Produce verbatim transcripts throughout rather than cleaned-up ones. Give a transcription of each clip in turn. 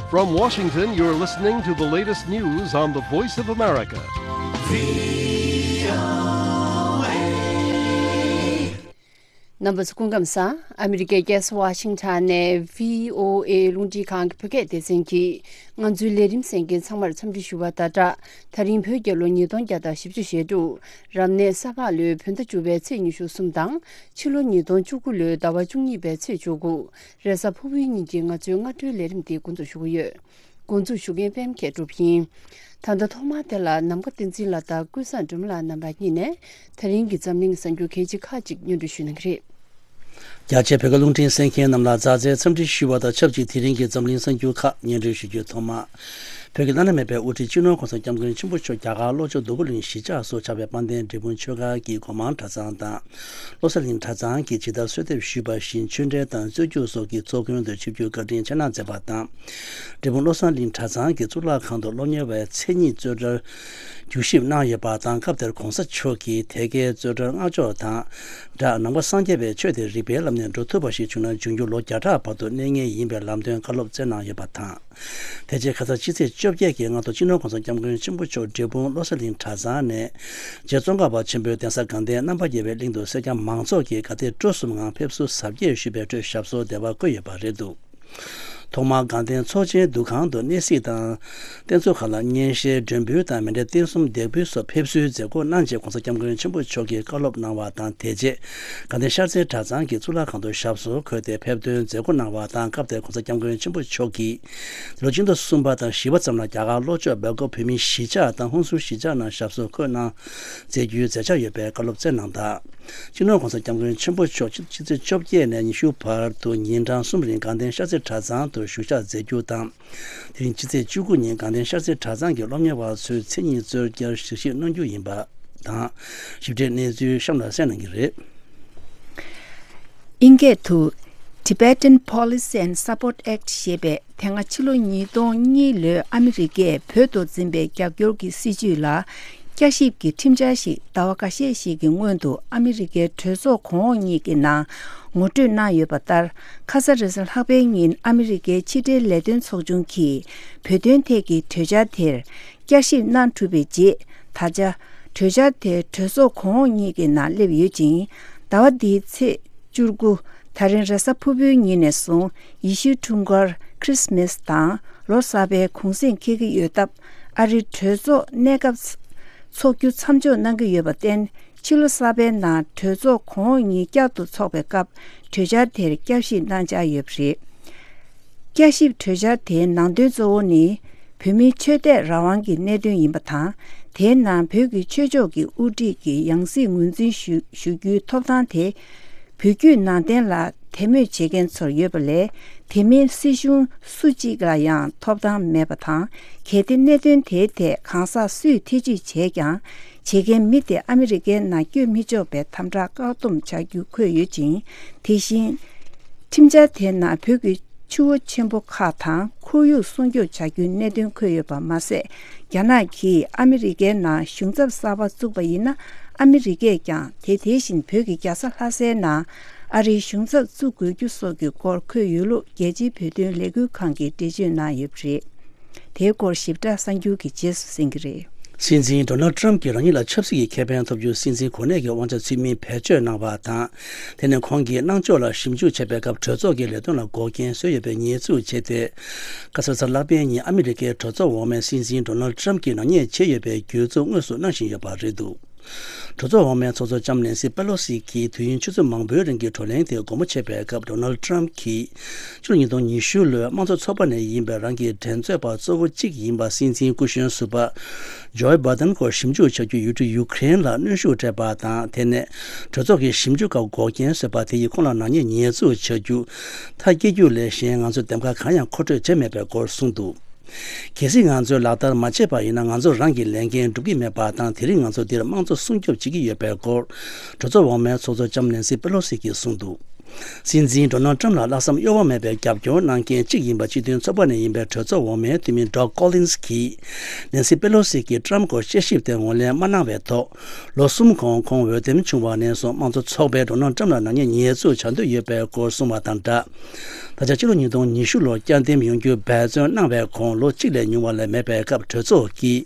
From Washington, you're listening to the latest news on the Voice of America. རྣམ་པ་ཚོ་སྐུ་ཁམས་བཟང་། ཨ་མི་རི་ཀའི་རྒྱལ་ས་ཝ་ཤིང་ཊོན་ནས་བྷི་ཨོ་ཨེ་རླུང་འཕྲིན་ཁང་གི་བོད་སྐད་སྡེ་ཚན་གྱིས་ང་ཚོའི་ལས་རིམ་གསན་མཁན་ཚང་མར་འཚམས་འདྲི་ཞུ་བ་དང་སྦྲགས། ད་རིང་བོད་རྒྱལ་ལོ་ཉིས་སྟོང་བརྒྱ་དང་བཞི་བཅུ་ཞེ་དྲུག་རབ་གནས་ས་ཕག་ལོའི་བོད་ཟླ་བཅུ་པའི་ཚེས་ཉི་ཤུ་གསུམ་དང་། ཕྱི་ལོ་ཉིས་སྟོང་བཅུ་དགུ་ལོའི་ཟླ་བ་བཅུ་གཉིས་པའི་ཚེས་བཅུ་དགུ་རེས་གཟའ་ཕུར་བུའི་ཉིན་གྱི་ང་ཚོའི་སྔ་དྲོའི་ལས་རིམ་འདི་འགོ་འཛུགས་ཞུ་གི་ཡོད། འགོ་འཛུགས་ཞུ་མཁན་པད་མ་མཁས་གྲུབ་ཡིན། ད་ལྟ་ཐོག་མར་དེ་ལ་ནམ་མཁའ་བསྟན་འཛིན་ལགས་དང་ཀུན་བཟང་སྒྲོལ་མ་ལགས་རྣམ་པ་གཉིས་ནས་ད་རིང་གི་འཛམ་གླིང་གསར་འགྱུར་གལ་ཆེ་ཁག་ཅིག་སྙན་སྒྲོན་ཞུ་གནང་གི་རེད། རྒྱ་ཆེའི་བོད་སྐད་རླུང་འཕྲིན་གསན་མཁན་རྣམས་ལ་མཛའ་བརྩེའི་འཚམས་འདྲི་ཞུ་བ་དང་ཆབས་ཅིག་དེ་རིང་གི་འཛམ་གླིང་གསར་འགྱུར་ཁག་སྙན་སྒྲོན་ཞུ་རྒྱུའི་ཐོག་མར། བོད་ཀྱི་བླ་ན་མེད་པའི་དབུ་ཁྲིད་སྤྱི་ནོར་༸གོང་ས་༸སྐྱབས་མགོན་ཆེན་པོ་མཆོག་རྒྱ་གར་ལྷོ་ཕྱོགས་འདུ་ཁུག་གླིང་གཞིས་ཆགས་སུ་ཆགས་པའི་དཔལ་ལྡན་འབྲས་སྤུངས་ཆོས་སྒར་གྱི་སྒོ་མང་གྲྭ་ཚང་དང་། བློ་གསལ་གླིང་གྲྭ་ཚང་གིས་ཇི་ལྟར་གསོལ་འདེབས་ཞུས་པ་བཞིན་ཆོས་འབྲེལ་དང་རྩོད་རྒྱུགས་སོགས་ཀྱི་ཚོགས་མགོན་དུ་ཆིབས་བསྒྱུར་བཀའ་དྲིན་ཆེ་གནང་མཛད་པ་དང་། འབྲས་སྤུངས་བློ་གསལ་གླིང་གྲྭ་ཚང་གི་གཙུག་ལག་ཁང་དུ་སློབ་གཉེར་བའི་མཚན་ཉིད་རྩོད་གྲྭར་བསྒྱུར་ཞིབ་གནང་ཡོད་པ་དང་། སྐབས་དེར་༸གོང་ས་མཆོག་གིས་དེ་གའི་རྩོད་གྲྭར་སྔགས་ཕྱོགས་དང་སྦྲགས་ནང་པ་སངས་རྒྱས་པའི་ཆོས་དེ་རིག་པའི་ལམ་ནས་འགྲོ་ཐུབ་པ་ཞིག་བྱུང་ན་འབྱུང་འགྱུར་ལོ་བརྒྱ་ཕྲག་བར་དུ་གནས་ངེས་ཡིན་པའི་ལམ་སྟོན་བཀའ་སློབ་སྩལ་གནང་ཡོད་པ་དང་། དེ་རྗེས་ཁ་སང་ཕྱི་ཚེས་བཅོ་བརྒྱད་ཀྱི་སྔ་དྲོ་སྤྱི་ནོར་༸གོང་ས་༸སྐྱབས་མགོན་ཆེན་པོ་མཆོག་འབྲས་སྤུངས་བློ་གསལ་གླིང་གྲྭ་ཚང་ནས་རྗེ་ཙོང་ཁ་པ་ཆེན་པོའི་གདན་ས་དགའ་ལྡན་རྣམ་པར་རྒྱལ་བའི་གླིང་དུ་སེར་སྐྱ་མང་ཚོགས་ཀྱིས་དགའ་དད་སྤྲོ་གསུམ་ངང་ཕེབས་བསུ་གཟབ་རྒྱས་ཞུས་པའི་ཁྲོད་ཞབས་སོར་བདེ་བར་བཀོད་ཡོད་པ་རེད་འདུག་ཐོག་མར་དགའ་ལྡན་ཚོགས་ཆེན་འདུ་ཁང་དུ་གནས་གཟིགས་དང་། རྟེན་གཙོ་ཁག་ལ་སྙན་ཤལ་མགྲོན་འབུལ་དང་མཎྜལ་རྟེན་གསུམ་འདེགས་འབུལ་སོགས་ཕེབས་བསུའི་མཛད་སྒོ་གནང་རྗེས་༸གོང་ས་༸སྐྱབས་མགོན་ཆེན་པོ་མཆོག་གིས་བཀའ་སློབ་གནང་བ་དང་། དེ་རྗེས་དགའ་ལྡན་ཤར་རྩེ་གྲྭ་ཚང་གི་གཙུག་ལག་ཁང་དུ་ཞབས་སོར་འཁོད་དེ་ཕེབས་སྟོན་མཛད་སྒོ་གནང་བ་དང་། སྐབས་དེར་༸གོང་ས་༸སྐྱབས་མགོན་ཆེན་པོ་མཆོག་གིས་ལོ་ཆིག་སྟོང་གསུམ་པ་དང་བཞི་པ་ཙམ་ལ་རྒྱ་གར་ལྷོ་ཕྱོགས་སྦེལ་ཀོབ་བོད་མིའི་གཞིས་ཆགས་དང་ཧུན་སུར་གཞིས་ཆགས་ནང་ཞབས་སོར་འཁོད་གནང་མཛད་རྒྱུའི་མཛད་འཆར་ཡོད་པའི་བཀའ་སློབ་སྩལ་གནང་དང་། སྤྱི་ནོར་༸གོང་ས་༸སྐྱབས་མགོན་ཆེན་པོ་མཆོག་ཕྱི་ཕྱི་ཚེས་བཅོ་བརྒྱད་ནས་ཉི་ཤུ་བར་དུ་ཉིན་གྲངས་གསུམ་རིང་དགའ་ལྡན་ཤར་རྩེ་གྲྭ་ཚང་དུ་བཞུགས་ཞག་མཛད་རྒྱུ་དང་། དེ་རིང་ཕྱི་ཚེས་བཅུ་དགུ་ཉིན་དགའ་ལྡན་ཤར་རྩེ་གྲྭ་ཚང་གི་སློབ་གཉེར་བ་ཚོའི་མཚན་ཉིད་རྩོད་གྲྭར་ཞིབ་བཤེར་གནང་རྒྱུ་ཡིན་པ་དང་། ཞིབ་ཕྲའི་གནས་ཚུལ་གཤམ་ལ་གསན་གནང་གི་རེད། ཨིན་སྐད་དུ། Tibetan Policy and Support Act ཞེས་པའི་དེ་སྔ་ཕྱི་ལོ་ཉིས་སྟོང་གཉིས་ལོའི་ཨ་མི་རི་ཀས་བོད་དུ་འཛིན་པའི་རྒྱབ་སྐྱོར་གྱི་སྲིད་བྱུས་ལ། བསྐྱར་ཞིབ་ཀྱི་ཁྲིམས་འཆར་ཞིག་ཟླ་བ་འགའ་ཤས་ཤིག་གི་སྔོན་དུ་ཨ་མི་རི་ཀའི་གྲོས་ཚོགས་གོང་འོག་གཉིས་ཀྱི་ནང་ངོ་སྤྲོད་གནང་ཡོད་པ་ལྟར། ཁ་ས་རེས་གཟའ་ལྷག་པའི་ཉིན་ཨ་མི་རི་ཀའི་ཕྱི་འབྲེལ་ལས་དོན་ཚོགས་ཆུང་གིས་བོད་དོན་ཐད་ཀྱི་གྲོས་འཆར་དེར་བསྐྱར་ཞིབ་གནང་གྲུབ་པའི་རྗེས། ད་ཆ་གྲོས་འཆར་དེ་གྲོས་ཚོགས་གོང་འོག་གཉིས་ཀྱི་ནང་སླེབས་ཡོད་ཅིང་། ཟླ་བ་འདིའི་ཚེས་བཅུ་དགུ། ད་རིང་རེས་གཟའ་ཕུར་བུའི་ཉིན་ནས་བཟུང་ཡེ་ཤུའི་འཁྲུངས་སྐར་ཁྲིས་མེས་དང་ལོ་གསར་པའི་གུང་གསེང་འཁེལ་གྱི་ཡོད་སྟབས། ཨ་རིའི་གྲོས་ཚོགས་གནས་སྐབས་འཚོགས་རྒྱུ་མཚམས་འཇོག་གནང་གི་ཡོད་པར་བརྟེན། ཕྱི་ལོ་གསར་པའི་ནང་གྲོས་ཚོགས་གོང་འོག་གཉིས་བསྐྱར་དུ་འཚོགས་པའི་སྐབས་གྲོས་འཆར་དེར་བསྐྱར་ཞིབ་གནང་འཆར་ཡོད་པ་རེད། བསྐྱར་ཞིབ་གྲོས་འཆར་དེའི་ནང་དོན་གཙོ་བོ་ནི། བོད་མིའི་ཆོས་དད་རང་དབང་གི་གནད་དོན་ཡིན་པ་དང་། དེའི་ནང་བོད་ཀྱི་ཆོས་ཕྱོགས་ཀྱི་དབུ་ཁྲིད་ཀྱི་ཡང་སྲིད་ངོས་འཛིན་ཞུ་ཞུ་རྒྱུའི་ཐོབ་ཐང་དེ། བོད་བརྒྱུད་ནང་བསྟན་ལ་དད་མོས་བྱེད་མཁན་ཚོར་ཡོད་པ་ལས། དེ་མིན་སྲིད་གཞུང་སུ་གཅིག་ལ་ཡང་ཐོབ་ཐང་མེད་པ་དང་། གལ་ཏེ་གནད་དོན་དེའི་ཐད་གང་ཟག་སུས་ཐེ་ཇུས་བྱས་ཀྱང་། བྱེད་མཁན་མི་དེ་ཨ་མི་རི་ཀའི་ནང་བསྐྱོད་མི་ཆོག་པའི་དམ་དྲག་བཀག་སྡོམ་བྱ་རྒྱུ་འཁོད་ཡོད་ཅིང་། དེ་བཞིན། ཁྲིམས་འཆར་དེའི་ནང་བོད་ཀྱི་ཆུ་བོ་ཆེན་པོ་ཁག་དང་ཁོར་ཡུག་སྲུང་སྐྱོབ་བྱ་རྒྱུའི་གནད་དོན་འཁོད་ཡོད་པ་མ་ཟད། རྒྱ་ནག་གིས་ཨ་མི་རི་ཀའི་ནང་གཞུང་ཚབ་གསར་པ་བཙུགས་པ་ཡིན་ན། ཨ་མི་རི་ཀས་ཀྱང་དེ་དེ་བཞིན་བོད་ཀྱི་རྒྱལ་ས་ལྷ་སའི་ནང་ཨ་རིའི་གཞུང་ཚབ་བཙུགས་དགོས་རྒྱུ་སོགས་ཀྱི་སྐོར་འཁོད་ཡོད་ལུགས་རྒྱལ་སྤྱིའི་བོད་དོན་ལས་འགུལ་ཁང་གིས་འགྲེལ་བརྗོད་གནང་ཡོད་པ་རེད། དེའི་སྐོར་ཞིབ་ཕྲ་གསར་འགྱུར་གྱི་རྗེས་སུ་གསན་གྱི་རེད། སྲིད་འཛིན་ཌོ་ནལ་ཊྲམ་གྱིས་རང་ཉིད་ལ་ཆབ་སྲིད་ཀྱི་ཁེ་ཕན་ཐོབ་རྒྱུར་སྲིད་འཛིན་གོ་གནས་ཀྱི་དབང་ཆ་ཚུལ་མིན་བེད་སྤྱོད་གནང་བ་དང་། དེ་ནས་ཁོང་གིས་གནང་ཕྱོགས་ལ་ཞིབ་འཇུག་བྱེད་པའི་སྐབས་གྲོས་ཚོགས་ཀྱི་ལས་དོན་ལ་འགོག་རྐྱེན་བཟོས་ཡོད་པའི་ཉེས་འཛུགས་བྱས་ཏེ། ཁ་སང་རེས་གཟའ་ལྷག་པའི་ཉིན་ཨ་མི་རི་ཀའི་གྲོས་ཚོགས་འོག་མས་སྲིད་འཛིན་ཌོ་ནལ་ཊྲམ་གྱིས་ནག་ཉེས་བྱས་ཡོད་པའི་འགྱུར་ལྡོག་དངོས་སུ་གནང་བཞིན་ཡོད་པ་རེད་འདུག་གྲོས་ཚོགས་འོག་མའི་ཚོགས་གཙོ་ལྕམ་ནེན་སི་པེ་ལོ་སི་གིས་དུས་ཡུན་ཆུ་ཚོད་མང་པོའི་རིང་གི་བགྲོ་གླེང་དེ་སྒོ་མོ་ཕྱེ་བའི་སྐབས། ཌོ་ནལ་ཊྲམ་གྱིས་ཕྱི་ལོ་ཉིས་སྟོང་ཉི་ཤུ་ལོའི་དམངས་གཙོ་ཚོགས་པ་ནས་ཡིན་པའི་རང་གི་འགྲན་རྩོད་པ་གཙོ་བོ་གཅིག་ཡིན་པ་སྲིད་འཛིན་སྐུ་གཞོན་ཟུར་པ་ཇོ་བྷའི་ཌེན་སྐོར་ཞིབ་འཇུག་བྱ་རྒྱུ་ཡུལ་གྲུ་ཡུ་ཁུ་རེན་ལ་གནོན་ཤུགས་སྤྲད་པ་དང་། དེ་ནས་གྲོས་ཚོགས་ཀྱི་ཞིབ་འཇུག་ཁག་འགོག་རྐྱེན་བཟོས་པ་དེ་ཡིས་ཁོང་ལ་ནག་ཉེས་ཉེས་འཛུགས་བྱ་རྒྱུ་མཐའ་སྐྱེལ་རྒྱུ་ལས་གཞན་ང་ཚོས་འདེམས་ཀ་གང་ཡང་མཁོ་སྤྲོད་བྱས་མེད་པའི་སྐོར་གསུངས་འདུག་གལ་སྲིད་ང་ཚོས་ལག་བསྟར་མ་བྱས་པ་ཡིན་ན། ང་ཚོ་རང་གི་ལས་འགན་སྒྲུབ་ཀྱི་མེད་པ་དང་། དེ་རིང་ང་ཚོ་འདིར་དམངས་གཙོ་སྲུང་སྐྱོབ་བྱེད་ཀྱི་ཡོད་པའི་སྐོར། གྲོས་ཚོགས་འོག་མའི་ཚོགས་གཙོ་ལྕམ་ནེན་སི་པེ་ལོ་སི་གིས་གསུངས་འདུག་སྲིད་འཛིན་ཌོ་ནལ་ཊམ་ལ་ལྷག་བསམ་གཡོ་བ་མེད་པའི་རྒྱབ་སྐྱོར་གནང་མཁན་གཅིག་ཡིན་པ་སྤྱི་མཐུན་ཚོགས་པ་ནས་ཡིན་པའི་གྲོས་ཚོགས་འོག་མའི་འཐུས་མི་ཌོག་ཀོ་ལིན་སི་གིས། ནེན་སི་པེ་ལོ་སི་གིས་ཊམ་སྐོར་དཔྱད་ཞིབ་དེ་ངོས་ལེན་མ་གནང་བའི་ཐོག་ལོ་གསུམ་གོང་ཁོང་འོས་འདེམས་བྱུང་བ་ནས་བཟུང་དམངས་གཙོ་ཚོགས་པས་ཌོ་ནལ་ཊམ་ལ་ནག་ཉེས་ཉེས་འཛུགས་བྱ་འདོད་ཡོད་པའི་སྐོར་གསུངས་བ་དང་སྦྲགས། ད་ཆ་ཕྱི་ལོ་ཉིས་སྟོང་ཉི་ཤུ་ལོར་བསྐྱར་འདེམས་ཡོང་རྒྱུ་འབད་བརྩོན་གནང་བའི་གོང་ལོ་གཅིག་ལས་ཉུང་བ་ལས་མེད་པའི་སྐབས་གྲོས་ཚོགས་ཀྱིས།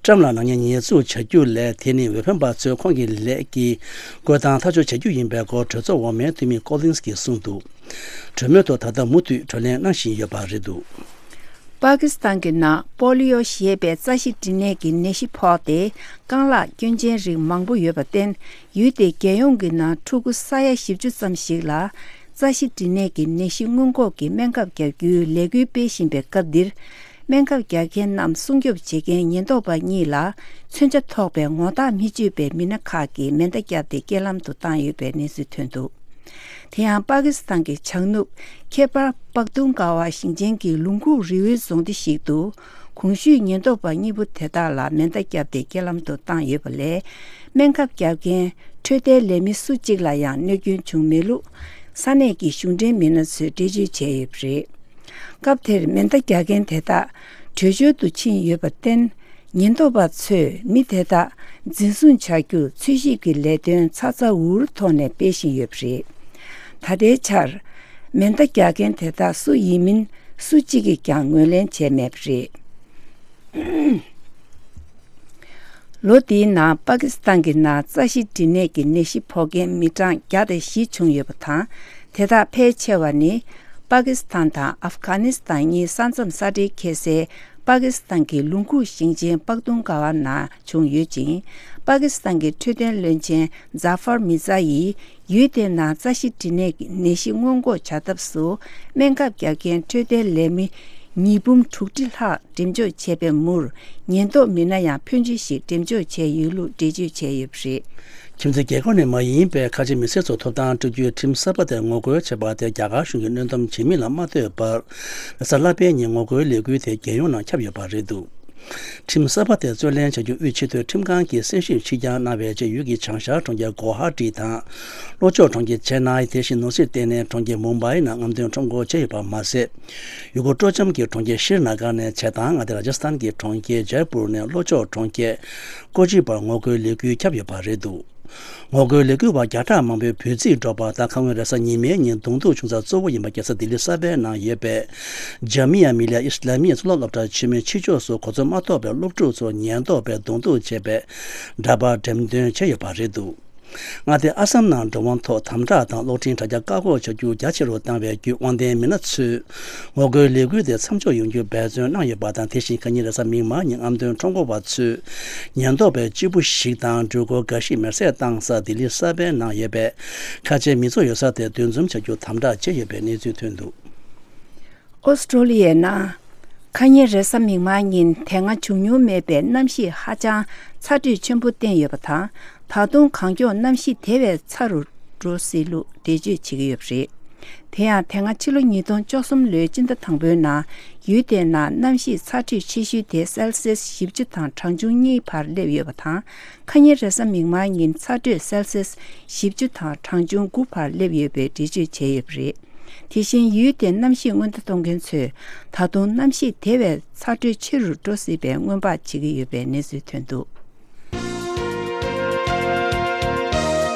ཊམ་ལ་ནག་ཉེས་ཉེས་འཛུགས་བྱ་རྒྱུ་ལས་དེ་ནི་འོས་འཕེན་པ་ཚོས་ཁོང་གི་ལས་ཀྱི་བཀོད་སྟངས་ཐག་གཅོད་བྱ་རྒྱུ་ཡིན་པའི་སྐོར་གྲོས་ཚོགས་འོག་མའི་འཐུས་མི་ཀོ་ལིན་སི་གིས་གསུངས་འདུག་གྲོས་མོལ་ཐོག་ད་ལྟ་མུ་མཐུད་གྲོས་གླེང་གནང་བཞིན་ཡོད་པ་རེད་འདུག་པ་ཀི་སི་ཐན་གྱི་ནང་པོ་ལི་ཡོ་ཞེས་པའི་རྩ་ཤེད་འབྲི་ནད་ཀྱི་ནད་གཞི་ཕོག་སྟེ་རྐང་ལག་སྐྱོན་ཅན་རིགས་མང་པོ་ཡོད་པར་བརྟེན། ཡུལ་དེའི་རྒྱལ་ཡོངས་ཀྱི་ནང་ཕྲུ་གུ་ས་ཡ་བཞི་བཅུ་ཙམ་ཞིག་ལ་རྩ་ཤེད་འབྲི་ནད་ཀྱི་ནད་གཞི་སྔོན་འགོག་གི་སྨན་ཁབ་རྒྱག་རྒྱུའི་ལས་འགུལ་སྤེལ་བཞིན་པའི་སྐབས་འདིར། སྨན་ཁབ་རྒྱག་མཁན་རྣམས་སྲུང་སྐྱོབ་བྱེད་མཁན་ཉེན་རྟོག་པ་གཉིས་ལ་མཚོན་ཆ་ཐོགས་པའི་ངོ་རྟགས་མི་གཅོད་པའི་མི་སྣ་ཁག་གིས་མེ་མདའ་བརྒྱབ་སྟེ་རྐྱེན་ལམ་དུ་བཏང་ཡོད་པའི་གནས་ཚུལ་ཐོན་འདུག་དེ་ཡང་པ་ཀི་སི་ཐན་གྱི་བྱང་ནུབ་ཁེ་པར་པག་ཏུང་ཀ་བ་ཞིང་ཆེན་གྱི་ལུང་ཁུག་རི་བོའི་རྫོང་སྡེ་ཞིག་ཏུ་གོང་ཞུས་ཉེན་རྟོག་པ་གཉིས་པོ་དེ་དག་ལ་མེ་མདའ་བརྒྱབ་སྟེ་རྐྱེན་ལམ་དུ་བཏང་ཡོད་པ་ལས། སྨན་ཁབ་བརྒྱབ་མཁན་འཕྲོད་བསྟེན་ལས་མི་སུ་གཅིག་ལ་ཡང་གནོད་སྐྱོན་བྱུང་མེད་ལུགས་ས་གནས་ཀྱི་གཞུང་འབྲེལ་མི་སྣ་ཚོས་འགྲེལ་བརྗོད་བྱས་ཡོད་པ་རེད། སྐབས་དེར་མེ་མདའ་རྒྱག་མཁན་དེ་དག་བྲོས་བྱོལ་དུ་ཕྱིན་ཡོད་པར་བརྟེན། ཉེན་རྟོག་པ་ཚོས་མི་དེ་དག་འཛིན་བཟུང་བྱ་རྒྱུར་འཚོལ་ཞིབ་ཀྱི་ལས་དོན་ཚ་ཚ་འུར་འུར་ཐོག་ནས་སྤེལ་བཞིན་ཡོད་པ་རེད། ད་ལྟའི་ཆར། མེ་མདའ་རྒྱག་མཁན་དེ་དག་སུ་ཡིན་མིན་སུ་གཅིག་གིས་ཀྱང་ངོས་ལེན་བྱས་མེད་པ་རེད། ལོ་འདིའི་ནང་པ་ཀི་སི་ཐན་གྱི་ནང་རྩ་ཤེད་འབྲི་ནད་ཀྱི་ནད་གཞི་ཕོག་མཁན་མི་གྲངས་བརྒྱ་དང་བཞི་བྱུང་ཡོད་པ་དང་། དེ་དག་ཕལ་ཆེ་བ་ནི་པ་ཀི་སི་ཐན་དང་ཨབ་གྷ་ནི་སི་ཐན་གཉིས་ས་མཚམས་ས་འབྲེལ་འཁེལ་སའི་པ་ཀི་སི་ཐན་གྱི་ལུང་ཁུག་ཞིང་ཆེན་པག་ཏུང་ཀ་བ་ནང་བྱུང་ཡོད་ཅིང་། པ་ཀི་སི་ཐན་གྱི་འཕྲོད་བསྟེན་བློན་ཆེན་ཛ་ཧྥར་མི་ཛ་ཡིས། ཡུལ་དེའི་ནང་རྩ་ཤེད་འབྲི་ནད་ཀྱི་ནད་གཞི་སྔོན་འགོག་བྱ་ཐབས་སུ་སྨན་ཁབ་རྒྱག་མཁན་འཕྲོད་བསྟེན་ལས་མི་ཉིས་འབུམ་དྲུག་ཁྲི་ལྷག་འགྲེམས་འཇོག་བྱས་པའི་མུར། ཉེན་རྟོག་མི་སྣ་ཡང་ཕོན་ཆེ་ཞིག་འགྲེམས་འཇོག་བྱས་ཡོད་ལུགས་འགྲེལ་བརྗོད་བྱས་ཡོད་པ་རེད། ཁྱིམ་མཚེས་རྒྱལ་ཁབ་ནས་མ་ཡིན་པའི་ཁ་ཆེ་མི་སེར་ཚོར་ཐོབ་ཐང་སྤྲོད་རྒྱུའི་ཁྲིམས་གསར་པ་དེ་ངོ་རྒོལ་བྱས་པ་དེ་རྒྱ་གར་གཞུང་གིས་གནོན་སྡོམ་བྱེད་མིན་ལ་མ་ལྟོས་པར། རེས་གཟའ་ལྷག་པའི་ཉིན་ངོ་རྒོལ་ལས་འགུལ་དེ་རྒྱལ་ཡོངས་ནང་ཁྱབ་ཡོད་པ་རེད་འདུག་ཁྲིམས་གསར་པ་དེ་རྩོད་ལེན་བྱ་རྒྱུ་དབུས་ཆེས་མཐོའི་ཁྲིམས་ཁང་གིས་གསན་ཞིབ་ཕྱིར་འགྱངས་གནང་བའི་རྗེས། ཡུལ་གྱི་བྱང་ཤར་གྲོང་ཁྱེར་གོ་ཧ་ཏི་དང་། ལྷོ་ཕྱོགས་གྲོང་ཁྱེར་ཅེ་ནའི། དེ་བཞིན་ནོར་སྲིད་ལྟེ་གནས་གྲོང་ཁྱེར་མུམ་བྷའི་ནང་རྔམ་སྟོན་ཁྲོམ་སྐོར་བྱས་ཡོད་པ་མ་ཟད། ཡུལ་སྐོར་སྤྲོ་འཆམ་གྱི་གྲོང་ཁྱེར་ཤྲི་ན་གར་ནས་བྱེ་ཐང་མངའ་སྡེ་ར་ཇ་སི་ཐན་གྱི་གྲོང་ཁྱེར་ཇའི་པུར་ནས་ལྷོ་ཕྱོགས་གྲོང་ཁྱེར་ཀོ་ཅི་བར་ངོ་རྒོལ་ལས་འགུལ་ཁྱབ་ཡོད་པ་རེད་འདུག་ངོ་རྒོལ་ལས་འགུལ་བ་བརྒྱ་ཕྲག་མང་པོས་འབོད་ཚིག་སྒྲོག་པ་དང་། ཁ་སྔོན་རེས་གཟའ་ཉི་མའི་ཉིན་གདོང་ཐུག་བྱུང་ས་གཙོ་བོ་ཡིན་པ་རྒྱལ་ས་ལྡི་ལི་གསར་པའི་ནང་ཡོད་པའི་ཇ་མི་ཡ་མི་ལི་ཡ་ཨི་སི་ལ་མི་ཡ་གཙུག་ལག་སློབ་གྲྭ་ཆེན་མོའི་ཕྱི་ཕྱོགས་སུ་གོ་འཛོལ་མ་ཐོབ་པའི་སློབ་ཕྲུག་ཚོ་ཉེན་རྟོག་པས་གདོང་ཐུག་བྱས་པའི་འདྲ་པར་འགྲེམས་སྟོན་བྱས་ཡོད་པ་རེད་འདུག་མངའ་སྡེ་ཨ་སམ་ནང་འགྲོ་དབང་ཐོག་དམ་དྲག་དང་གློག་འཕྲིན་དྲ་རྒྱ་བཀག་འགོག་བྱ་རྒྱུ་རྒྱ་ཆེ་རུ་བཏང་བའི་བརྒྱུད། དབང་ལྡན་མི་སྣ་ཚོས་ངོ་རྒོལ་ལས་འགུལ་དེ་མཚམས་འཇོག་ཡོང་རྒྱུ་འབད་བརྩོན་གནང་ཡོད་པ་དང་། དེ་བཞིན་ཁ་ཉིན་རེས་གཟའ་མིག་དམར་ཉིན་རྔམ་སྟོན་ཁྲོམ་སྐོར་བ་ཚོས་ཉེན་རྟོག་པའི་གཅིག་པུ་ཞིག་དང་འགྲུལ་འཁོར་འགའ་ཞིག་མེར་སྲེག་བཏང་ས་ལྡི་ལི་གསར་པའི་ནང་ཡོད་པའི་ཁ་ཆེ་མི་ཚོགས་ཡོད་ས་དེར་འདུ་འཛོམས་བྱ་རྒྱུ་དམ་དྲག་བྱས་ཡོད་པའི་གནས་ཚུལ་ཐོན་འདུག་ཨོ་སི་ཀྲོ་ལི་ཡའི་ནང་། ཁ་ཉིན་རེས་གཟའ་མིག་དམར་ཉིན་དེ་སྔ་བྱུང་མྱོང་མེད་པའི་གནམ་གཤིས་ཧ་ཅང་ཚ་དྲོད་ཆེན་པོ་བསྟན་ཡོད་པ་དང་། ད་དུང་གངས་ལྗོངས་གནམ་གཤིས་དེ་བས་ཚ་རུ་འགྲོ་སྲིད་ལུགས་འགྲེལ་བརྗོད་བྱེད་ཀྱི་ཡོད་པ་རེད། དེ་ཡང་དེ་སྔ་ཕྱི་ལོ་ཉིས་སྟོང་བཅུ་གསུམ་ལོའི་སྤྱི་ཟླ་དང་པོའི་ནང་ཡུལ་དེའི་ནང་གནམ་གཤིས་ཚ་དྲོད་ཆེ་ཤོས་དེ་སེལ་སི་ཡས་བཞི་བཅུ་དང་གྲངས་ཆུང་གཉིས་བར་སླེབས་ཡོད་པ་དང་། ཁ་ཉིན་རེས་གཟའ་མིག་དམར་ཉིན་ཚ་དྲོད་སེལ་སི་ཡས་བཞི་བཅུ་དང་གྲངས་ཆུང་དགུ་བར་སླེབས་ཡོད་པའི་འགྲེལ་བརྗོད་བྱས་ཡོད་པ་རེད། དེ་བཞིན་ཡུལ་དེའི་གནམ་གཤིས་སྔོན་བརྡ་གཏོང་མཁན་ཚོས་ད་དུང་གནམ་གཤིས་དེ་བས་ཚ་དྲོད་ཆེ་རུ་འགྲོ་སྲིད་པའི་སྔོན་དཔག་བྱེད་ཀྱི་ཡོད་པའི་གནས་ཚུལ་ཐོན་འདུག་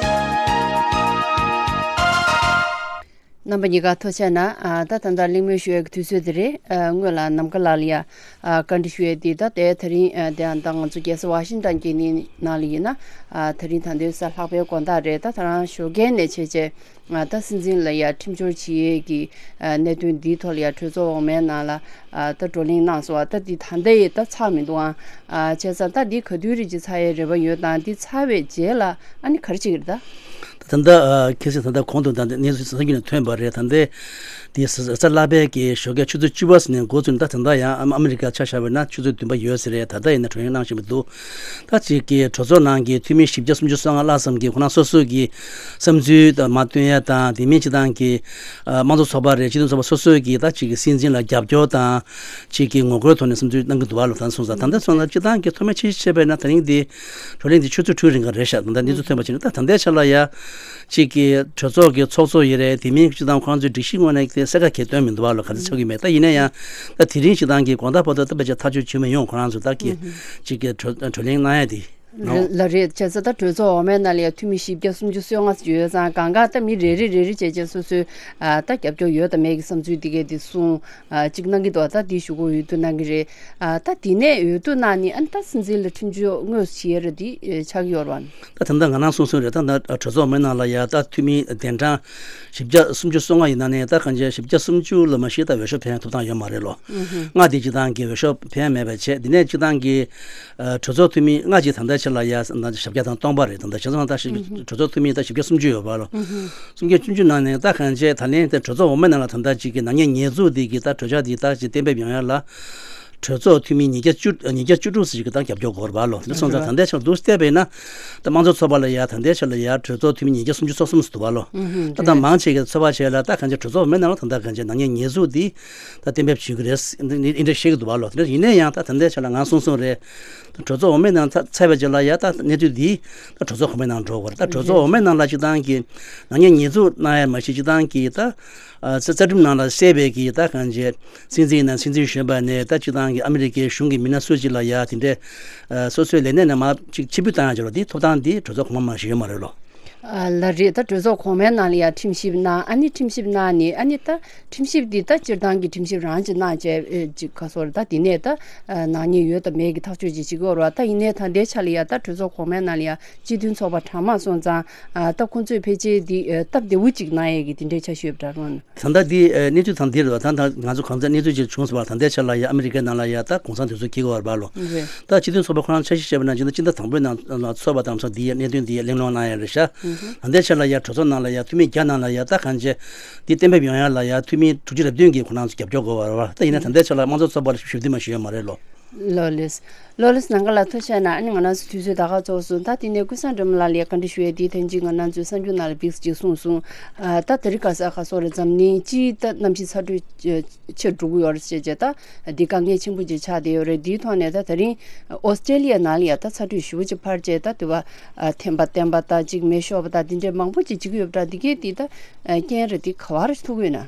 རྣམ་པ་གཉིས་ཀ་ཐུགས་རྗེ་ཆེ་གནང་། ཨ། ད་ད་ལྟ་གླེང་མོལ་ཞུ་ཡས་ཀྱི་དུས་ཚོད་དེ་རེད། ཨ། སྔོན་ལ་ནམ་མཁའ་ལགས་ལ་ཡ། ཨ། བཀའ་འདྲི་ཞུ་ཡས་དེ་ད་ལྟའི་ད་རིང་། ཨ། དེ་ཡང་ད་ང་ཚོ་རྒྱལ་ས་ཝ་ཤིང་ཊོན་གྱི་ནི་ནང་ལ་ཡིན་ན། ཨ། ད་རིང་ད་ལྟའི་གཟའ་ལྷག་པའི་དགོང་དག་རེད། ད་ད་རང་ཞོགས་ཀས་ནས་བྱས་བྱས། ཨ། ད་སྲིད་འཛིན་ལ་ཡ་ཁྲིམས་སྦྱོར་བྱེད་ཡས་ཀྱི། ཨ། གནད་དོན་འདིའི་ཐོག་ལ་ཡ་གྲོས་ཚོགས་འོག་མའི་ནང་ལ། ཨ། ད་བགྲོ་གླེང་གནང་སོང་བ། ད་འདི་ད་ལྟ་ཡི་ད་ཚར་མི་འདུག་ཨང་། ཨ། བྱས་ཙང་ད་འདི་ག་དུས་རེད་ཅིག་ཚར་ཡས་རེ་བ་ཡོད་དང་། འདི་ཚར་བའི་རྗེས་ལ་ཨ་ནི་ག་རེ་བྱེད་ཀྱི་རེད་ད། ད་ལྟ། ཨ། གལ་སྲིད་ད་ལྟ་གོང་དུ་ད་ལྟ་གནས་ཚུལ་གསར་འགྱུར་ནས་ཐོན་པ་རེད། ད་ལྟའི་འདི་གཟའ་ལྷག་པའི་གི་ཞོགས་ཀས་ཆུ་ཚོད་བཅུ་པ་ཙམ་ནས་འགོ་བཙུགས་ནས། ད་ད་ལྟ་ཡང་ཨ་མེ་རི་ཀ་ཆ་བཞག་པ་ཡིན་ན་ཆུ་ཚོད་བདུན་པ་ཡོད་ས་རེད། ད་ལྟ་ཡིན་ན་བགྲོ་གླེང་གནང་བཞིན་པ་འདུག་ད་ཅིག་གི་གྲོས་ཚོགས་ནང་གི་འཐུས་མི་བཞི་བརྒྱ་སུམ་ཅུ་སོ་ལྔ་ལྷག་ཙམ་གྱིས་ཁོ་རང་སོ་སོ་གི་བསམ་ཚུལ་དང་མ་བཏོན་ཡ་དང་། དེ་མིན་སྤྱི་བཏང་གི། ཨ། དམངས་གཙོ་ཚོགས་པ་རེད། སྤྱི་མཐུན་ཚོགས་པ་སོ་སོ་གིས་ད་ཅིག་གི་སྲིད་འཛིན་ལ་རྒྱབ་སྐྱོར་དང་། ཅིག་གི་ངོ་རྒོལ་ཐོག་ནས་བསམ་ཚུལ་གནང་གི་འདུག་བ་ལ། ད་སོང་ཙང་ད་ལྟ་སོང་ཙང་སྤྱི་བཏང་གི་མཐོ་དམན་ཆེ་ཤོས་བྱས་པ་ཡིན་ན། ད་རིང་འདི་བགྲོ་གླེང་འདི་ཆུ་ཚོད་དྲུག་རིང་ག་རེད་ཤག་ད་ལྟ་འདི་ཚོ་ཐོན་པ་བྱས་ན། ད་ད་ལྟའི་ཆ་ལ་ཡ། གཅིག་གི་གྲོས་ཚོགས་ཀྱི་ཚོགས་གཙོ་ཡིན་རེད། དེ་མིན་སྤྱིར་བཏང་ཁོ་རང་ཚོའི་སྒྲིག་གཞི་ངོས་ནས་དེ་གསལ་ཁ་གང་ཡང་སྟོན་མི་འདུག་བ་ལོ། ག་ཚོད་ཆགས་ཀྱི་མེད། ད་ཡིན་ན་ཡང་ད་དེ་རིང་སྤྱིར་བཏང་གི་དགོང་དག་བར་དུ་ད་ཕལ་ཆེར་ཐག་གཅོད་བྱུང་མི་ཡོང་། ཁོ་རང་ཚོ་ད་གི་གཅིག་གི་གྲོས་གྲོས་གླེང་གནང་ཡ་དེ། ལ་རེད། བྱས་ཙང་ད་གྲོས་ཚོགས་འོག་མའི་ནང་ལ་ཡང་འཐུས་མི་བཞི་བརྒྱ་སུམ་ཅུ་སོ་ལྔ་ཙམ་ཡོད་ཙང་། གང་ག་ད་མི་རེ་རེ་རེ་རེ་བྱས་བྱས་སོ་སོའི་ཨ་ད་རྒྱབ་སྐྱོར་ཡོད་དང་མེད་ཀྱི་བསམ་ཚུལ་དེ་གས་དེ་གསུང་ཨ་གཅིག་གནང་གི་འདུག་ད་དེ་ཞུ་སྒོ་འོས་བསྡུ་གནང་གི་རེད། ཨ་ད་དེ་ནས་འོས་བསྡུ་གནང་ནི་ཨ་ནི་ད་སྲིད་འཛིན་ལ་ཁྲིམས་གཅོད་དངོས་སུ་བྱེད་ཡ་ར་དེ་ཆགས་ཀྱི་ཡོད་རེད་བ། ད་ད་ལྟ་ང་རང་གསུང་གསུང་རེད། ད་ད་གྲོས་ཚོགས་འོག་མའི་ནང་ལ་ཡ་ད་འཐུས་མི་གདན་གྲངས་བཞི་བརྒྱ་སུམ་ཅུ་སོ་ལྔ་ཡིན་ན་ནས་ད་གང་ཅི་བཞི་བརྒྱ་སུམ་ཅུ་ལ་མ་གཞི་ད་འོས་ཤོག་འཕེན་ཐུབ་ཐང་ཡོད་མ་རེད་ལོ། ལྔ་དེ་སྤྱིར་བཏང་གི་འོས་ཤོག་འཕེན་མེད་པ་བྱས། དེ་ནས་སྤྱིར་བཏང་གི་ཨ་གྲོས་ཚོགས་འཐུས་མི་ལྔ་གཅིག་ད་ལྟའི་ཆ་ལ་ཡ་ཞེ་བརྒྱ་དང་སྟོང་པ་རེད། ད་ལྟ་བྱས་ཙང་ད་ཞེ་གྲོས་ཚོགས་འཐུས་མི་ད་བཞི་བརྒྱ་སུམ་ཅུ་ཡོད་པ་ལོ། སུམ་བརྒྱ་བཅུ་བཅུ་ནང་ནས་ད་གང་བྱས་ད་ལན་དེ་གྲོས་ཚོགས་འོག་མའི་ནང་ལ་ད་ལྟ་གཅིག་གི་ནག་ཉེས་ཉེས་འཛུགས་འདི་གི་ད་གྲོས་འཆར་འདི་ད་ཅིག་གཏན་འབེབས་ཡོང་ཡ་ལ། གྲོས་ཚོགས་འཐུས་མི་ཉིས་བརྒྱ་བཅུ་ཉིས་བརྒྱ་བཅུ་དྲུག་ཙམ་ཞིག་གི་ད་རྒྱབ་སྐྱོར་དགོས་རེད་པ་ལོ། དེ་སོང་ཙང་ད་ལྟའི་ཆར་འདུག་བལྟས་པས་ན་ད་དམངས་གཙོ་ཚོགས་པ་ལ་ཡ་ད་ལྟའི་ཆར་ལ་ཡ་གྲོས་ཚོགས་འཐུས་མི་ཉིས་བརྒྱ་སུམ་ཅུ་སོ་གསུམ་ཙམ་འདུག་པ་ལོ། ད་ད་མང་ཆེ་གི་ཚོད་དཔག་བྱས་ལ་ད་གང་ཅི་གྲོས་ཚོགས་འོག་མའི་ནང་ལ་ད་ད་གང་ཅི་ནག་ཉེས་ཉེས་འཛུགས་འདི་ད་གཏན་འབེབས་བྱེད་ཀྱི་རེད། འདི་འདི་འདྲ་བཤད་ཀྱི་འདུག་པ་ལོ། དེ་འདྲ་ཡིན་ན་ཡང་ད་ད་ལྟའི་ཆར་ལ་ང་གསུང་གསུང་རེད། ད་གྲོས་ཚོགས་འོག་མའི་ནང་ཚ་ཚར་བའི་རྗེས་ལ་ཡ་ད་གནས་ཚུལ་འདི་ད་གྲོས་ཚོགས་གོང་མའི་ནང་འགྲོ་དགོས་རེད། ད་གྲོས་ཚོགས་འོག་མའི་ནང་ལ་སྤྱིར་བཏང་གི་ནག་ཉེས་ཉེས་འཛུགས་གནང་ཡ་མ་གཞི་སྤྱིར་བཏང་གི་ད་ཨ་རྩ་རྩ་ཁྲིམས་ནང་ལ་གསལ་བའི་གི་ད་གང་ཅི་སྲིད་འཛིན་ནང་སྲིད་འཛིན་གཞོན་པ་ནས་ད་སྤྱིར་བཏང་གི་ཨ་མི་རི་ཀའི་གཞུང་གི་མི་སྣ་སུ་གཅིག་ལ་ཡ་དེ་འདྲའི་ཨ་སོ་སོའི་ལས་གནས་ནས་མར་ཅིག་ཕྱིར་འབུད་བཏང་ཡ་ཅིག་ལ་དེ་ཐོབ་ཐང་དེ་གྲོས་ཚོགས་གོང་མ་མ་གཞི་ཡོད་མ་རེད་ལོ། ཨ་ལ་རེད། ད་གྲོས་ཚོགས་གོང་མའི་ནང་ལ་ཡ་ཁྲིམས་ཞིབ་གནང་། ཨ་ནི་ཁྲིམས་ཞིབ་གནང་ནི་ཨ་ནི་ད་ཁྲིམས་ཞིབ་འདི་ད་སྤྱིར་བཏང་གི་ཁྲིམས་ཞིབ་རང་ཅིག་གནང་བྱས་ཨེ་ཅིག་ག་སོར་ད་དེ་ནས་ད་ཨ་ནག་ཉེས་ཡོད་དང་མེད་ཀྱི་ཐག་གཅོད་ཅིག་བྱེད་ཀྱི་ཡོད་རེད་བ། ད་ཡིན་ནའི་ད་ལྟའི་ཆ་ལ་ཡ་ད་གྲོས་ཚོགས་གོང་མའི་ནང་ལ་ཡ་སྤྱི་མཐུན་ཚོགས་པ་གྲངས་མང་སོང་ཙང་ཨ་ད་ཁོང་ཚོས་ཕལ་ཆེར་འདི་ཨ་སྟབས་བདེ་བོ་ཅིག་གནང་ཡས་ཀྱི་དེ་འདྲའི་ཆ་ཤོས་འདྲ་རོ། ད་ལྟ་འདི་ཨ་གནས་ཚུལ་ད་འདི་རེད་བ། ད་ད་ང་ཚོ་གང་ཚེ་གནས་ཚུལ་ཅིག་བྱུང་སོང་བ། ད་ལྟའི་ཆ་ལ་ཡ་ཨ་མི་རི་ཀའི་ནང་ལ་ཡ་ད་གུང་སེང་དེ་ཚོ་འཁེལ་གི་ཡོད་རེད་པ་ལོ། རེད། ད་སྤྱི་མཐུན་ཚོགས་པ་ཁོ་རང་འཆར་གཞི་བྱས་པ་ན་སྤྱི་ཟླ་སྤྱི་ཟླ་དང་པོའི་ནང་ཚོགས་པ་དང་ཚོགས་འདི་ཡ་གནད་དོན་འདི་ཡ་གླེང་སློང་གནང་ཡ་རེད་ཤག་ད་ལྟའི་ཆ་ལ་ཡ་གྲོས་ཚོགས་ནང་ལ་ཡ་འཐུས་མི་བརྒྱ་ནང་ལ་ཡ་ད་གང་བྱས་འདི་གཏན་འབེབས་ཡོང་ཡ་ལ་ཡ་འཐུས་མི་དྲུག་ཅུ་རེ་བདུན་གྱིས་ཁོ་རང་ཚོ་རྒྱབ་སྐྱོར་དགོས་པ་རེད་བ། ད་ཡིན་ན་ད་ལྟའི་ཆ་ལ་དམངས་གཙོ་ཚོགས་པར་ཞུ་རྒྱུ་མ་ཞུ་ཡ་མ་རེད་ལོ། ལོ་ལེས། ལོ་ལེས་ནང་ག་ལ་ཐུགས་རྗེ་གནང་། ཨ་ནི་ང་རང་ཚོ་དུས་ཚོད་ད་ག་ཚོགས་སོང་། ད་དེ་ནས་ཀུན་བཟང་སྒྲོལ་མ་ལགས་ལ་བཀའ་འདྲི་ཞུ་ཡས་དེ་ཐེངས་གཅིག་ང་རང་ཚོའི་གསར་འགྱུར་ནང་ལ་བིགས་ཅིག་གསུངས་སོང་། ཨ་ད་དེ་རིང་ཁ་སང་ག་སོགས་རེད། འཛམ་གླིང་སྤྱིའི་ད་གནམ་གཤིས་ཚ་དྲོད་ཆེར་འགྲོ་གི་ཡོད་རེད་ཟེར་བྱས་ད་འདི་དཀའ་ངལ་ཆེན་པོ་ཅིག་ཆགས་བསྡད་ཡོད་རེད། འདིའི་ཐོག་ནས་ད་དེ་རིང་ཨོ་སི་ཀྲེ་ལི་ཡ་ནང་ལ་ཡ་ད་ཚ་དྲོད་ཞེ་པོ་ཅིག་འཕར་བྱས་ད་དུ་བ་ཨ་ཐན་པ་བསྟན་པ་དང་གཅིག་མེ་ཤོར་བ་དང་དེ་འདྲའི་མང་པོ་ཅིག་བྱེད་ཀྱི་ཡོད་པ་འདྲ། འདི་གས་འདི་ད་རྐྱེན་རེད། འདི་ག་བ་རེ་ཐུག་ཡོད་ན།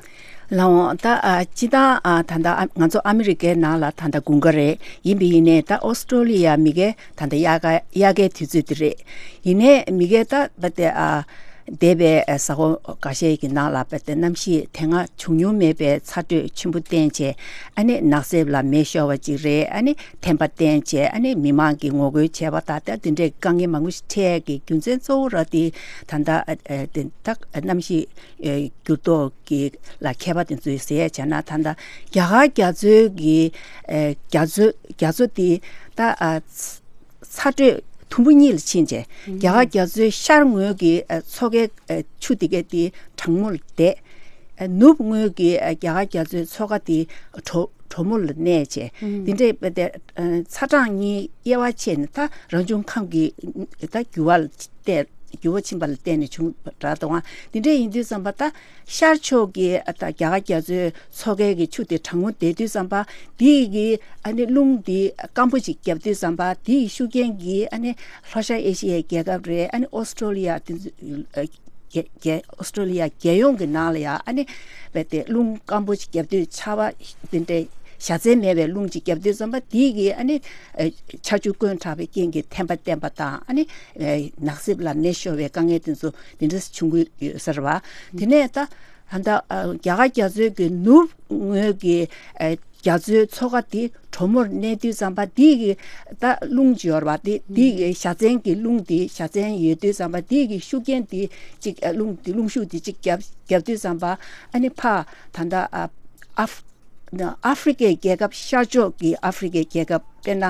ལགས་འོང་། ད་ཨ་སྤྱི་བཏང་ཨ་ད་ལྟ་ཨ་ང་ཚོ་ཨ་མི་རི་ཀའི་ནང་ལ་ད་ལྟ་དགུན་ཁ་རེད། ཡིན་པ་ཡིན་ནའི་ད་ཨོ་སི་ཀྲོ་ལི་ཡ་མི་ཁའི་ད་ལྟ་དབྱར་ཁ་དབྱར་ཁའི་དུས་ཚོད་དེ་རེད། ཡིན་ནའི་མི་ཁའི་ད་བ་དེ་ཨ་འདས་པའི་ཨ་ས་ཁོངས་འགའ་ཤས་ཀྱི་ནང་ལ་བ་དེ་གནམ་གཤིས་དེ་སྔ་བྱུང་མྱོང་མེད་པའི་ཚ་དྲོད་ཆེན་པོ་བསྟན་བྱས། ཨ་ནི་ནགས་གསེབ་ལ་མེ་ཤོར་བ་ཅིག་རེད། ཨ་ནི་ཐན་པ་བསྟན་བྱས། ཨ་ནི་མི་མང་གིས་ངོ་རྒོལ་བྱས་པ་དང་ད་དེ་འདྲའི་དཀའ་ངལ་མང་པོ་ཞིག་འཕྲད་ཀྱི་རྒྱུ་མཚན་གཙོ་བོ་ར་དེ་ད་ལྟ་ཨ་ཨ་དེ་ད་གནམ་གཤིས་ཨ་འགྱུར་ལྡོག་གི་ལ་མཁས་པ་དེ་ཚོས་ཟེར་ཡ་བྱས་ན་ད་ལྟ་རྒྱ་གར་རྒྱ་མཚོའི་གི་ཨ་རྒྱ་མཚོ་རྒྱ་མཚོ་དེ་ད་ཨ་ཚ་དྲོད་དུམ་བུ་གཉིས་ལ་ཕྱིན་བྱས། རྒྱ་གར་རྒྱ་མཚོའི་ཤར་ངོས་ཀྱི་ཨ་མཚོ་ཁའི་ཨ་ཆུ་དེ་གའི་དེ་གྲང་མོ་ལ་བསྡད། ཨ་ནུབ་ངོས་ཀྱི་ཨ་རྒྱ་གར་རྒྱ་མཚོའི་མཚོ་ཁ་དེ་དྲོ་དྲོ་མོ་ལ་གནས་བྱས། དེ་འདྲའི་དཔེ་དེ་ཨ་ཚ་གྲང་གཉིས་དབྱེ་བ་ཕྱེ་ནས་ད་རང་བྱུང་ཁམས་ཀྱི་ད་འགྱུར་བ་ལ་བརྟེན་འགྱུར་བ་ཕྱིན་པ་ལ་བརྟེན་ནས་བྱུང་བ་འདྲ་འདུག་ཨ། དེ་འདྲ་ཡིན་དུས་ཙམ་པ་ད་ཤར་ཕྱོགས་ཀྱི་ཨ་ད་རྒྱ་གར་རྒྱ་མཚོའི་མཚོ་ཁའི་གི་ཆུ་དེ་གྲང་མོ་བསྡད་དུས་ཙམ་པ་དེ་གི་ཨ་ནི་རླུང་དེ་སྐམ་པོ་ཞིག་བརྒྱབ་དུས་ཙམ་པ་དེ་ཡི་ཤུགས་རྐྱེན་གྱིས་ཨ་ནི་ལྷོ་ཤར་ཨེ་ཤི་ཡའི་རྒྱལ་ཁབ་རེད། ཨ་ནི་ཨོ་སི་ཀྲོ་ལི་ཡ་དེ་ཚོ་ཨ་རྒྱལ་རྒྱལ་ཨོ་སི་ཀྲོ་ལི་ཡ་རྒྱལ་ཡོངས་ཀྱི་ནང་ལ་ཡ་ཨ་ནི་རྦད་དེ་རླུང་སྐམ་པོ་ཞིག་བརྒྱབ་དུས་ཆར་པ་དེ་འདྲའི་བཞའ་ཚན་མེད་པའི་རླུང་ཅིག་བརྒྱབ་དུས་ཙམ་པ་དེ་གི་ཨ་ནི་ཨ་ཆར་ཆུ་བསྐོན་དྲགས་པའི་རྐྱེན་གྱིས་ཐན་པ་བསྟན་པ་དང་ཨ་ནི་ཨ་ནགས་གསེབ་ལ་མེ་ཤོར་བའི་དཀའ་ངལ་དེ་ཚོ་དེ་འདྲ་བྱུང་གི་ཡོད་ས་རེད་བ། དེ་ནས་ད་ད་ལྟ་ཨ་རྒྱ་གར་རྒྱ་མཚོའི་གི་ནུབ་ངོས་ཀྱི་ཨ་རྒྱ་མཚོའི་མཚོ་ཁ་དེ་གྲོ་མོར་གནས་དུས་ཙམ་པ་དེ་གི་ད་རླུང་ཅིག་ཡོད་རེད་བ། དེ་དེ་གི་བཞའ་ཚན་གྱི་རླུང་དེ་བཞའ་ཚན་ཡོད་དུས་ཙམ་པ་དེ་གི་ཤུགས་རྐྱེན་དེ་གཅིག་ཨ་རླུང་དེ་རླུང་ཤུགས་དེ་གཅིག་བརྒྱབ་བརྒྱབ་དུས་ཙམ་པ་ཨ་ནི་ཕ་ད་ལྟ་ཨ་ཨ་ཧྥ་ཨ་ཧྥི་རི་ཀའི་རྒྱལ་ཁབ་ཤར་ཕྱོགས་ཀྱི་ཨ་ཧྥི་རི་ཀའི་རྒྱལ་ཁབ་དཔེར་ན་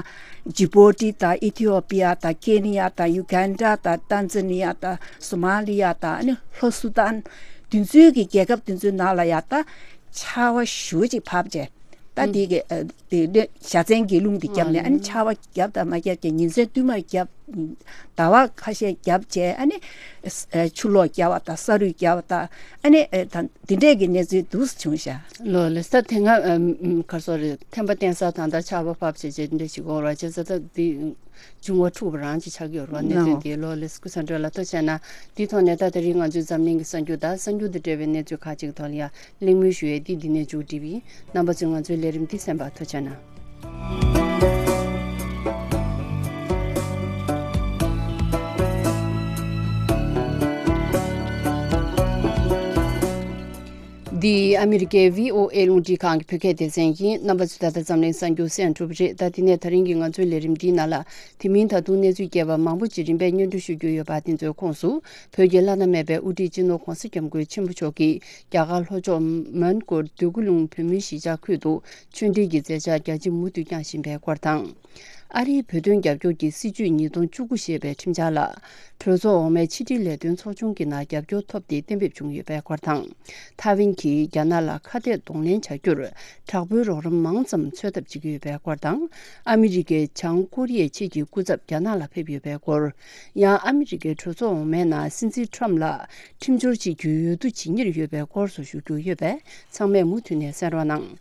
ཇི་བོ་ཊི་དང་ཨི་ཐི་ཡོ་པི་ཡ་དང་ཁེ་ནི་ཡ་དང་ཡུ་གན་ཌ་དང་ཏན་ཛ་ནི་ཡ་དང་སོ་མ་ལི་ཡ་དང་ཨ་ནི་ལྷོ་སུ་དཱན་དེ་ཚོའི་གི་རྒྱལ་ཁབ་དེ་ཚོའི་ནང་ལ་ཡ་ད་ཆར་པ་ཞེ་པོ་ཅིག་བབས་བྱས། ད་དེ་གི་ཨ་དེ་བཞའ་ཚན་གྱི་རླུང་དེ་བརྒྱབ་ནས་ཨ་ནི་ཆར་པ་བརྒྱབ་དང་མ་བརྒྱབ་ཀྱི་ཉིན་མཚན་བསྟུད་མར་བརྒྱབ། ཟླ་བ་ཁ་ཤས་བརྒྱབ་བྱས། ཨ་ནི་ཆུ་ལོག་བརྒྱབ་པ་དང་ས་རུད་བརྒྱབ་པ་དང་། ཨ་ནི་ད་འདི་འདྲས་ཀྱི་གནས་ཚུལ་འདུག་བྱུང་ཤག་ལོ་ལེ་ས་དེ་སྔ་གར་སོ་རེད། ཐན་པ་བསྟེན་ས་དང་ད་ཆར་པ་ཕབ་བྱས་བྱས་འདི་འདྲས་ཞིག་འོང་ར་བྱས་ས། ད་འདི་འབྱུང་བ་འཁྲུགས་པ་རང་ཅིག་ཆགས་ཀྱི་ཡོད་རེད་བ། གནས་ཚུལ་འདི་ལོ་ལེ་སྐུ་ས་འགྲོ་ལ་ཐུགས་རྗེ་གནང་། འདིའི་ཐོག་ནས་ད་དེ་རིང་ང་ཚོའི་འཛམ་གླིང་གི་གསར་འགྱུར་དང་གསར་འགྱུར་དང་འབྲེལ་བའི་གནས་ཚུལ་ཁག་ཅིག་ཐོག་ལ་ཡང་གླེང་མོལ་ཞུ་ཡས་འདི་འདི་ནས་མཇུག་སྒྲིལ་བ་ཡིན། རྣམ་པ་ཚོས་ང་ཚོའི་ལས་རིམ་འདི་གསན་པར་ཐུགས་རྗེ་གནང་། འདི་ཨ་མི་རི་ཀའི་བྷི་ཨོ་ཨེ་རླུང་འཕྲིན་ཁང་གི་བོད་སྐད་སྡེ་ཚན་ཡིན། རྣམ་པ་ཚོས་ད་ལྟ་འཛམ་གླིང་གསར་འགྱུར་གསན་གྲུབ་རེད། ད་དེ་ནས་ད་རིང་གི་ང་ཚོའི་ལས་རིམ་འདིའི་ནང་ལ། དེ་མིན་ད་དུང་གནས་ཚུལ་རྒྱས་པ་མང་པོ་ཅིག་རིམ་པས་སྙན་སྒྲོན་ཞུ་རྒྱུ་ཡོད་པ། དེ་ཚོའི་ཁོངས་སུ་བོད་ཀྱི་བླ་ན་མེད་པའི་དབུ་ཁྲིད་སྤྱི་ནོར་ྋགོང་ས་ྋསྐྱབས་མགོན་ཆེན་པོ་མཆོག་གིས་རྒྱ་གར་ལྷོ་ཕྱོགས་མོན་གྷོ་འདོད་རྒུ་ལུང་བོད་མིའི་གཞིས་ཆགས་ཁུལ་དུ་ཆོས་འབྲེལ་གྱི་མཛད་འཆར་རྒྱ་ཆེ་མུ་མཐུད་བསྐྱངས་བཞིན་པའི་སྐོར་དང་། ཨ་རིའི་བོད་དོན་རྒྱབ་སྐྱོར་གྱི་སྲིད་བྱུས་ཉིས་སྟོང་བཅུ་དགུ་ཞེས་པའི་ཁྲིམས་འཆར་ལ། གྲོས་ཚོགས་འོག་མའི་ཕྱི་དྲིལ་ལས་དོན་ཚོགས་ཆུང་གི་ནང་རྒྱབ་སྐྱོར་ཐོབ་སྟེ་གཏན་འབེབས་བྱུང་ཡོད་པའི་སྐོར་དང་། ཐའེ་ཝན་གྱིས་རྒྱ་ནག་ལ་ཁ་གཏད་གདོང་ལེན་བྱ་རྒྱུར་དྲག་པོའི་རོགས་རམ་མང་ཙམ་འཚོལ་ཐབས་བྱེད་ཀྱི་ཡོད་པའི་སྐོར་དང་། ཨ་མི་རི་ཀའི་བྱང་ཀོ་རི་ཡའི་ཆེད་ཀྱི་སྐུ་ཚབ་རྒྱ་ནག་ལ་ཕེབས་ཡོད་པའི་སྐོར། ཡང་ཨ་མི་རི་ཀའི་གྲོས་ཚོགས་འོག་མའི་ནང་སྲིད་འཛིན་ཁྲམ་ལ་ཁྲིམས་སྦྱོར་བྱེད་རྒྱུའི་འོས་བསྡུ་བྱེད་ཉེར་ཡོད་པའི་སྐོར་སོགས་ཞུ་རྒྱུ་ཡོད་པས། ཚང་མས་མུ་མཐུད་ནས་གསན་རོགས་གནང་།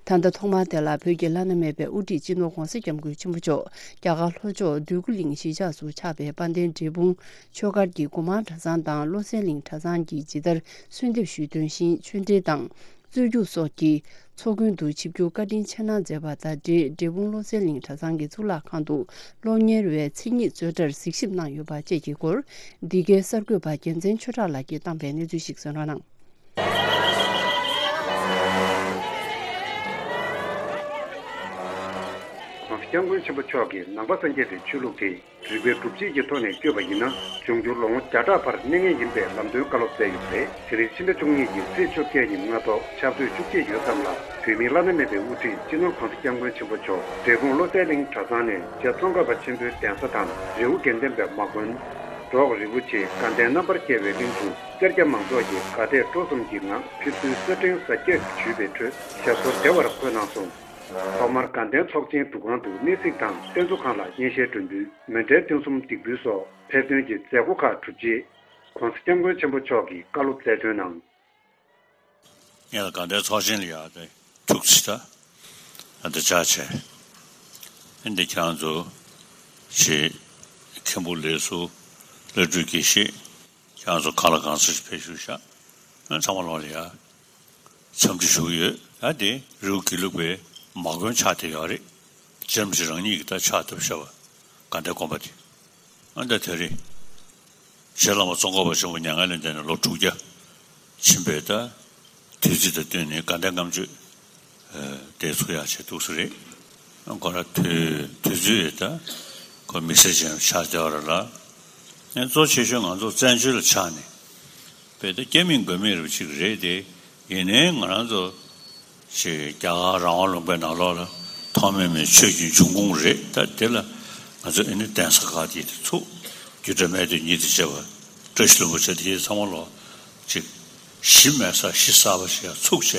ད་ལྟ་ཐོག་མར་དེ་ལ་བོད་ཀྱི་བླ་ན་མེད་པའི་དབུ་ཁྲིད་སྤྱི་ནོར་ྋགོང་ས་ྋསྐྱབས་མགོན་ཆེན་པོ་མཆོག་རྒྱ་གར་ལྷོ་ཕྱོགས་འདོད་རྒུ་གླིང་གཞིས་ཆགས་སུ་ཆགས་པའི་དཔལ་ལྡན་འབྲས་སྤུངས་ཆོས་སྒར་གྱི་སྒོ་མང་གྲྭ་ཚང་དང་བློ་གསལ་གླིང་གྲྭ་ཚང་གིས་ཇི་ལྟར་གསོལ་འདེབས་ཞུས་དོན་བཞིན་ཆོས་འབྲེལ་དང་རྩོད་རྒྱུགས་སོགས་ཀྱི་ཚོགས་མགོན་དུ་ཆིབས་བསྒྱུར་བཀའ་དྲིན་ཆེ་གནང་མཛད་པ་དང་འབྲེལ། འབྲས་སྤུངས་བློ་གསལ་གླིང་གྲྭ་ཚང་གི་གཙུག་ལག་ཁང་དུ་སློབ་གཉེར་བའི་མཚན་ཉིད་རྩོད་གྲྭར་གཟིགས་ཞིབ་གནང་ཡོད་པ་བཅས་ཀྱི་སྐོར། འདི་གའི་གསར་འགོད་པ་རྒྱལ་མཚན་ཆོས་གྲགས་ལགས་ཀྱིས་བཏང་པའི་གནས་ཚུལ་ཞིག་གསན་རོགས་གནང་། ྋགོང་ས་ྋསྐྱབས་མགོན་ཆེན་པོ་མཆོག་གིས་ནང་པ་སངས་རྒྱས་པའི་ཆོས་ལུགས་དེ་རིག་པའི་སྒྲུབ་བྱེད་ཀྱི་ཐོག་ནས་བསྐྱོད་པ་ཡིན་ན། འབྱུང་འགྱུར་ལོ་ངོ་བརྒྱ་ཕྲག་བར་གནས་ངེས་ཡིན་པའི་ལམ་སྟོན་བཀའ་སློབ་སྩལ་ཡོད་པ་རེད། དེ་རིང་ཕྱི་ཟླ་བཅུ་གཉིས་ཀྱི་ཚེས་བཅོ་བརྒྱད་ཉིན་སྔ་ཐོག་ཆབ་མདོའི་བཅུ་གཅིག་ཡོལ་ཙམ་ལ་བོད་མིའི་བླ་ན་མེད་པའི་དབུ་ཁྲིད་སྤྱི་ནོར་ྋགོང་ས་ྋསྐྱབས་མགོན་ཆེན་པོ་མཆོག་འབྲས་སྤུངས་བློ་གསལ་གླིང་གྲྭ་ཚང་ནས་རྗེ་ཙོང་ཁ་པ་ཆེན་པོའི་གདན་ས་དང་རི་བོ་དགེ་ལྡན་པའི་མ་དགོན། འབྲོག་རི་བོ་ཆེ་དགའ་ལྡན་རྣམ་པར་རྒྱལ་བའི་གླིང་དུ་སེར་སྐྱ་མང་ཚོགས་ཀྱིས་དགའ་དད་སྤྲོ་གསུམ་གྱི་ངང་ཕེབས་བསུའི་གསེར་ཕྲེང་གཟབ་རྒྱས་ཞུས་པའི་ཁྲོད་ཞབས་སོར་བདེ་བར་འཁོད་གནང་སོང་། ཐོག་མར་དགའ་ལྡན་ཚོགས་ཆེན་འདུ་ཁང་དུ་གནས་གཟིགས་དང་རྟེན་གཙོ་ཁང་ལ་སྙན་ཤལ་སྒྲོན་འབུལ། མཎྜལ་ཐུན་གསུམ་འདེགས་འབུལ་སོགས་ཕེབས་སྟོན་གྱི་མཛད་སྒོ་ཁག་གྲུབ་རྗེས། ྋགོང་ས་ྋསྐྱབས་མགོན་ཆེན་པོ་མཆོག་གིས་བཀའ་སློབ་སྩལ་དོན་ནང་། ངེད་ལ་དགའ་ལྡན་ཚོགས་ཆེན་ལ་ཡར་ཏེ་ཐུགས་རྗེ་ཆེ། ད་ཨ་འདི་ཅག་བྱས། ཨ་འདི་ཁྱེད་རང་ཚོ་ཆེ་མཁན་པོ་ལས་སུ་བླ་སྤྲུལ་དགེ་བཤེས། ཁྱེད་རང་ཚོ་གང་ལ་གང་འཚམ་ཞིག་ཕེབས་བཞུགས་ཤག་ང་ཚང་མ་ལོག་ལ་ཡ། འཚམས་འདྲི་ཞུ་གི་ཡོད། ད་དེ་རི་བོ་དགེ་ལུགས་པའི་མ་དགོན་ཆགས་བསྡད་ཡོད་རེད། རྗེ་རིན་པོ་ཆེ་རང་ཉིད་ཀྱིས་ད་ཕྱག་བཏབ་བཞག་པ། དགའ་ལྡན་དགོན་པ་དེ། ཨ་ད་དེ་རིང་། རྗེ་བླ་མ་ཙོང་ཁ་པ་ཆེན་པོ་མྱ་ངན་ལས་འདས་ནས་ལོ་དྲུག་བརྒྱ་ཕྱིན་པའི་ད་དུས་ཚིགས་དང་བསྟུན་ནས་དགའ་ལྡན་ལྔ་མཆོད་དེ་ཚུགས་ཡག་བྱས་འདུག་ས་རེད། ཁོ་ར་དུས་དུས་ཚོད་ད་ཁོ་དམིགས་བསལ་ཅན་ཆགས་བསྡད་པ་རེད་ལ། ཨ་གཙོ་ཆེ་ཤོས་ང་ཚོ་བཙན་བྱོལ་ལ་ཆགས་ནས་དཔེ་ད་སྐྱེ་མེད་འགོས་མེད་རུ་ཅིག་རེད་དེ། ཡིན་ནའི་ང་རང་ཚོ་ཞེས་རྒྱ་གར་རང་དབང་ལུང་པའི་ནང་ལོགས་ལ་ཐོགས་མེད་མའི་ཆོས་ཀྱི་འབྱུང་ཁུངས་རེད། ད་དེ་ལ་ང་ཚོ་ཨེ་ནི་གདན་ས་ཁག་དེ་དེ་ཚུགས། རྒྱུད་གྲྭ་སྨད་སྟོད་གཉིས་དང་བཅས་པ། བཀྲ་ཤིས་ལྷུན་པོ་བཅས་དེ་ཚང་མ་ལོག་ཅིག་གཞི་མེད་ས་གཞི་གསར་པ་ཞིག་ཡང་ཚུགས་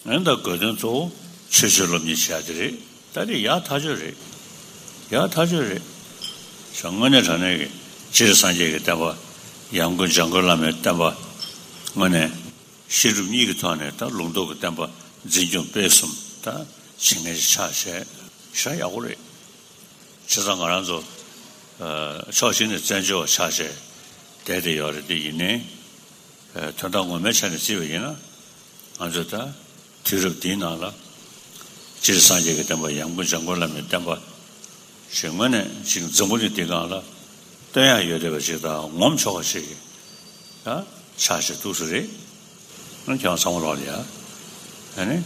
བྱས། ཨེ་ད་དགོས་དོན་གཙོ་བོ་ཆོས་ཆོས་སློབ་གཉེར་བྱེད་ཡ་དེ་རེད། ད་དེ་ཡག་ཐག་ཆོད་རེད། ཡག་ཐག་ཆོད་རེད། ཞང་དངོས་གནས་དྲང་གནས་ཀྱི་སྤྱིར་སངས་རྒྱས་ཀྱི་བསྟན་པ། ཡང་སྒོས་འཇམ་མགོན་བླ་མའི་བསྟན་པ། དངོས་གནས། བཤད་སྒྲུབ་གཉིས་ཀྱི་ཐོག་ནས་ད་ལུང་རྟོགས་ཀྱི་བསྟན་པ་འཛིན་སྐྱོང་སྤེལ་གསུམ་ད་བྱེད་མཁན་ཞིག་ཆགས་བྱས་ཞེ་དྲག་ཡག་པོ་རེད། བྱས་ཙང་ང་རང་ཚོ་ཕྱོགས་གཅིག་ནས་བཙན་བྱོལ་བ་ཆགས་བྱས་བསྡད་བསྡད་ཡོད་རེད། དེ་ཡིན་ནའི་དོན་དག་ངོ་མའི་ཆ་ནས་བརྩིས་པ་ཡིན་ན་ང་ཚོ་ད་དུས་རབས་འདིའི་ནང་ལ་སྤྱིར་སངས་རྒྱས་ཀྱི་བསྟན་པ། ཡང་སྒོས་འཇམ་མགོན་བླ་མའི་བསྟན་པ་ཞེས་དངོས་གནས་ཅིག་འཛམ་བུ་གླིང་འདི་སྒང་ལ་སྟོན་ཡག་ཡོད་བསྡད་པ་ཅིག་དང་ངོམ་ཆོག་པ་ཞིག་གི་ད་ཆགས་བྱས་འདུག་ས་རེད། ཁྱེད་རང་ཚང་མ་ལོག་ལ་ཡ། ཨ་ནི།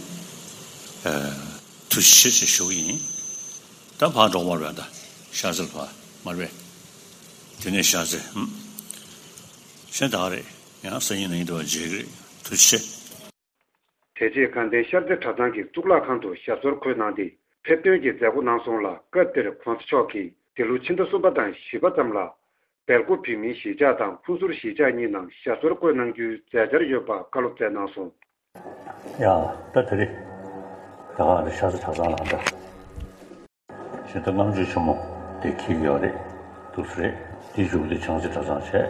ཐུགས་རྗེ་ཆེ་ཞེས་ཞུ་གི་ཡིན། ད་ཕར་འགྲོ་མར་བས་ད་ཤར་རྩེར་ཕར་མར་བས། དེ་ནས་ཤར་རྩེ་ཧུམ། གཞན་དག་རེད། ཡང་སང་ཉིན་གནངས་ཉིན་དུ་བ་མཇལ་གི་རེད། ཐུགས་རྗེ་ཆེ། དེ་རྗེས་དགའ་ལྡན་ཤར་རྩེ་གྲྭ་ཚང་གི་གཙུག་ལག་ཁང་དུ་ཞབས་སོར་འཁོད་གནང་སྟེ་ཕེབས་སྟོན་གྱི་མཛད་སྒོ་གནང་སོང་ལ། སྐབས་དེར་གོང་ས་མཆོག་གིས་འདི་ལོ་ཕྱི་ཟླ་གསུམ་པ་དང་བཞི་པ་ཙམ་ལ་སྦེལ་ཀོབ་བོད་མིའི་གཞིས་ཆགས་དང་ཕུན་ཚོགས་གཞིས་ཆགས་གཉིས་ནང་ཞབས་སོར་འཁོད་གནང་རྒྱུའི་མཛད་འཆར་ཡོད་པ་བཀའ་སློབ་སྩལ་གནང་སོང་། ཡ། ད་དེ་རེད། ད་ག་རེ་ཤར་རྩེ་གྲྭ་ཚང་ལ་ད། ཞེ་ད་ལྔ་མཆོད་ཆེན་མོ་དེ་འཁེལ་གྱི་ཡོད་རེད། འདུག་སེ་རེད། དེའི་གཞུག་དེ་བྱང་རྩེ་གྲྭ་ཚང་བྱས།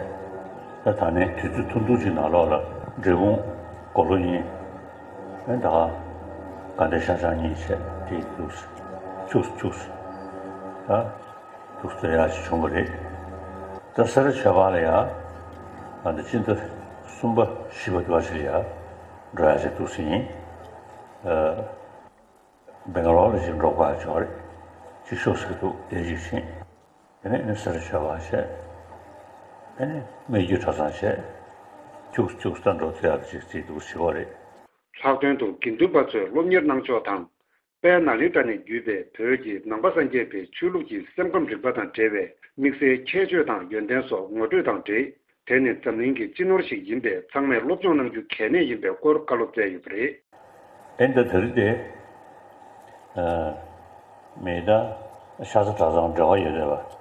ད་ད་ནས་དུས་ཚོད་ཐུང་ཐུང་ཅིག་ནང་ལོགས་ལ་འབྲས་སྤུངས་དགུང་ལོ་གཉིས། ཨེ་ད་དགའ་ལྡན་ཤར་བྱང་གཉིས་བྱས། དེ་འདུག་སེ་ཁྱུག་སེ་ཁྱུག་སེ་ད་འདུག་སེ་ཡག་ཅིག་བྱུང་བ་རེད། ད་སེ་ར་ཆོས་སྒར་ལ་ཡ་ཨ་ད་སྤྱི་ཟླ་གསུམ་པ་བཞི་པ་དུ་བ་ཞིག་ལ་ཡ་འགྲོ་ཡག་ཅིག་འདུག་སེ་ཡིན། ཨ། སྦེང་ག་ལོར་ལ་ཅིག་འགྲོ་དགོས་ཡག་ཅིག་ཡོད་རེད། ཅིག་ཤོག་ཟེར་འདུག་དེ་ཅིག་ཕྱིན། དེ་ནས་ཨ་ནི་སེ་ར་ཆོས་སྒར་བྱས། ཨ་ནི་སྨད་རྒྱུད་གྲྭ་ཚང་བྱས། ཁྱུག་ཁྱུག་ད་འགྲོ་ཐུབ་ཡག་ཅིག་བརྩིས་འདུག་ཟེར་བ་རེད། ལྷག་དོན་དུ་དགེ་འདུན་པ་ཚོས་སློབ་གཉེར་གནང་ཕྱོགས་དང་། དཔལ་ནཱ་ལེནྡྲ་ནས་བརྒྱུད་པའི་བོད་ཀྱི་ནང་པ་སངས་རྒྱས་པའི་ཆོས་ལུགས་ཀྱི་སེམས་ཁམས་རིག་པ་དང་འབྲེལ་བའི་དམིགས་བསལ་ཁྱད་ཆོས་དང་ཡོན་ཏན་སོགས་ངོ་སྤྲོད་དང་འབྲེལ། དེ་ནི་འཛམ་གླིང་གི་སྤྱི་ནོར་ཞིག་ཡིན་པས་ཚང་མས་སློབ་སྦྱོང་གནང་རྒྱུ་གལ་གནད་ཡིན་པའི་སྐོར་བཀའ་སློབ་སྩལ་ཡོད་པ་རེད། ཨེ་འདི་དེ་རིང་དེ། ཨ། མི་ད་ཤ་ཚ་གྲྭ་ཚང་འབྲེལ་བ་ཡོད་རེད་པ།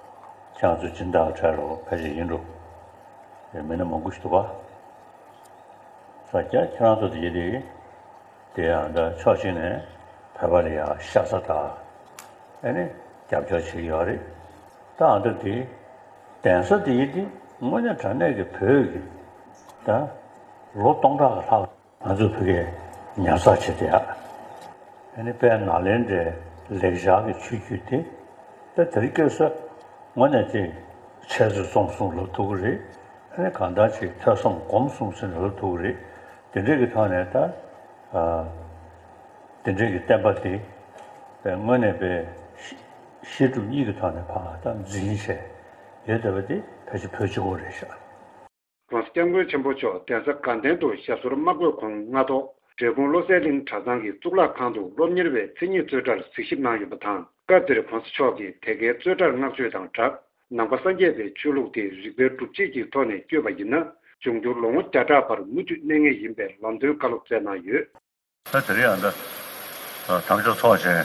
ཁྱེད་རང་ཚོ་སྦྱིན་བདག་གྲལ་རོགས་ཕལ་ཆེར་ཡིན་འགྲོ། མི་སྣ་མང་པོ་ཞིག་འདུག་པ། ས་སྐྱ་ཁྱེད་རང་ཚོ་དེ་ཡིན་དེ། དེ་ཡང་འདྲ་ཕྱོགས་གཅིག་ནས་བོད་པ་ལ་ཡང་ཤ་ཚ་དང་། ཨེ་ནི་རྒྱབ་སྐྱོར་བྱེད་ཀྱི་ཡོད་རེད། ད་ཨ་འདྲ་དེ་གདན་ས་དེ་ཡིན་དེ་དངོས་གནས་དྲང་གནས་ཀྱི་བོད་ཀྱི་ད་ལོ་སྟོང་ཕྲག་ལྷག་ང་ཚོ་བོད་སྐད་ཉར་ཚགས་བྱེད་བསྡད་ཡག་ཨེ་ནི་དཔལ་ནཱ་ལེནྡྲའི་ལེགས་སྦྱར་གྱི་ཆོས་བརྒྱུད་དེ་ད་དེ་རིང་ཁ་སང་དངོས་གནས་ཅིག་འཆད་རྩོད་རྩོམ་གསུམ་ལབ་ཐུབ་ཀྱི་རེད། ཨ་ནི་གང་ལྟར་ཅིག་ཐོས་བསམ་སྒོམ་གསུམ་ཟེར་ནས་ལབ་ཐུབ་ཀྱི་རེད། དེ་འདྲའི་གི་ཐོག་ནས་ད། ཨ། དེ་འདྲའི་གི་བསྟན་པ་དེ། དངོས་གནས་པའི་བཤད་སྒྲུབ་གཉིས་ཀྱི་ཐོག་ནས་ཕར་ད་འཛིན་བྱས་ཡོད་བསྡད་པ་དེ་ཕལ་ཆེར་བོད་གཅིག་པོ་རེད་ཤག ༸གོང་ས་༸སྐྱབས་མགོན་ཆེན་པོ་མཆོག་གདན་ས་དགའ་ལྡན་དུ་ཞབས་སོར་མ་བཀོད་གོང་སྔ་ཐོག་འབྲས་སྤུངས་བློ་གསལ་གླིང་གྲྭ་ཚང་གི་གཙུག་ལག་ཁང་དུ་སློབ་གཉེར་བའི་མཚན་ཉིད་རྩོད་གྲྭར་གཟིགས་ཞིབ་གནང་ཡོད་པ་དང་། སྐབས་དེར་༸གོང་ས་མཆོག་གིས་དེ་གའི་རྩོད་གྲྭར་བསྔགས་བརྗོད་དང་སྦྲགས། ནང་པ་སངས་རྒྱས་པའི་ཆོས་ལུགས་དེ་རིགས་པའི་སྒྲུབ་བྱེད་ཀྱི་ཐོག་ནས་བསྐྱོད་པ་ཡིན་ན། འབྱུང་འགྱུར་ལོ་ངོ་བརྒྱ་ཕྲག་བར་མུ་མཐུད་གནས་ངེས་ཡིན་པའི་ལམ་སྟོན་བཀའ་སློབ་སྩལ་གནང་ཡོད། ད་དེ་རིང་ཡང་ད་དམ་ཆོས་ཚོགས་ཆེན་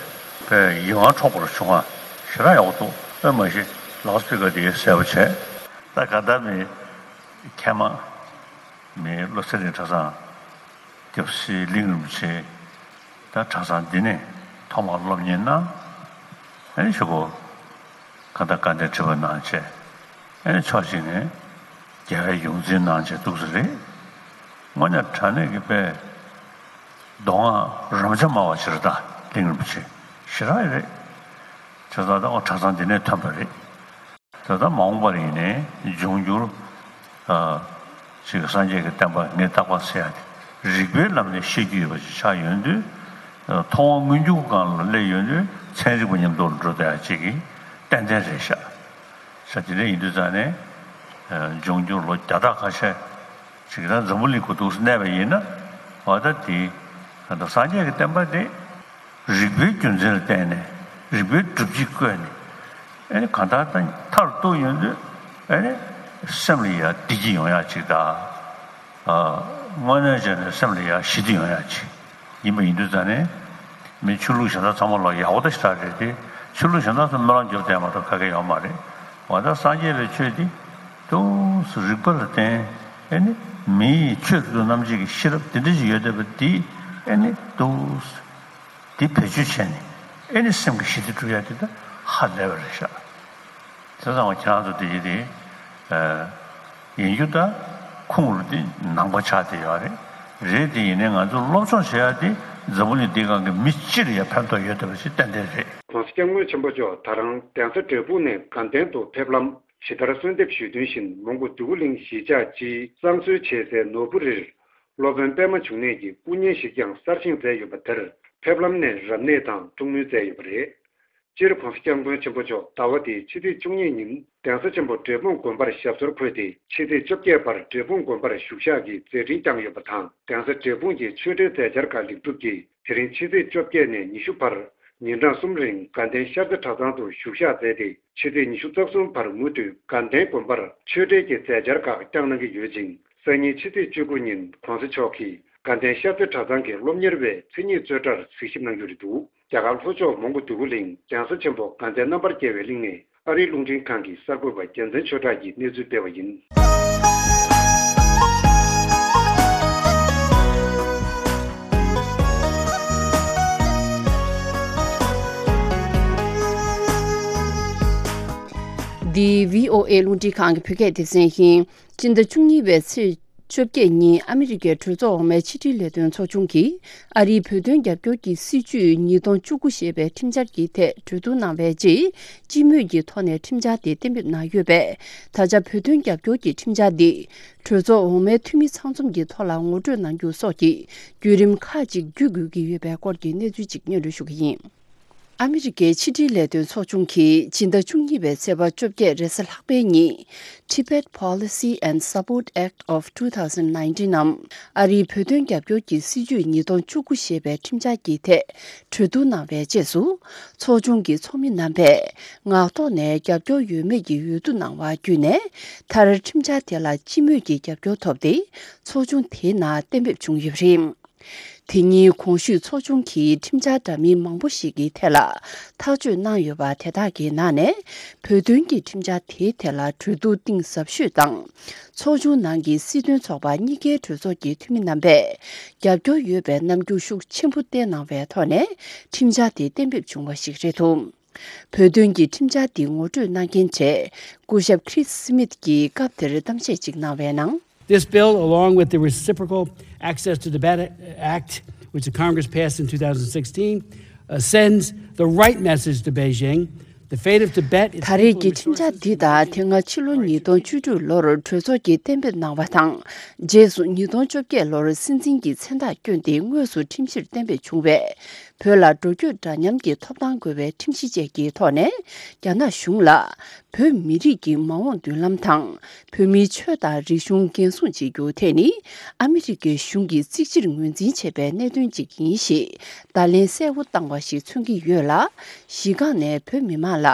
པའི་ཡིད་དབང་འཕྲོག་པར་བྱུང་བ་ཞེ་དྲག་ཡག་པོ་འདུག་ཨེ་མ་གཞི་ལའོ་སི་པི་ཀར་དེ་གསལ་པོ་བྱས། ད་ག་ད་མི་མཁན་མ་མི་བློ་གསལ་གླིང་གྲྭ་ཚང་། སྐྱབས་སྲས་གླིང་རིན་པོ་ཆེ་ད་གྲྭ་ཚང་འདི་ནས་ཐོག་མར་སློབ་གཉེར་གནང་། ཨེ་ཞུ་གོ་ཁ་ད་བཀའ་འདྲི་དྲི་བ་གནང་བྱས། ཨེ་ཕྱོགས་གཅིག་ནས་རྒྱལ་བའི་ཡོངས་འཛིན་གནང་བྱས་འདུག་ས་རེད། དངོས་གནས་དྲང་གནས་ཀྱི་དཔེ་མདོ་སྔགས་རབ་འབྱམས་སྨྲ་བ་ཆེར་ད་གླིང་རིན་པོ་ཆེ་ཞེ་དྲག་རེད། བྱས་ཙང་ད་ཨོ་གྲྭ་ཚང་འདི་ནས་ཐོན་པ་རེད། ད་ལྟ་མ་འོངས་པར་ཡིན་ནའི་འབྱུང་འགྱུར། ཨ། ཅིག་སངས་རྒྱས་ཀྱི་བསྟན་པ་ངས་རྟག་པར་ཟེར་ཡ་དེ་རིགས་པའི་ལམ་ནས་ཤེས་རྒྱུ་ཡོད་པ་ཞིག་ཆགས་ཡོང་དུས། ཨ། མཐོང་བ་མངོན་གྱུར་སྒང་ལ་སླེབས་ཡོང་དུས་ཚན་རིག་པ་མཉམ་དུ་འགྲོ་བསྡད་ཡ་ཅིག་གི་ཏན་ཏན་རེད་ཤག་ས་དེ་འདྲ་ཡིན་དུས་ཙང་ནས། ཨ། འབྱུང་འགྱུར་ལོ་བརྒྱ་ཕྲག་ཁ་ཤས་ཅིག་ད་འཛམ་བུ་གླིང་གི་འདུག་སེ་གནས་པ་ཡིན་ན། འོ་ད་དེ་ད་སངས་རྒྱས་ཀྱི་བསྟན་པ་དེ། རིགས་པའི་རྒྱུ་མཚན་ལ་བརྟེན་ནས་རིགས་པའི་སྒྲུབ་བྱེད་བཀོད་ནས། ཨེ་ནི་གང་ལྟར་ད་མཐར་གཏུགས་ཡོང་དུས་ཨེ་ནི་སེམས་ལ་ཡ་བདེ་སྐྱིད་ཡོང་ཡག་ཅིག་དང་། ཨ། དངོས་གནས་བྱས་ནས་སེམས་ལ་ཡ་ཞི་བདེ་ཡོང་ཡག་ཅིག་ཡིན་པ་ཡིན་དུས་ཙང་ནས། མི་ཆོས་ལུགས་གཞན་དག་ཚང་མ་ལ་ཡག་པོ་ད་ཞེ་དྲག་རེད་དེ། ཆོས་ལུགས་གཞན་དག་ཚོ་སྨོན་ལམ་རྒྱོབ་བསྡད་མ་གཏོགས་ག་གེ་ཡོད་མ་རེད། འོ་ད་སངས་རྒྱས་པའི་ཆོས་འདི་ཏོག་ཙམ་རིགས་པ་ལ་བརྟེན། ཨེ་ནི་མིའི་ཆོས་སུ་རྣམ་འབྱེད་ཀྱི་ཤེས་རབ་དེ་འདྲ་ཞིག་ཡོད་བསྡད་པ་འདི་ཨེ་ནི་ཏོག་ཙམ། འདི་བེད་སྤྱོད་བྱས་ནས་ཨེ་ནི་སེམས་ཀྱི་ཞི་བདེ་སྒྲུབ་ཡ་དེ་ད་ཧ་ལས་པ་རེད་ཤག་དེ་ཙང་ཁྱེད་རང་ཚོ་དེ་ཡི་དེ་ཡིན་རྒྱུ་ད་ཁུངས་རུ་དེ་ནང་པ་ཆགས་བསྡད་ཡོད་རེད། རེད་དེ་ཡིན་ནའི་ང་ཚོ་སློབ་སྦྱོང་བྱེད་ཡ་དེ་འཛམ་བུ་གླིང་འདིའི་སྒང་གི་མི་སྤྱི་ལ་ཡ་ཕན་ཐོགས་ཡོད་བསྡད་པ་ཞིག་ཏན་ཏན་རེད། ༸གོང་ས་༸སྐྱབས་མགོན་ཆེན་པོ་མཆོག་ད་རང་གདན་ས་འབྲས་སྤུངས་ནས་དགའ་ལྡན་དུ་ཕེབས་ལམ་ཇི་ལྟར་གསོལ་འདེབས་ཞུས་དོན་བཞིན་མོན་གྷོ་འདོད་རྒུ་གླིང་གཞིས་ཆགས་སྤྱིའི་བསང་གསོལ་བྱེད་སའི་ནོར་བུ་རིར། སློབ་དཔོན་པད་མ་འབྱུང་གནས་ཀྱི་སྐུ་བརྙན་ཞིག་ཀྱང་གསར་བཞེངས་མཛད་ཡོད་པ་དེར་ཕེབས་ལམ་ནས་རབ་གནས་དང་ཐུགས་སྨོན་མཛད་ཡོད་པ་རེད། སྤྱིར་༸གོང་ས་༸སྐྱབས་མགོན་ཆེན་པོ་མཆོག་ཟླ་བ་འདིའི་ཕྱི་ཚེས་བཅུ་གཉིས་ཉིན་གདན་ས་ཆེན་པོ་འབྲས་སྤུངས་དགོན་པར་ཞབས་སོར་འཁོད་དེ། ཕྱི་ཚེས་བཅོ་བརྒྱད་བར་འབྲས་སྤུངས་དགོན་པར་བཞུགས་ཞག་གི་མཛད་འཕྲིན་བསྐྱངས་ཡོད་པ་དང་། གདན་ས་འབྲས་སྤུངས་ཀྱི་ཆོས་འབྲེལ་མཛད་འཆར་ཁག་ལེགས་གྲུབ་ཀྱིས། དེ་རིང་ཕྱི་ཚེས་བཅོ་བརྒྱད་ནས་ཉི་ཤུ་བར་ཉིན་གྲངས་གསུམ་རིང་དགའ་ལྡན་ཤར་རྩེ་གྲྭ་ཚང་དུ་བཞུགས་ཞག་མཛད་དེ། ཕྱི་ཚེས་ཉི་ཤུ་རྩ་གསུམ་བར་མུ་མཐུད་དགའ་ལྡན་དགོན་པར་ཆོས་འབྲེལ་གྱི་མཛད་འཆར་ཁག་བསྐྱངས་གནང་གི་ཡོད་ཅིང་། སང་ཉིན་ཕྱི་ཚེས་བཅུ་དགུ་ཉིན་༸གོང་ས་མཆོག་གིས་དགའ་ལྡན་ཤར་རྩེ་གྲྭ་ཚང་གི་སློབ་གཉེར་བའི་མཚན་ཉིད་རྩོད་གྲྭར་གཟིགས་ཞིབ་གནང་རྒྱུ་རེད་འདུག་རྒྱ་གར་ལྷོ་ཕྱོགས་མོན་གྷོ་འདོད་རྒུ་གླིང་གདན་ས་ཆེན་པོ་དགའ་ལྡན་རྣམ་པར་རྒྱལ་བའི་གླིང་ནས་ཨ་རིའི་རླུང་འཕྲིན་ཁང་གི་གསར་འགོད་པ་རྒྱལ་མཚན་ཆོས་གྲགས་ཀྱིས་གནས་ཚུལ་སྤེལ་བ་ཡིན། འདི་བྷི་ཨོ་ཨེ་རླུང་འཕྲིན་ཁང་གི་བོད་སྐད་སྡེ་ཚན་ཡིན། སྤྱི་ཟླ་བཅུ་གཉིས་པའི་ཚེས་བཅོ་བརྒྱད་ཉིན་ཨ་མི་རི་ཀའི་གྲོས་ཚོགས་འོག་མའི་ཕྱི་དྲིལ་ལས་དོན་ཚོགས་ཆུང་གིས་ཨ་རིའི་བོད་དོན་རྒྱབ་སྐྱོར་གྱི་སྲིད་བྱུས་ཉིས་སྟོང་བཅུ་དགུ་ཞེས་པའི་ཁྲིམས་འཆར་གྱི་ཐད་གྲོས་བསྡུར་གནང་བའི་རྗེས། སྤྱི་མོས་ཀྱི་ཐོག་ནས་ཁྲིམས་འཆར་དེ་གཏན་འབེབས་གནང་ཡོད་པས། ད་ཆ་བོད་དོན་རྒྱབ་སྐྱོར་གྱི་ཁྲིམས་འཆར་འདི་གྲོས་ཚོགས་འོག་མའི་འཐུས་མི་ཚང་འཛོམས་ཀྱི་ཐོག་ལ་ངོ་སྤྲོད་གནང་རྒྱུ་སོགས་ཀྱི་བརྒྱུད་རིམ་ཁག་ཅིག་བརྒྱུད་དགོས་ཀྱི་ཡོད་པའི་སྐོར་གྱི་གནས་ཚུལ་ཅིག་སྙན་སྒྲོན་ཞུ་གི་ཡིན། ཨ་མི་རི་ཀའི་ཕྱི་དྲིལ་ལས་དོན་ཚོགས་ཆུང་གིས་སྤྱི་ཟླ་བཅུ་གཉིས་པའི་ཚེས་པ་བཅོ་བརྒྱད་རེས་གཟའ་ལྷག་པའི་ཉིན། Tibet Policy and Support Act of two thousand nineteen ནམ། ཨ་རིའི་བོད་དོན་རྒྱབ་སྐྱོར་གྱི་སྲིད་བྱུས་ཉིས་སྟོང་བཅུ་དགུ་ཞེས་པའི་ཁྲིམས་འཆར་གྱི་ཐད་གྲོས་བསྡུར་གནང་བའི་རྗེས་སུ། ཚོགས་ཆུང་གི་ཚོགས་མི་རྣམ་པས་ངག་ཐོག་ནས་རྒྱབ་སྐྱོར་ཡོད་མེད་ཀྱི་འོས་བསྡུ་གནང་བ་བརྒྱུད་ནས། མཐར་ཁྲིམས་འཆར་དེ་ལ་སྤྱི་མོས་ཀྱི་རྒྱབ་སྐྱོར་ཐོབ་སྟེ། ཚོགས་ཆུང་དེའི་ནང་གཏན་འབེབས་བྱུང་ཡོད་པ་རེད། དེ་ཉིན་གོང་ཞུས་ཚོགས་ཆུང་གིས་ཁྲིམས་འཆར་འདྲ་མིན་མང་པོ་ཞིག་གི་ཐད་ལ་ཐག་གཅོད་གནང་ཡོད་པ་དེ་དག་གི་ནང་ནས། བོད་དོན་གྱི་ཁྲིམས་འཆར་དེའི་ཐད་ལ་གྲོས་བསྡུར་གཏིང་ཟབ་ཤོས་དང་། ཚོགས་ཆུང་ནང་གི་སྲིད་དོན་ཚོགས་པ་གཉིས་ཀའི་གྲོས་ཚོགས་ཀྱི་འཐུས་མི་རྣམ་པས་རྒྱབ་སྐྱོར་ཡོད་པའི་རྣམ་འགྱུར་ཤུགས་ཆེན་པོ་བསྟན་གནང་བའི་ཐོག་ནས་ཁྲིམས་འཆར་དེ་གཏན་འབེབས་བྱུང་བ་ཞིག་རེད་འདུག་བོད་དོན་གྱི་ཁྲིམས་འཆར་འདི་ངོ་སྤྲོད་གནང་མཁན་གྲས་སྐུ་ཞབས་Chris Smith གྱིས་སྐབས་དེར་གཏམ་བཤད་ཅིག་གནང་བའི་ནང་། This bill, along with the Reciprocal Access to Tibet Act, which the Congress passed in two thousand sixteen, uh, sends the right message to Beijing. The fate of Tibet, its ད་རེས་people, ཀྱི་ཁྲིམས་འཆར་འདི་དང་དེ་སྔ་ཕྱི་ལོ་ཉིས་སྟོང་བཅུ་དྲུག་ལོར་གྲོས་ཚོགས་ཀྱིས་གཏན་འབེབས་གནང་བ་དང་། རྗེས་སུ་ཉིས་སྟོང་བཅོ་བརྒྱད་ལོར་སྲིད་འཛིན་གྱི་མཚན་རྟགས་བསྐྱོན་ཏེ་དངོས་སུ་ཁྲིམས་གཞིར་གཏན་འབེབས་བྱུང་བས། བོད་ལ་འགྲོ་སྐྱོད་འདྲ་མཉམ་གྱི་ཐོབ་ཐང་དགོས་པའི་ཁྲིམས་གཞི་བཅས་ཀྱི་ཐོག་ནས། རྒྱ་ནག་གཞུང་ལ་བོད་མི་རིགས་ཀྱི་མ་འོངས་མདུན་ལམ་དང་། བོད་མིའི་ཆོས་དང་རིག་གཞུང་འགན་སྲུང་བྱེད་རྒྱུ་དེ་ནི་ཨ་མི་རི་ཀའི་གཞུང་གིས་གཙིགས་ཆེར་ངོས་འཛིན་བྱེད་པའི་གནད་དོན་ཅིག་ཡིན་ཞེས་བརྡ་ལན་གསལ་པོ་བཏང་བ་ཞིག་མཚོན་གྱི་ཡོད་ལ། གཞི་རྐང་ནས་བོད་མི་མང་ལ་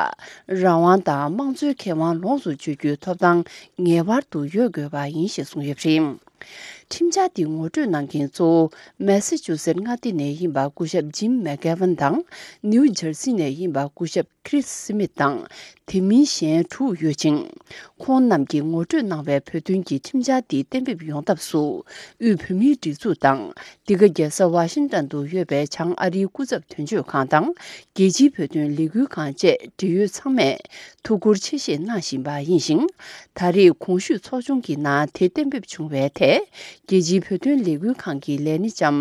རང་དབང་དང་དམངས་གཙོའི་ཁེ་དབང་ལོངས་སུ་སྤྱོད་རྒྱུའི་ཐོབ་ཐང་ངེས་པར་དུ་ཡོད་དགོས་པ་ཡིན་ཞེས་གསུངས་ཡོད་པ་རེད། ཁྲིམས་འཆར་འདི་ངོ་སྤྲོད་གནང་མཁན་གཙོ་བོ་མེ་སི་ཅུ་སེད་མངའ་སྡེ་ནས་ཡིན་པ་སྐུ་ཞབས་ཇིམ་མེག་གེ་ཝན་དང་། ནིའུ་ཇར་སི་ནས་ཡིན་པ་སྐུ་ཞབས་ཁྲིས་སི་མིད་དང་། དེ་མིན་གཞན་དྲུག་ཡོད་ཅིང་། ཁོང་རྣམས་ཀྱིས་ངོ་སྤྲོད་གནང་བའི་བོད་དོན་གྱི་ཁྲིམས་འཆར་འདི་གཏན་འབེབས་ཡོང་ཐབས་སུ། དབུས་བོད་མིའི་སྒྲིག་འཛུགས་དང་། འདི་ག་རྒྱལ་ས་ཝ་ཤིང་ཏན་དུ་ཡོད་པའི་བྱང་ཨ་རིའི་སྐུ་ཚབ་དོན་གཅོད་ཁང་དང་། རྒྱལ་སྤྱིའི་བོད་དོན་ལས་འགུལ་ཁང་བཅས་འབྲེལ་ཡོད་ཚང་མས་ཐུགས་ཁུར་ཆེ་བཞེས་གནང་བཞིན་པ་ཡིན་ཞིང་། ད་རེས་གོང་ཞུས་ཚོགས་ཆུང་གི་ནང་དེ་གཏན་འབེབས་བྱུང་བའི་ཐད། རྒྱལ་སྤྱིའི་བོད་དོན་ལས་འགུལ་ཁང་གི་ལས་སྣེ་ལྕམ་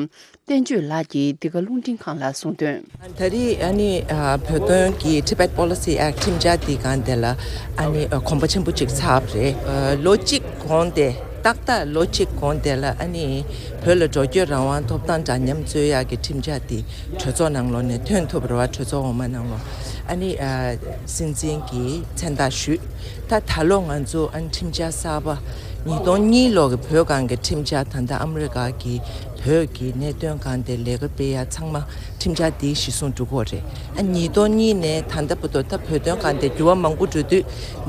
བསྟན་ཆོས་ལགས་ཀྱིས་འདི་ག་རླུང་འཕྲིན་ཁང་ལ་གསུངས་དོན། ད་རེས་ཨ་ནི་ཨ་བོད་དོན་གྱི་Tibet Policy Act ཁྲིམས་འཆར་འདི་སྒང་དེ་ལ་ཨ་ནི་ཨ་གོམ་པ་ཆེན་པོ་ཅིག་ཚར་བ་རེད། ཨ་ལོ་གཅིག་གོང་དེ་ཏག་ཏག་ལོ་གཅིག་གོང་དེ་ལ་ཨ་ནི་བོད་ལ་འགྲོ་སྐྱོད་རང་དབང་ཐོབ་ཐང་འདྲ་མཉམ་རྩོད་ཡག་གི་ཁྲིམས་འཆར་འདི་གྲོས་ཚོགས་ནང་ལོགས་ནས་ཐོན་ཐུབ་པ་རེད་བ། གྲོས་ཚོགས་འོག་མ་ནང་ལོགས་ཨ་ནི་ཨ་སྲིད་འཛིན་གྱིས་མཚན་རྟགས་ཞུས། ད་ད་ལོ་ང་ཚོ་ཨ་ནི་ཁྲིམས་འཆར་གསར་པ་ཉིས་སྟོང་གཉིས་ལོ་གི་བོད་སྒང་གི་ཁྲིམས་འཆར། ད་ལྟ་ཨ་མི་རི་ཀ་གི་བོད་ཀྱི་གནད་དོན་སྒང་དེ་ལས་ཀ་སྤེལ་ཡ་ཚང་མ་ཁྲིམས་འཆར་དེའི་གཞི་བཟུང་འགྲོ་གི་ཡོད་རེད། ཨ་ཉིས་སྟོང་གཉིས་ནས་ད་ལྟ་བར་དུ་ད་བོད་དོན་སྒང་དེ་འགྱུར་བ་མང་པོ་འགྲོ་དུས་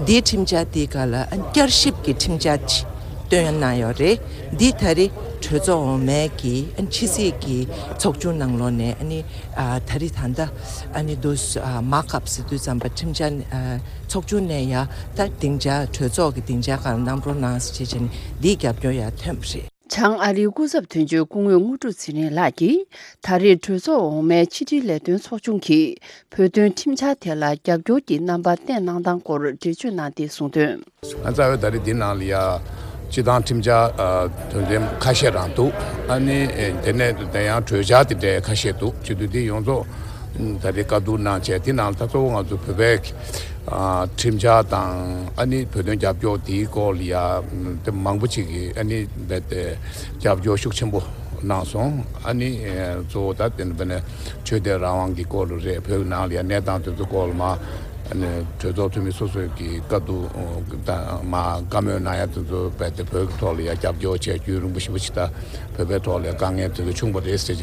འདིའི་ཁྲིམས་འཆར་དེའི་སྒང་ལ་ཨ་བསྐྱར་ཞིབ་ཀྱི་ཁྲིམས་འཆར་ཅིག་བཏོན་གནང་ཡོད་རེད། འདི་ད་རེས་གྲོས་ཚོགས་འོག་མའི་གི་ཨ་ཕྱི་སྲིད་ཀྱི་ཚོགས་ཆུང་ནང་ལོགས་ནས་ཨ་ནི་ཨ་ད་རེས་ད་ལྟ་ཨ་ནི་འདུག་ཨ་མར་ཀ་ཨབ་ཟེར་དུས་ཙམ་པ་ཁྲིམས་འཆར་ཨ་ཚོགས་ཆུང་ནས་ཡ་ད་སྡིངས་ཆ་གྲོས་ཚོགས་ཀྱི་སྡིངས་ཆ་སྒང་གནང་རོགས་གནང་ཟེར་བྱས་བྱས་ནས་འདིའི་རྒྱབ་སྐྱོར་ཡ་ཐོན་པ་རེད། བྱང་ཨ་རིའི་སྐུ་ཚབ་དོན་གཅོད་སྐུ་ངོ་དངོས་གྲུབ་ཚེ་རིང་ལགས་ཀྱིས་ད་རེས་གྲོས་ཚོགས་འོག་མའི་ཕྱི་དྲིལ་ལས་དོན་ཚོགས་ཆུང་གིས་བོད་དོན་ཁྲིམས་འཆར་དེ་ལ་རྒྱབ་སྐྱོར་གྱི་རྣམ་པ་བསྟན་གནང་སྟངས་སྐོར་འགྲེལ་བརྗོད་གནང་སྟེ་གསུངས་དོན། ང་རྩ་བའི་ད་རེས་འདི་ནང་ལ་ཡ་སྤྱི་བཏང་ཁྲིམས་འཆར་ཨ་དོན་ཚན་ཁ་ཤས་རང་འདུག་ཨ་ནི་ཨེ་དེ་ནས་དེ་ཡང་གྲོས་འཆར་དེ་འདྲའི་ཁ་ཤས་འདུག་བྱེད་དུས་འདི་ཡོངས་རྫོགས་ད་རེས་བཀའ་བསྡུར་གནང་བྱས་དེ་ནང་ལ་ད་གཙོ་བོ་ང་ཚོ་བོད་པའི་ཨ་ཁྲིམས་འཆར་དང་ཨ་ནི་བོད་དོན་རྒྱབ་སྐྱོར་དེའི་སྐོར་ལ་ཡ་དེ་མང་པོ་ཅིག་གིས་ཨ་ནི་རྦད་དེ་རྒྱབ་སྐྱོར་ཤུགས་ཆེན་པོ་གནང་སོང་། ཨ་ནི་ཨེ་གཙོ་བོ་ད་དེ་འདྲ་བས་ནས་ཆོས་དད་རང་དབང་གི་སྐོར་ལ་རེད། བོད་ནང་ལ་ཡ་གནས་སྟངས་དེ་ཚོ་སྐོར་ལ་མ། ཨ་ནི་གྲོས་ཚོགས་འཐུས་མི་སོ་སོས་ཀྱི་བཀའ་བསྡུར་དང་མ་བཀའ་མོལ་གནང་ཡ་དེ་ཚོ་རྦད་དེ་བོད་ཀྱི་ཐོག་ལ་ཡ་རྒྱབ་སྐྱོར་བྱས་རྒྱུན་རིང་པོ་ཞེ་པོ་ཅིག་ད་བོད་པའི་ཐོག་ལ་ཡ་དཀའ་ངལ་དེ་ཚོ་བྱུང་བ་རེད་ཟེར་བྱས་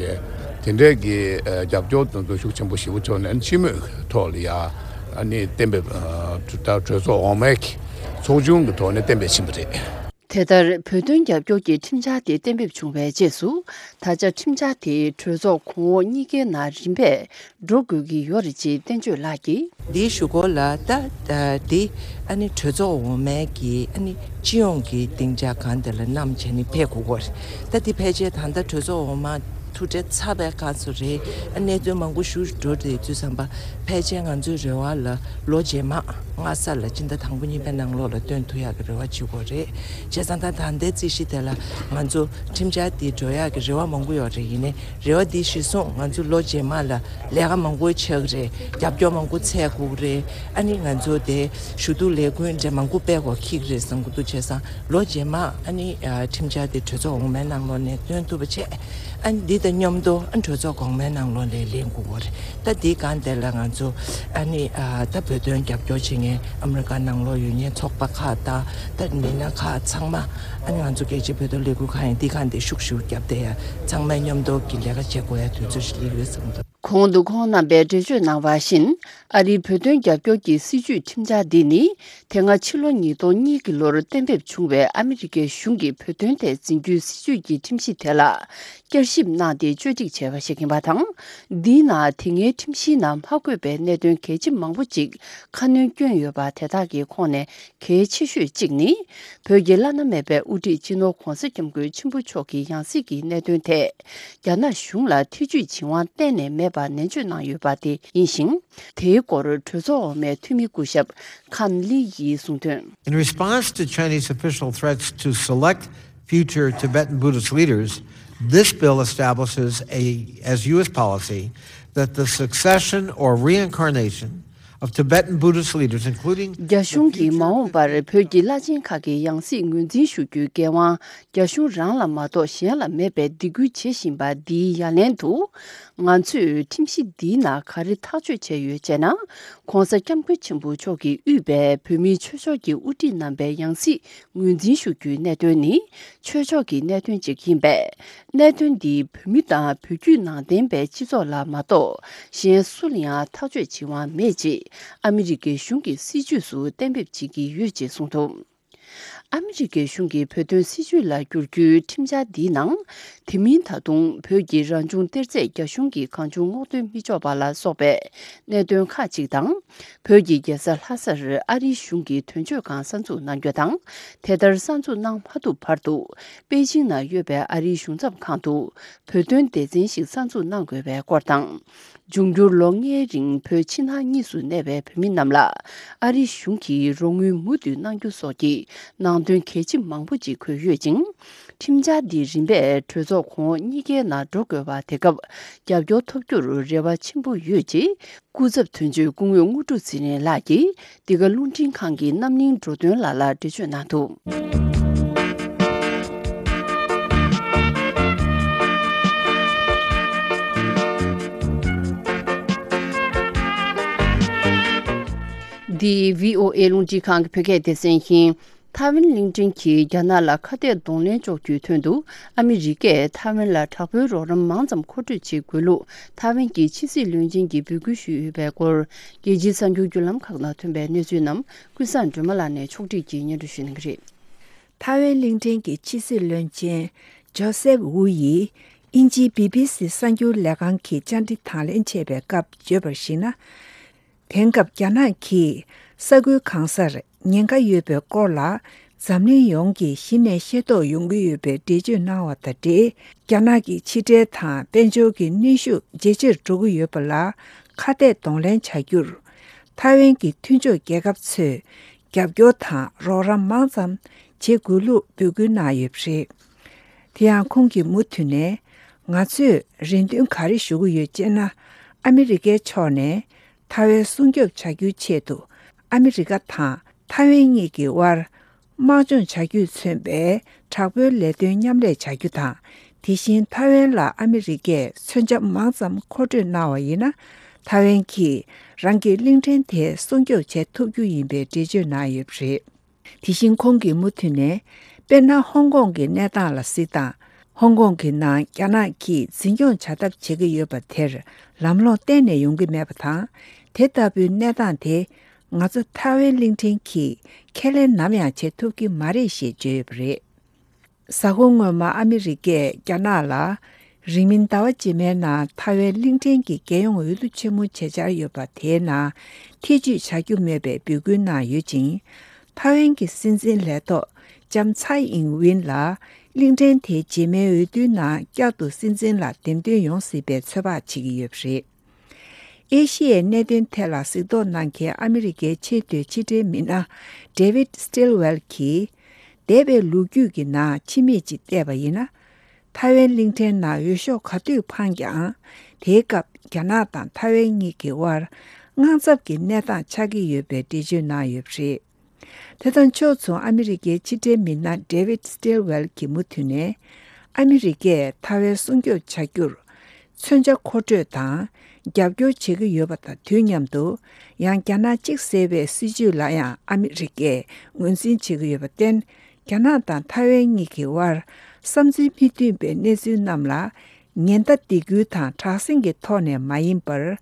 དེ་འདྲས་ཀྱི་ཨ་རྒྱབ་སྐྱོར་དེ་ཚོ་ཤུགས་ཆེན་པོ་ཞེ་པོ་བྱུང་ནས་ཨ་ནི་སྤྱི་མོས་ཀྱི་ཐོག་ལ་ཡ་ཨ་ནི་གཏན་འབེབས་ཨ་ད་གྲོས་ཚོགས་འོག་མའི་གི་ཚོགས་ཆུང་གི་ཐོག་ནས་གཏན་འབེབས་ཕྱིན་པ་རེད། དེ་ལྟར་བོད་དོན་རྒྱབ་སྐྱོར་གྱི་ཁྲིམས་འཆར་དེ་གཏན་འབེབས་བྱུང་བའི་རྗེས་སུ། ད་ཆ་ཁྲིམས་འཆར་དེ་གྲོས་ཚོགས་གོང་འོག་གཉིས་ཀའི་ནང་རིམ་པས་འགྲོ་དགོས་ཀྱི་ཡོད་རེད་ཅེས་བསྟན་ཆོས་ལགས་ཀྱིས། འདིའི་གཞུག་གུ་ལ་ད་ད་འདི་ཨ་ནི་གྲོས་ཚོགས་འོག་མའི་གི་ཨ་ནི་སྤྱི་ཡོངས་ཀྱི་སྡིངས་ཆ་སྒང་དེ་ལ་བསྣམས་བྱས་ནས་ཕེབས་དགོས་ཀྱི་ཡོད་རེད། ད་འདི་ཕལ་ཆེར་ད་ལྟ་གྲོས་ཚོགས་འོག་མ་ ཐུགས་ཁྲལ་ཚ་བའི་སྐབས་སུ་རེད། ཨ་གནད་དོན་མང་པོ་ཞིག་འགྲོ་བསྡད་དུས་ཙམ་པ་ཕལ་ཆེར་ང་ཚོའི་རེ་བ་ལ་ལོ་རྗེས་མ་སྔ་ས་ལ་སྤྱི་ཟླ་དང་པོ་གཉིས་པའི་ནང་ལོགས་ལ་བཏོན་ཐུབ་ཡག་གི་རེ་བ་བྱེད་དགོས་རེད། བྱས་ཙང་ད་ད་ལྟའི་རྩིས་གཞི་དེ་ལ་ང་ཚོ་ཁྲིམས་འཆར་འདི་འགྲོ་ཡག་གི་རེ་བ་མང་པོ་ཡོད་རེད། ཡིན་ནའི་རེ་བ་འདི་གཞིར་བཟུང་ང་ཚོ་ལོ་རྗེས་མ་ལ་ལས་ཀ་མང་པོ་ཆགས་ཀྱི་རེད། རྒྱབ་སྐྱོར་མང་པོ་འཚོལ་དགོས་ཀྱི་རེད། ཨ་ནི་ང་ཚོ་དེ་ཞུ་གཏུག་ལས་འགུལ་འདྲ་མང་པོ་སྤེལ་དགོས་འཁེལ་གྱི་རེད་བསམ་གྱི་འདུག་བྱས་ཙང་ལོ་རྗེས་མ་ཨ་ནི་ཁྲིམས་འཆར་དེ་གྲོས་ཚོགས་འོག་མའི་ནང་ལོགས་ནས་བཏོན་ཐུབ་པ་བྱས། ཨ་ནི་འདི་དང་མཉམ་དུ་ཨ་གྲོས་ཚོགས་གོང་མའི་ནང་ལོགས་ནས་ལེན་དགོས་ཀྱི་རེད། ད་འདི་སྒང་དེ་ལ་ང་ཚོ་ཨ་ནི་ད་བོད་དོན་རྒྱབ་སྐྱོར་བྱེད་མཁན་ཨ་མི་རི་ཀ་ནང་ལོགས་ཡོད་མཁན་ཚོགས་པ་ཁག་དང་ད་མི་སྣ་ཁག་ཚང་མ་ཨ་ནི་ང་ཚོ་རྒྱལ་སྤྱིའི་བོད་དོན་ལས་འགུལ་ཁང་ཡིན་འདི་སྒང་དེ་ཤུགས་ཤུགས་བརྒྱབ་བསྡད་ཡ་ཚང་མས་མཉམ་དུ་གི་ལས་ཀ་བྱེད་དགོས་ཡ་དུས་ཚོད་ཞིག་སླེབས་ཡོད་བསམ་གྱི་འདུག་གོང་དུ་ཁོང་རྣམ་པས་འགྲེལ་བརྗོད་གནང་བ་བཞིན། ཨ་རིའི་བོད་དོན་རྒྱབ་སྐྱོར་གྱི་སྲིད་བྱུས་ཁྲིམས་འཆར་འདི་ནི། དེ་སྔ་ཕྱི་ལོ་ཉིས་སྟོང་གཉིས་ཀྱི་ལོར་གཏན་འབེབས་བྱུང་བའི་ཨ་མི་རི་ཀའི་གཞུང་གི་བོད་དོན་ཐད་འཛིན་རྒྱུའི་སྲིད་བྱུས་ཀྱི་ཁྲིམས་གཞི་དེ་ལ་བསྐྱར་ཞིབ་གནང་སྟེ་བཅོས་སྒྲིག་བྱས་པ་ཞིག་ཡིན་པ་དང་། འདིའི་ནང་དེ་སྔའི་ཁྲིམས་གཞིའི་ནང་མ་འཁོད་པའི་གནད་དོན་གལ་ཆེ་མང་པོ་ཅིག་ཁ་སྣོན་བསྐྱོན་ཡོད་པ་དེ་དག་གི་ཁོངས་ནས། གལ་ཆེ་ཤོས་གཅིག་ནི། བོད་ཀྱི་བླ་ན་མེད་པའི་དབུ་ཁྲིད་སྤྱི་ནོར་༧གོང་ས་༧སྐྱབས་མགོན་ཆེན་པོ་མཆོག་གི་ཡང་སྲིད་ཀྱི་གནད་དོན་ཐད། རྒྱ་ནག་གཞུང་ལ་ཐེ་ཇུས་བྱེད་དབང་གཏན་ནས་མེད་པ་ནན་བརྗོད་གནང་ཡོད་པ་དེ་ཡིན་ཞིང་། དེའི་སྐོར་གྲོས་ཚོགས་འོག་མའི་འཐུས་མི་སྐུ་ཞབས་ཁན་ལི་ཡིས་གསུངས་དོན། In response to Chinese official threats to select future Tibetan Buddhist leaders, this bill establishes a, as U S policy, that the succession or reincarnation of Tibetan Buddhist leaders, including རྒྱ་གཞུང་གིས་མ་འོངས་པར་བོད་ཀྱི་བླ་ཆེན་ཁག་གི་ཡང་སྲིད་ངོས་འཛིན་ཞུ་རྒྱུའི་འགན་དབང་རྒྱ་གཞུང་རང་ལ་མ་གཏོགས་གཞན་ལ་མེད་པའི་སྡིགས་སྐུལ་བྱེད་བཞིན་པ་འདིའི་ཡ་ལན་དུ། ང་ཚོས་ཁྲིམས་གཞི་འདིའི་ནང་ག་རེ་ཐག་གཅོད་བྱས་ཡོད་ཅེ་ན། ༧གོང་ས་༧སྐྱབས་མགོན་ཆེན་པོ་མཆོག་གིས་དབུས་པའི་བོད་མིའི་ཆོས་ཕྱོགས་ཀྱི་དབུ་ཁྲིད་རྣམ་པའི་ཡང་སྲིད་ངོས་འཛིན་ཞུ་རྒྱུའི་གནད་དོན་ནི་ཆོས་ཕྱོགས་ཀྱི་གནད་དོན་ཅིག་ཡིན་པས། གནད་དོན་འདིས་བོད་མི་དང་བོད་བརྒྱུད་ནང་བསྟན་པའི་སྤྱི་ཚོགས་ལ་མ་གཏོགས་གཞན་སུ་ལ་ཡང་ཐག་གཅོད་བྱེད་དབང་མེད་ཅེས་ཨ་མི་རི་ཀའི་གཞུང་གི་སྲིད་བྱུས་སུ་གཏན་འབེབས་བྱེད་ཀྱི་ཡོད་ཅེས་གསུངས་འདུག་ཨ་མི་རི་ཀའི་གཞུང་གི་བོད་དོན་སྲིད་བྱུས་ལ་བསྒྱུར་རྒྱུའི་ཁྲིམས་འཆར་འདིའི་ནང་། དེ་མིན་ད་དུང་བོད་ཀྱི་རང་བྱུང་གཏེར་རྫས་རྒྱ་གཞུང་གིས་གང་བྱུང་སྔོག་འདོན་མི་ཆོག་པ་ལ་སོགས་པའི་གནད་དོན་ཁག་ཅིག་དང་། བོད་ཀྱི་རྒྱལ་ས་ལྷ་སར་ཨ་རིའི་གཞུང་གིས་དོན་གཅོད་ཁང་གསར་འཛུགས་གནང་རྒྱུ་དང་། དེ་ལྟར་གསར་འཛུགས་གནང་མ་ཐུབ་བར་དུ། པེ་ཅིང་ན་ཡོད་པའི་ཨ་རིའི་གཞུང་ཚབ་ཁང་དུ། བོད་དོན་སྡེ་ཚན་ཞིག་གསར་འཛུགས་གནང་དགོས་པའི་སྐོར་དང་། འབྱུང་འགྱུར་ལོ་ལྔའི་རིང་བོད་ཕྱི་ནང་གཉིས་སུ་གནས་པའི་བོད་མི་རྣམས་ལ་ཨ་རིའི་གཞུང་གིས་རོགས་དངུལ་མུ་མཐུད་གནང་རྒྱུ་སོགས་ཀྱི་ནང་དོན་གལ་ཆེ་མང་པོ་ཅིག་འཁོད་ཡོད་ཅིང་། ཁྲིམས་འཆར་འདི་རིམ་པས་གྲོས་ཚོགས་གོང་འོག་གཉིས་ཀའི་ནང་འགྲོ་དགོས་པ་དེ་སྐབས་རྒྱབ་སྐྱོར་ཐོབ་རྒྱུར་རེ་བ་ཆེན་པོ་ཡོད་ཅེས་སྐུ་ཚབ་དོན་གཅོད་སྐུ་ངོ་དངོས་གྲུབ་ཚེ་རིང་ལགས་ཀྱིས་འདི་ག་རླུང་འཕྲིན་ཁང་གི་རྣམ་གླིང་འགྲོ་དོན་ལ་ལ་འགྲེལ་བརྗོད་གནང་འདུག་འདི་བྷི་ཨོ་ཨེ་རླུང་འཕྲིན་ཁང་གི་བོད་སྐད་སྡེ་ཚན་ཡིན། ཐའེ་ཝན་གླིང་ཕྲན་གྱིས་རྒྱ་ནག་ལ་ཁ་གཏད་གདོང་ལེན་གཅོག་རྒྱུའི་དོན་དུ་ཨ་མི་རི་ཀས་ཐའེ་ཝན་ལ་དྲག་པོའི་རོགས་རམ་མང་ཙམ་མཁོ་སྤྲོད་བྱེད་དགོས་ལུགས་ཐའེ་ཝན་གྱི་ཕྱི་སྲིད་བློན་ཆེན་གྱིས་འབོད་སྐུལ་ཞུས་ཡོད་པའི་སྐོར། རྒྱལ་སྤྱིའི་གསར་འགྱུར་བརྒྱུད་ལམ་ཁག་ནང་ཐོན་པའི་གནས་ཚུལ་རྣམས་ཀུན་བཟང་སྒྲོལ་མ་ལགས་ནས་ཕྱོགས་སྒྲིག་གིས་སྙན་སྒྲོན་ཞུ་གནང་གི་རེད། ཐའེ་ཝན་གླིང་ཕྲན་གྱི་ཕྱི་སྲིད་བློན་ཆེན་ཇོ་སེབ་ཝུ་ཡིས་དབྱིན་ཇིའི་བི་བི་སི་གསར་འགྱུར་ལས་ཁང་གི་བཅར་འདྲི་དང་ལེན་བྱས་པའི་སྐབས་བརྗོད་པར་གཞིགས་ན། དེང་སྐབས་རྒྱ་ནག་གིས་ས་ཁུལ་གང་སར་ཉེན་ཁ་ཡོད་པའི་སྐོར་ལ་འཛམ་གླིང་ཡོངས་ཀྱིས་གཞི་ནས་ཤེས་རྟོགས་ཡོང་གི་ཡོད་པའི་འགྲེལ་བརྗོད་གནང་བ་དང་འབྲེལ། རྒྱ་ནག་གི་ཕྱི་འབྲེལ་དང་དཔལ་འབྱོར་གྱི་གནོན་ཤུགས་ཇེ་ཆེར་འགྲོ་གི་ཡོད་པ་ལ་ཁ་གཏད་གདོང་ལེན་བྱ་རྒྱུར། ཐའེ་ཝན་གྱི་མཐུན་ཕྱོགས་རྒྱལ་ཁབ་ཚོས་རྒྱབ་སྐྱོར་དང་རོགས་རམ་མང་ཙམ་བྱེད་དགོས་ལུགས་འབོད་སྐུལ་གནང་ཡོད་པ་རེད། དེ་ཡང་ཁོང་གིས་མུ་མཐུད་ནས། ང་ཚོས་རེ་འདུན་ག་རེ་ཞུ་གི་ཡོད་ཅེ་ན། ཨ་མི་རི་ཀའི་ཕྱོགས་ནས་ཐའེ་ཝན་སྲུང་སྐྱོབ་བྱ་རྒྱུའི་ཆེད་དུ་ཨ་མི་རི་ཀ་དང་ཐའེ་ཝན་གཉིས་ཀྱི་དབར་དམག་སྦྱོང་བྱ་རྒྱུས་མཚོན་པའི་དྲག་པོའི་ལས་དོན་མཉམ་ལས་བྱ་རྒྱུ་དང་། དེ་བཞིན་ཐའེ་ཝན་ལ་ཨ་མི་རི་ཀས་མཚོན་ཆ་མང་ཙམ་མཁོ་སྤྲོད་གནང་བ་ཡིན་ན། ཐའེ་ཝན་གྱིས་རང་གི་གླིང་ཕྲན་དེ་སྲུང་སྐྱོབ་བྱེད་ཐུབ་རྒྱུ་ཡིན་པའི་འགྲེལ་བརྗོད་གནང་ཡོད་པ་རེད། དེ་བཞིན་ཁོང་གིས་མུ་མཐུད་ནས། དཔེར་ན། ཧོང་ཀོང་གི་གནས་སྟངས་ལ་གཟིགས་དང་། ཧོང་ཀོང་གི་ནང་རྒྱ་ནག་གིས་འཛིན་སྐྱོང་བྱ་ཐབས་བྱེད་ཀྱི་ཡོད་པ་དེར་ལམ་ལྷོང་གཏན་ནས་ཡོང་གི་མེད་པ་དང་། དེ་ལྟ་བུའི་གནས་སྟངས་དེ་ང་ཚོ་ཐའེ་ཝན་གླིང་ཕྲན་གྱིས་ཁས་ལེན་ནམ་ཡང་བྱེད་ཐུབ་ཀྱི་མ་རེད་ཞེས་བརྗོད་ཡོད་པ་རེད། གཟའ་འཁོར་སྔོན་མ་ཨ་མི་རི་ཀས་རྒྱ་ནག་ལ། རིང་མིན་ཟླ་བ་རྗེས་མའི་ནང་ཐའེ་ཝན་གླིང་ཕྲན་གྱི་རྒྱལ་ཡོངས་འོས་བསྡུ་ཆེན་མོ་བྱེད་འཆར་ཡོད་པ་དེའི་ནང་ཐེ་ཇུས་བྱ་རྒྱུ་མེད་པའི་འབོད་སྐུལ་གནང་ཡོད་ཅིང་། ཐའེ་ཝན་གྱི་སྲིད་འཛིན་ལས་ཐོག་ལྕམ་ཚའེ་ཨིང་ཝིན་ལ་ གླིང་ཕྲན་དེའི་རྗེས་མའི་འོས་བསྡུའི་ནང་བསྐྱར་དུ་སྲིད་འཛིན་ལ་འདེམས་ཐོན་ཡོང་སྲིད་པའི་ཚོད་དཔག་བྱེད་ཀྱི་ཡོད་པ་རེད། ཨེ་ཤི་ཡའི་གནད་དོན་ཐད་ལ་གཟིགས་རྟོག་གནང་མཁན་ཨ་མི་རི་ཀའི་ཆེས་མཐོའི་ཕྱི་འབྲེལ་མི་སྣ་David Stilwell་གྱིས། འདས་པའི་ལོ་རྒྱུས་ཀྱི་ནང་ཕྱི་མིག་ཅིག་བལྟས་པ་ཡིན་ན། ཐའེ་ཝན་གླིང་ཕྲན་ནང་འོས་ཤོག་ག་དུས་འཕངས་ཀྱང་། དེའི་སྐབས་རྒྱ་ནག་དང་ཐའེ་ཝན་གཉིས་ཀྱི་དབར་དངངས་འཚབ་ཀྱི་གནས་སྟངས་ཆགས་ཀྱི་ཡོད་པའི་འགྲེལ་བརྗོད་གནང་ཡོད་པ་རེད། དེ་དང་ཕྱོགས་མཚུངས་ཨ་མི་རི་ཀའི་ཕྱི་འབྲེལ་མི་སྣ་David Stilwell་གྱིས་མུ་མཐུད་ནས། ཨ་མི་རི་ཀས་ཐའེ་ཝན་སྲུང་སྐྱོབ་བྱ་རྒྱུར། མཚོན་ཆ་མཁོ་སྤྲོད་དང་རྒྱབ་སྐྱོར་བྱེད་ཀྱི་ཡོད་པ་དང་དུས་མཉམ་དུ། ཡང་རྒྱ་ནག་གཅིག་ཟེར་བའི་སྲིད་བྱུས་ལ་ཡང་ཨ་མི་རི་ཀས་ངོས་འཛིན་བྱེད་ཀྱི་ཡོད་པར་བརྟེན། རྒྱ་ནག་དང་ཐའེ་ཝན་གཉིས་ཀྱི་དབར་བསམ་ཚུལ་མི་མཐུན་པའི་གནས་ཚུལ་རྣམས་ལ། ཉེན་བརྡ་སྡིགས་སྐུལ་དང་དྲག་ཟིང་གི་ཐོག་ནས་མ་ཡིན་པར།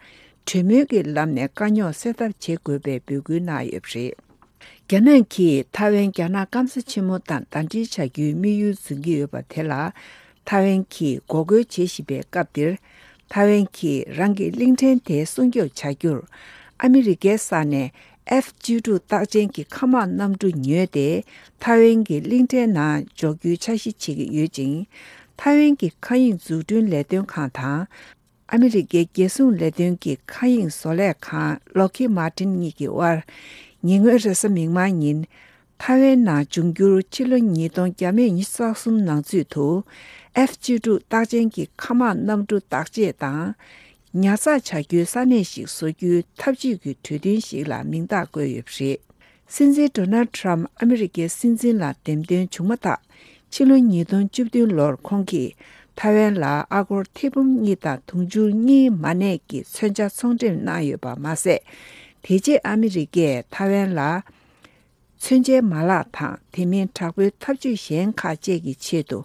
གྲོས་མོལ་གྱི་ལམ་ནས་དཀའ་རྙོག་སེལ་ཐབས་བྱེད་དགོས་པའི་འབོད་སྐུལ་གནང་ཡོད་པ་རེད། རྒྱ་ནག་གིས་ཐའེ་ཝན་རྒྱ་ནག་སྐམ་ས་ཆེན་མོ་དང་ཟླ་སྒྲིལ་བྱ་རྒྱུའི་དམིགས་ཡུལ་འཛིན་གྱི་ཡོད་པ་དེ་ལ། ཐའེ་ཝན་གྱིས་འགོག་རྒོལ་བྱེད་བཞིན་པའི་སྐབས་འདིར། ཐའེ་ཝན་གྱིས་རང་གི་གླིང་ཕྲན་དེ་སྲུང་སྐྱོབ་བྱ་རྒྱུར། ཨ་མི་རི་ཀའི་ས་ནས་F་བཅུ་དྲུག་རྟགས་ཅན་གྱི་མཁའ་དམག་གནམ་གྲུ་ཉོས་ཏེ། ཐའེ་ཝན་གྱི་གླིང་ཕྲན་ནང་འཇོག་རྒྱུའི་འཆར་གཞི་བྱེད་ཀྱི་ཡོད་ཅིང་། ཐའེ་ཝན་གྱི་མཁའ་དབྱིངས་འཛུགས་སྐྲུན་ལས་དོན་ཁང་དང་། ཨ་མི་རི་ཀའི་རྒྱལ་སྲུང་ལས་དོན་གྱི་མཁའ་དབྱིངས་བཟོ་ལས་ཁང་Lockheed Martin་གཉིས་ཀྱི་དབར། ཉེ་སྔོན་རེས་གཟའ་མིག་དམར་ཉིན། ཐའེ་ཝན་ནང་འབྱུང་འགྱུར་ཕྱི་ལོ་ཉིས་སྟོང་བརྒྱ་མེད་ཉི་ཤུ་རྩ་གསུམ་ནང་ཚུད་དུ། F་བཅུ་དྲུག་རྟགས་ཅན་གྱི་མཁའ་དམག་གནམ་གྲུ་བརྟག་དཔྱད་དང་། ཉར་ཚགས་བྱ་རྒྱུའི་ས་གནས་ཤིག་བཟོ་རྒྱུའི་ཐབས་ཇུས་ཀྱི་གྲོས་མཐུན་ཞིག་ལ་མིང་རྟགས་བཀོད་ཡོད་པ་རེད། སྲིད་འཛིན་Donald Trump་ཨ་མི་རི་ཀའི་སྲིད་འཛིན་ལ་འདེམས་ཐོན་བྱུང་མ་ཐག་ཕྱི་ལོ་ཉིས་སྟོང་བཅུ་བདུན་ལོར་ཁོང་གིས་ཐའེ་ཝན་ལ་ཨ་སྒོར་ཐེར་འབུམ་གཉིས་དང་དུང་ཕྱུར་གཉིས་མ་གནས་ཀྱི་མཚོན་ཆ་ཚོང་འགྲེམས་གནང་ཡོད་པ་མ་ཟད། དེ་རྗེས་ཨ་མི་རི་ཀས་ཐའེ་ཝན་ལ། མཚོན་ཆའི་མ་ལག་དང་དེ་མིན་དྲག་པོའི་ཐབས་ཇུས་གཞན་ཁག་བཅས་ཀྱི་ཆེད་དུ་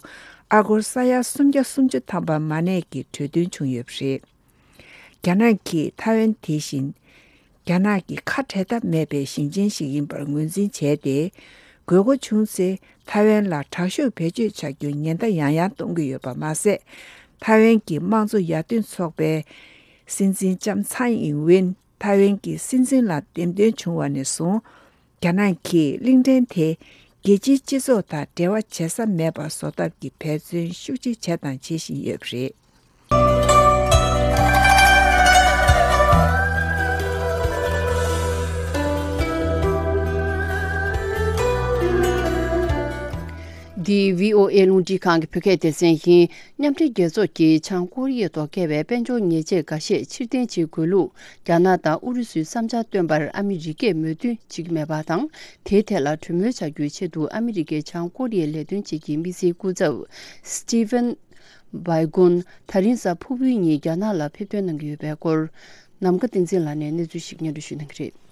ཨ་སྒོར་ས་ཡ་སུམ་བརྒྱ་སུམ་ཅུ་ཐམ་པ་མ་གནས་ཀྱི་གྲོས་མཐུན་བྱུང་ཡོད་པ་རེད། རྒྱ་ནག་གིས་ཐའེ་ཝན་དེ་བཞིན་རྒྱ་ནག་གི་ཁ་བྲལ་ཐབས་མེད་པའི་ཞིང་ཆེན་ཞིག་ཡིན་པར་ངོས་འཛིན་བྱས་ཏེ། དགོས་མཁོ་བྱུང་ཚེ་ཐའེ་ཝན་ལ་དྲག་ཤུགས་བེད་སྤྱོད་བྱ་རྒྱུར་ཉེན་བརྡ་ཡང་ཡང་གཏོང་གི་ཡོད་པ་མ་ཟད། ཐའེ་ཝན་གྱི་དམངས་གཙོ་ཡར་ཐོན་ཚོགས་པའི་སྲིད་འཛིན་ལྕམ་ཚའེ་ཨིན་ཝེན་ཐའེ་ཝན་གྱི་སྲིད་འཛིན་ལ་འདེམས་ཐོན་བྱུང་བ་ནས་བཟུང་། རྒྱ་ནག་གིས་གླིང་ཕྲན་དེ་རྒྱལ་སྤྱིའི་སྤྱི་ཚོགས་དང་འབྲེལ་བ་བྱེད་ས་མེད་པ་བཟོ་ཐབས་ཀྱི་འབད་བརྩོན་ཤུགས་ཆེ་བྱས་དང་བྱེད་བཞིན་ཡོད་པ་རེད། འདི་བྷི་ཨོ་ཨེ་རླུང་འཕྲིན་ཁང་གི་བོད་སྐད་སྡེ་ཚན་ཡིན། མཉམ་འབྲེལ་རྒྱལ་ཚོགས་ཀྱིས་བྱང་ཀོ་རི་ཡའི་ཐོག་བཀལ་བའི་དཔལ་འབྱོར་ཉེས་ཆད་འགའ་ཤས་ཕྱིར་འཐེན་བྱེད་དགོས་ལུགས། རྒྱ་ནག་དང་ཨུ་རུ་སུས་བསམ་འཆར་བཏོན་པར་ཨ་མི་རི་ཀས་མོས་མཐུན་བྱེད་ཀྱི་མེད་པ་དང་། དེའི་ཐད་ལ་གྲོས་མོལ་བྱ་རྒྱུའི་ཆེད་དུ་ཨ་མི་རི་ཀའི་བྱང་ཀོ་རི་ཡའི་ལས་དོན་ཆེད་ཀྱི་དམིགས་བསལ་སྐུ་ཚབ་Stephen Biegun་ད་རིང་གཟའ་ཕུར་བུའི་ཉིན་རྒྱ་ནག་ལ་ཕེབས་ཐོན་གནང་གི་ཡོད་པའི་སྐོར། ནམ་མཁའ་བསྟན་འཛིན་ལགས་ནས་གནས་ཚུལ་ཞིག་སྙན་སྒྲོན་ཞུ་གནང་གི་རེད།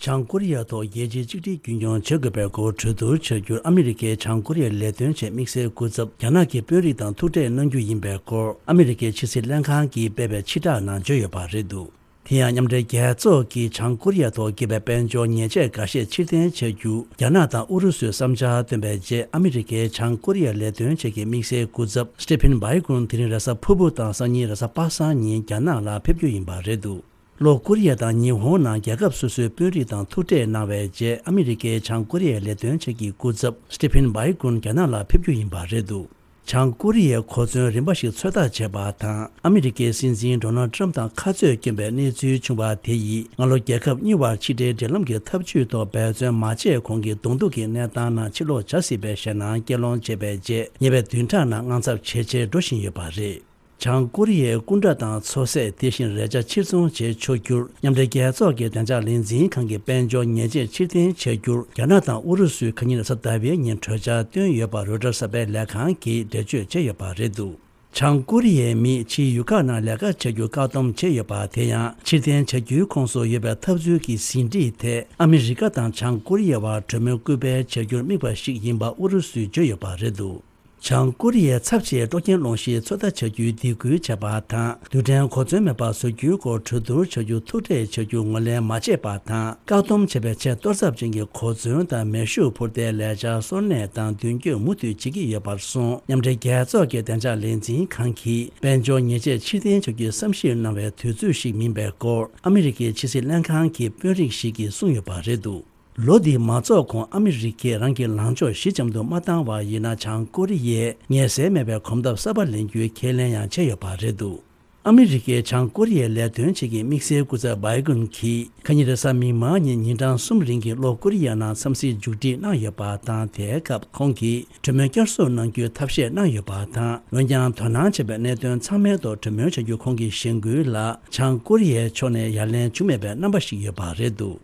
བྱང་ཀོ་རི་ཡ་ཐོག་རྒྱལ་སྤྱིའི་གཅིག་སྒྲིལ་རྒྱུན་འཁྱོངས་བྱེད་དགོས་པའི་སྐོར་གྲོས་བསྡུར་བྱ་རྒྱུར་ཨ་མི་རི་ཀའི་བྱང་ཀོ་རི་ཡའི་ལས་དོན་ཆེད་དམིགས་བསལ་སྐུ་ཚབ་རྒྱ་ནག་གི་དཔོན་རིགས་དང་ཐུག་འཕྲད་གནང་རྒྱུ་ཡིན་པའི་སྐོར་ཨ་མི་རི་ཀའི་ཕྱི་སྲིད་ལྷན་ཁང་གིས་སྤེལ་བའི་ཕྱིར་བསྒྲགས་ནང་བརྗོད་ཡོད་པ་རེད་འདུག་དེ་ཡང་མཉམ་འབྲེལ་རྒྱལ་ཚོགས་ཀྱིས་བྱང་ཀོ་རི་ཡ་ཐོག་བཀལ་བའི་དཔལ་འབྱོར་ཉེས་ཆད་འགའ་ཤས་ཕྱིར་འཐེན་བྱ་རྒྱུ་རྒྱ་ནག་དང་ཨུ་རུ་སུས་བསམ་འཆར་བཏོན་པའི་རྗེས་ཨ་མི་རི་ཀའི་བྱང་ཀོ་རི་ཡའི་ལས་དོན་ཆེད་ཀྱི་དམིགས་བསལ་སྐུ་ཚབ་Stephen Biegun་དེ་རིང་རེས་གཟའ་ཕུར་བུ་དང་སང་ཉིན་རེས་གཟའ་པ་སངས་ཉིན་རྒྱ་ནག་ལ་ཕེབས་རྒྱུ་ཡིན་པ་རེད་འདུག་ལྷོ་ཀོ་རི་ཡ་དང་ཉི་ཧོང་ནང་རྒྱལ་ཁབ་སོ་སོའི་དཔོན་རིགས་དང་ཐུག་འཕྲད་གནང་བའི་རྗེས་ཨ་མི་རི་ཀའི་བྱང་ཀོ་རི་ཡའི་ལས་དོན་ཆེད་ཀྱི་སྐུ་ཚབ་Stephen Biegun་རྒྱ་ནག་ལ་ཕེབས་རྒྱུ་ཡིན་པ་རེད་འདུག་བྱང་ཀོ་རི་ཡའི་གོ་མཚོན་རིམ་པ་ཞིག་ཚོད་ལྟ་བྱས་པ་དང་ཨ་མི་རི་ཀའི་སྲིད་འཛིན་Donald Trump་དང་ཁ་རྩོད་སྐྱོན་པའི་གནས་ཚུལ་བྱུང་བ་དེ་ཡིས་སྔ་ལོ་རྒྱལ་ཁབ་གཉིས་བར་ཕྱི་འབྲེལ་འབྲེལ་ལམ་གྱི་ཐབས་ཇུས་ཐོག་འབད་བརྩོན་མ་བྱས་གོང་གི་གདོང་ཐུག་གི་གནས་སྟངས་ནང་ཕྱིར་ལོག་བྱ་སྲིད་པའི་ཞེད་སྣང་སྐྱེ་སློང་བྱས་པའི་རྗེས་ཉེ་བའི་བདུན་ཕྲག་ནང་དངངས་འཚབ་ཇེ་ཆེར་འགྲོ་བཞིན་ཡོད་པ་རེད། བྱང་ཀོ་རི་ཡའི་སྐུ་དྲག་དང་ཚོད་བསྲེ་དེ་བཞིན་རས་ཆ་ཕྱིར་ཚོང་བྱེད་ཆོག་རྒྱུར་མཉམ་འབྲེལ་རྒྱལ་ཚོགས་ཀྱི་བདེ་འཇགས་ལས་འཛིན་ཁང་གིས་དཔལ་འབྱོར་ཉེས་ཆད་ཕྱིར་འཐེན་བྱ་རྒྱུར་རྒྱ་ནག་དང་ཨུ་རུ་སུས་ཁ་ཉིན་རེས་གཟའ་ཟླ་བའི་ཉིན་གྲོས་འཆར་བཏོན་ཡོད་པ་རོའི་ཊར་གསར་པའི་ལས་ཁང་གིས་འགྲེལ་བརྗོད་བྱས་ཡོད་པ་རེད་འདུག་བྱང་ཀོ་རི་ཡའི་མིས་ཕྱིའི་ཡུལ་ཁག་ནང་ལས་ཀ་བྱ་རྒྱུར་བཀག་སྡོམ་བྱས་ཡོད་པ་དེ་ཡང་ཕྱིར་འཐེན་བྱ་རྒྱུའི་ཁོངས་སུ་ཡོད་པའི་འཐབ་རྩོད་ཀྱི་ཟིན་བྲིས་དེ་ཨ་མི་རི་ཀ་དང་བྱང་ཀོ་རི་ཡའི་བར་གྲོས་མོལ་སྐུལ་སྤེལ་བྱ་རྒྱུར་དམིགས་པ་ཞིག་ཡིན་པ་ཨུ་རུ་སུས་བརྗོད་ཡོད་པ་རེད་འདུག་བྱང་ཀོ་རི་ཡའི་ཚབ་བྱས་སྤྲོ་འཁྱེར་སློང་གཞིའི་ཚོད་ལྟ་བྱ་རྒྱུའི་སྡིགས་སྐུལ་བྱས་པ་དང་། རྡུལ་ཕྲན་གོ་མཚོན་མེད་པ་བཟོ་རྒྱུའི་སྐོར་གྲོས་བསྡུར་བྱ་རྒྱུ་ཐུག་འཕྲད་བྱ་རྒྱུ་ངོས་ལེན་མ་བྱས་པ་དང་། བཀག་སྡོམ་བྱས་པའི་ཆེས་གཏོར་ཚབས་ཅན་གྱི་གོ་མཚོན་དང་མེ་ཤུགས་འཕུར་མདའི་ལས་འཆར་གསོ་གནས་དང་མདུན་སྐྱོད་མུ་མཐུད་བྱེད་ཀྱི་ཡོད་པར་སོང་། མཉམ་འབྲེལ་རྒྱལ་ཚོགས་ཀྱི་བདེ་འཇགས་ལས་འཛིན་ཁང་གིས་དཔལ་འབྱོར་ཉེས་ཆད་ཕྱིར་འཐེན་བྱ་རྒྱུའི་བསམ་ཞིབ་གནང་བའི་དུས་ཚོད་ཞིག་མིན་པའི་སྐོར་ཨ་མི་རི་ཀའི་ཕྱི་སྲིད་ལྷན་ཁང་གི་དཔོན་རིགས་ཤིག་གིས་གསུངས་ཡོད་པ་རེད་འདུག་ལོ་འདིའི་མ་རྫོགས་གོང་ཨ་མི་རི་ཀས་རང་གི་ལངས་ཕྱོགས་ཞི་འཇམ་དུ་མ་བཏང་བ་ཡིན་ན། བྱང་ཀོ་རི་ཡས་ངལ་སེལ་མེད་པའི་གོམ་སྟབས་གསར་པ་ལེན་རྒྱུའི་ཁས་ལེན་ཡང་བྱས་ཡོད་པ་རེད་འདུག་ཨ་མི་རི་ཀས་བྱང་ཀོ་རི་ཡའི་ལས་དོན་ཆེད་ཀྱི་དམིགས་བསལ་སྐུ་ཚབ་བྷའི་གུན་གྱིས་ཁ་ཉིན་རེས་གཟའ་མིག་དམར་ཉིན་ཉིན་གྲངས་གསུམ་རིང་གི་ལྷོ་ཀོ་རི་ཡ་ནང་འཚམས་གཟིགས་མཇུག་སྒྲིལ་གནང་ཡོད་པ་དང་། དེའི་སྐབས་ཁོང་གིས་གྲོས་མོལ་བསྐྱར་གསོ་གནང་རྒྱུའི་ཐབས་ཤེས་གནང་ཡོད་པ་དང་། འོན་ཀྱང་དོ་སྣང་བྱེད་པའི་གནད་དོན་ཚང་མའི་ཐོག་གྲོས་མོལ་བྱ་རྒྱུ་ཁོང་གིས་ཞེན་སྐུལ་ལ། བྱང་ཀོ་རི་ཡའི་ཕྱོགས་ནས་ཡ་ལན་བྱུང་མེད་པའི་རྣམ་པ་ཞིག་ཡོད་པ་རེད་འདུག་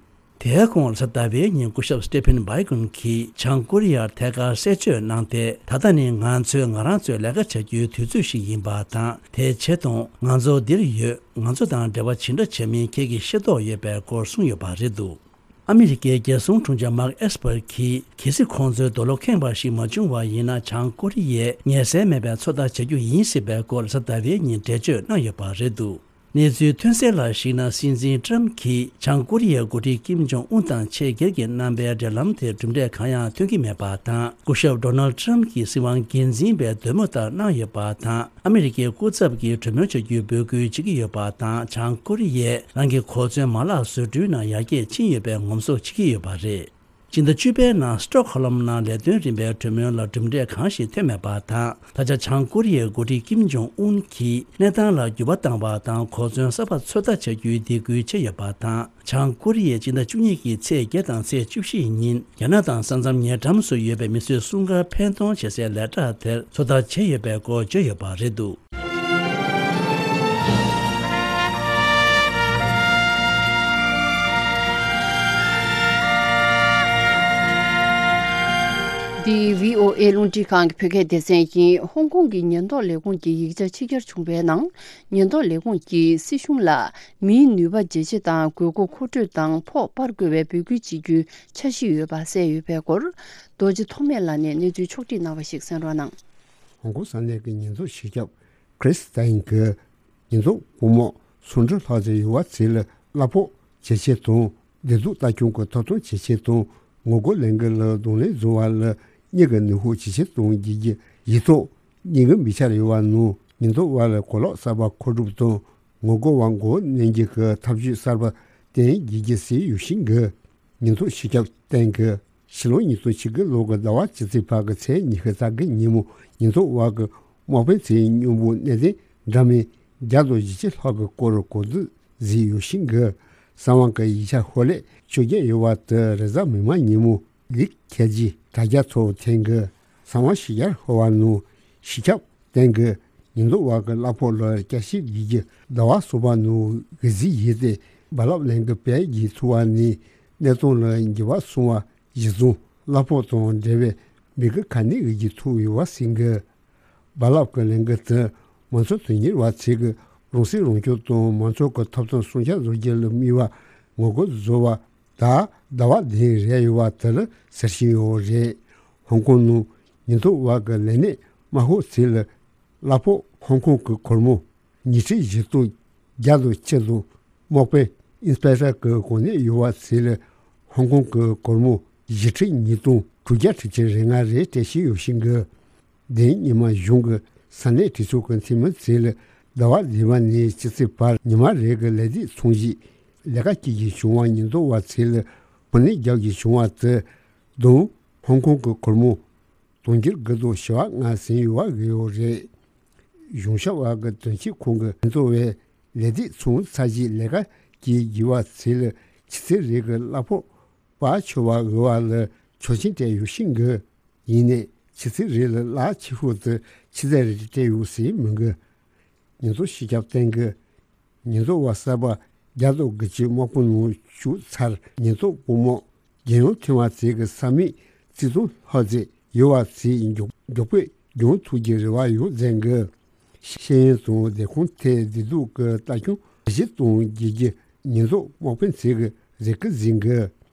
དེའི་གོང་རེས་གཟའ་ཟླ་བའི་ཉིན་སྐུ་ཞབས་སི་ཊེ་ཕིན་བྷའི་གུན་གྱིས་བྱང་ཀོ་རི་ཡར་ཐད་ཀར་གསལ་བརྗོད་གནང་སྟེ། ད་ལྟ་ནི་ང་ཚོས་ང་རང་ཚོའི་ལས་ཀ་བྱ་རྒྱུའི་དུས་ཚོད་ཞིག་ཡིན་པ་དང་། དེའི་ཆེད་དུ་ང་ཚོ་འདིར་ཡོད། ང་ཚོ་དང་འབྲེལ་བ་ཇི་འདྲ་བྱེད་མིན་ཁྱེད་ཀྱིས་ཤེས་རྟོགས་ཡོད་པའི་སྐོར་གསུངས་ཡོད་པ་རེད་འདུག་ཨ་མི་རི་ཀའི་རྒྱལ་སྲུང་དྲུང་ཆེ་མཱག་ཨེས་པར་གྱིས། གལ་སྲིད་ཁོང་ཚོའི་རྡོ་ལོ་ཁེངས་པ་ཞིག་མ་བྱུང་བ་ཡིན་ན། བྱང་ཀོ་རི་ཡས་ངལ་སེལ་མེད་པའི་ཚོད་ལྟ་བྱ་རྒྱུ་ཡིན་ཟེར་བའི་སྐོར་རེས་གཟའ་ཟླ་བའི་ཉིན་འགྲེལ་བརྗོད་གནང་ཡོད་པ་རེད་འདུག་གནས་ཚུལ་ཐོན་གསལ་ལ་གཞིགས་ན། སྲིད་འཛིན་ཀྲམ་གྱིས་བྱང་ཀོ་རི་ཡའི་འགོ་ཁྲིད་ཀིམ་ཇོང་ཨུན་དང་ཆེས་སྒེར་གྱི་རྣམ་པའི་འབྲེལ་ལམ་དེར་གྲུབ་འབྲས་གང་ཡང་ཐོན་གྱི་མེད་པ་དང་། སྐུ་ཞབས་ཌོ་ནལ་ཌི་ཀྲམ་གྱིས་སྲིད་དབང་སྒེར་འཛིན་པའི་འདོད་མོས་ལྟར་གནང་ཡོད་པ་དང་། ཨ་མི་རི་ཀའི་སྐུ་ཚབ་ཀྱིས་གྲོས་མོལ་བྱ་རྒྱུའི་འབོད་སྐུལ་བྱེད་ཀྱི་ཡོད་པ་དང་། བྱང་ཀོ་རི་ཡས་རང་གི་གོ་མཚོན་མ་ལག་བཟོ་སྐྲུན་ནང་ཡར་རྒྱས་ཕྱིན་ཡོད་པའི་ངོམ་སོ་བྱེད་ཀྱི་ཡོད་པ་རེད། སྤྱི་ཟླ་བཅུ་པའི་ནང་སི་ཊོག་ཧོ་ལམ་ནང་ལས་དོན་རིམ་པའི་གྲོས་མོལ་ལ་གྲུབ་འབྲས་གང་ཞིག་ཐོན་མེད་པ་དང་། ད་ཆ་བྱང་ཀོ་རི་ཡའི་འགོ་ཁྲིད་ཀིམ་ཇོང་ཨུན་གྱིས་གནས་སྟངས་ལ་འགྱུར་བ་བཏང་བ་དང་། གོ་མཚོན་གསར་པ་ཚོད་ལྟ་བྱ་རྒྱུའི་འདེད་སྐུལ་བྱས་ཡོད་པ་དང་། བྱང་ཀོ་རི་ཡས་སྤྱི་ཟླ་བཅུ་གཉིས་ཀྱི་ཚེས་བརྒྱད་དང་ཚེས་བཅུ་བཞི་ཉིན་རྒྱ་ནག་དང་ས་མཚམས་ཉེ་འགྲམ་སུ་ཡོད་པའི་མི་གསོད་སྲུང་སྐར་འཕེན་གཏོང་བྱེད་སའི་ལས་གྲྭ་དེར་ཚོད་ལྟ་བྱས་ཡོད་པའི་སྐོར་བརྗོད་ཡོད་པ་རེད་འདུག་འདི་བྷི་ཨོ་ཨེ་རླུང་འཕྲིན་ཁང་གི་བོད་སྐད་སྡེ་ཚན་ཡིན། ཧོང་ཀོང་གི་ཉེན་རྟོག་ལས་ཁུངས་ཀྱི་ཡིག་ཆ་ཕྱི་གྱར་བྱུང་བའི་ནང་། ཉེན་རྟོག་ལས་ཁུངས་ཀྱིས་སྲིད་གཞུང་ལ་མིའི་ནུས་པ་ཇེ་ཆེ་དང་། དགོས་མཁོ་མཁོ་སྤྲོད་དང་ཕོགས་སྤར་དགོས་པའི་འབོད་སྐུལ་བྱེད་རྒྱུའི་འཆར་གཞི་ཡོད་པ་གསལ་ཡོད་པའི་སྐོར། རྡོ་རྗེ་ཐོགས་མེད་ལགས་ནས་གནས་ཚུལ་ཕྱོགས་བསྒྲིགས་གནང་བ་ཞིག་གསན་རོགས་གནང་། ཧོང་ཀོང་ས་གནས་ཀྱི་ཉེན་རྟོག་སྤྱི་ཁྱབ་ཁྲིས་ཏན་གྱིས། ཉེན་རྟོག་སྐུ་དམག་སུམ་ཁྲི་ལྷག་ཙམ་ཡོད་པ་ཚོ་ལ་གླ་ཕོགས་ཇེ་ཆེ་དང་། བདེ་སྡུག་ལྟ་སྐྱོང་གི་ཐོབ་ཐང་ཇེ་ཆེ་དང་། ངོ་རྒོལ་ལས་འགུལ་ལ་གདོང་ལེན་བཟོ་བ་ལ་གཉེར་སྐྱོང་ནུས་ཤུགས་ཇེ་ཆེ་གཏོང་རྒྱུ་གི་ཡིག་ཐོག་ཉེན་ཁའི་མིག་ཆར་ཡོད་པ་ནང་། ཉེན་རྟོག་པ་ལ་གོ་ལོག་གསར་པ་མཁོ་སྒྲུབ་དང་། ངོ་རྒོལ་བ་མགོ་བོ་མནན་རྒྱུ་གི་ཐབས་ཇུས་གསར་པ་བསྟེན་དགོས་ཀྱི་ཟེར་ཡོད་བཞིན་གི། ཉེན་རྟོག་སྤྱི་ཁྱབ་ཏན་གྱིས་ཕྱི་ལོ་ཉིས་སྟོང་ཉི་ཤུ་རྩ་དགུ་ལོ་གི་ཟླ་བ་བཅུ་གཅིག་པ་གི་ཚེས་ཉི་ཤུ་རྩ་དགུ་ཉིན་མོ་ཉེན་རྟོག་པ་གི་དམག་དཔོན་ཚོའི་སྨྱོ་འབོར་གནད་དོན་འདྲ་མིན་བརྒྱ་དང་བཞི་བཅུ་ལྷག་གི་སྐོར་གོ་བསྡུར་བཟོས་ཡོད་བཞིན་གི། གསང་བ་གི་ཡིག་ཆ་ཤོག་ལྷེ་བཅོ་བརྒྱད་ཡོད་པ་དེ་རེས་གཟའ་མིག་དམར་ཉིན་མོ་ལིག་ཁྱད་ཀྱིས་དྲ་རྒྱ་ཐོག་འཐེན་གི། གསང་བ་ཕྱི་གྱར་ཤོར་བ་ནང་སྤྱི་ཁྱབ་ཏན་གྱིས་ཉེན་རྟོག་པ་གི་གླ་ཕོགས་ལ་བསྐྱར་ཞིབ་བྱེད་རྒྱུ་ཟླ་བ་གསུམ་པ་ནང་གི་གཟིགས་ཡིག་དེ་རྦ་རླབས་ལས་འགུལ་སྤེལ་རྒྱུ་ཐུག་པ་ནས་གནས་སྟངས་ལ་འགྱུར་བ་སོང་བ་གཞིར་བཟུང་གླ་ཕོགས་དང་འབྲེལ་བའི་མི་གི་ག་ནས་ཡོད་རྒྱུ་ཐུག་ཡོད་པ་ཟིན་གི། རྦ་རླབས་ཀྱི་ལས་འགུལ་དེ་མང་གཙོ་དོན་གཉེར་བ་ཚོས་གི་རང་སྲིད་རང་སྐྱོང་དང་མང་གཙོ་གི་ཐོབ་ཐང་སྲུང་སྐྱོབ་བཟོ་རྒྱུ་ལ་དམིགས་པ་ངོ་རྒོལ་བཟོ་བ་ད་ཟླ་བ་བདུན་རེད་ཡོད་པ་དེ་ལ་ཟེར་བཞིན་ཡོད་རེད། ཧོང་ཀོང་ནང་ཉེན་རྟོག་པ་གི་ལས་གནས་དམག་ཤོག་ཚོ་ལ་གླ་ཕོགས་ཧོང་ཀོང་གི་སྒོར་མོ་ཉིས་ཁྲི་བཞི་སྟོང་བརྒྱ་དང་གཅིག་དང་། དམག་དཔོན་ཨིན་སྤེག་ཊར་གྱི་གོ་གནས་ཡོད་པ་ཚོ་ལ་ཧོང་ཀོང་གི་སྒོར་མོ་བཞི་ཁྲི་ཉིས་སྟོང་དྲུག་བརྒྱ་ཁྲི་ཆིག་རེ་ལྔ་རེ་སྤྲད་བཞིན་ཡོད་བཞིན་གི། དེ་ཉི་མ་གཞུང་གི་ས་གནས་གྲོས་ཚོགས་ཀྱི་འཐུས་མི་ཚོ་ལ་ཟླ་བ་བདུན་པ་ནས་ཕྱི་ཚེས་བར་ཉི་མ་རེ་གི་ལས་སྡེ་ཚང་གཞིས་ལས་ཀ་བྱེད་རྒྱུ་བྱུང་བ། ཉེན་རྟོག་པ་ཚོ་ལ་གོ་གནས་རྒྱག་རྒྱུ་བྱུང་བ་དེ་དང་ཧོང་ཀོང་གི་སྒོར་མོ་དུང་ཕྱུར་དགུ་དང་བྱེ་བ་ལྔ་ཟིན་ཡོད་པ་བརྗོད་ཡོད་རེད། གཞུང་ཞབས་པ་གི་དོན་གཅོད་ཁང་གི་ཉེན་རྟོག་པས་ལས་སྡེ་ཚང་ཚང་གཞིས་ལས་ཀ་བྱེད་དགོས་པ་ཚོ་ལ་ཆུ་ཚོད་རེ་གི་གླ་ཕོགས་སྤར་ཆོག་པ་འོས་པ་ལ་ཆོག་མཆན་སྤྲད་ཡོད་བཞིན་གི། ཡིན་ནའི་ཆུ་ཚོད་རེ་ལ་གླ་ཆེ་ཤོས་དེ་ཆུ་ཚོད་རེ་སྤྲད་ཡོད་ཟེར་མི་འགི། ཉེན་རྟོག་སྤྱི་ཁྱབ་ཏན་གི། ཉེན་རྟོག་པ་གསར་པ་བརྒྱ་དང་དགུ་བཅུ་དམག་དཔུང་ནང་ཞུགས་ཚར། ཉེན་རྟོག་དཔུང་དམག་རྒྱལ་ཡོངས་ཐེངས་མ་ཚེ་གི་ས་མིག་རྩིས་ཐོ་ལྷག་ཚེ་ཡོད་པ་ཚེ་མགྱོགས་མགྱོགས་པོས་འགྱངས་ཐུབ་ཀྱི་རེ་བ་ཡོད་ཟེར་གི། ཤེས་ཡོན་དང་བདེ་ཁོངས་ཐད་བདེ་སྡུག་གི་ལྟ་སྐྱོང་གཞི་གཏོང་རྒྱུ་གི་ཉེན་རྟོག་དམག་དཔོན་ཚེ་གི་རེ་སྐུལ་ཟིན་གི།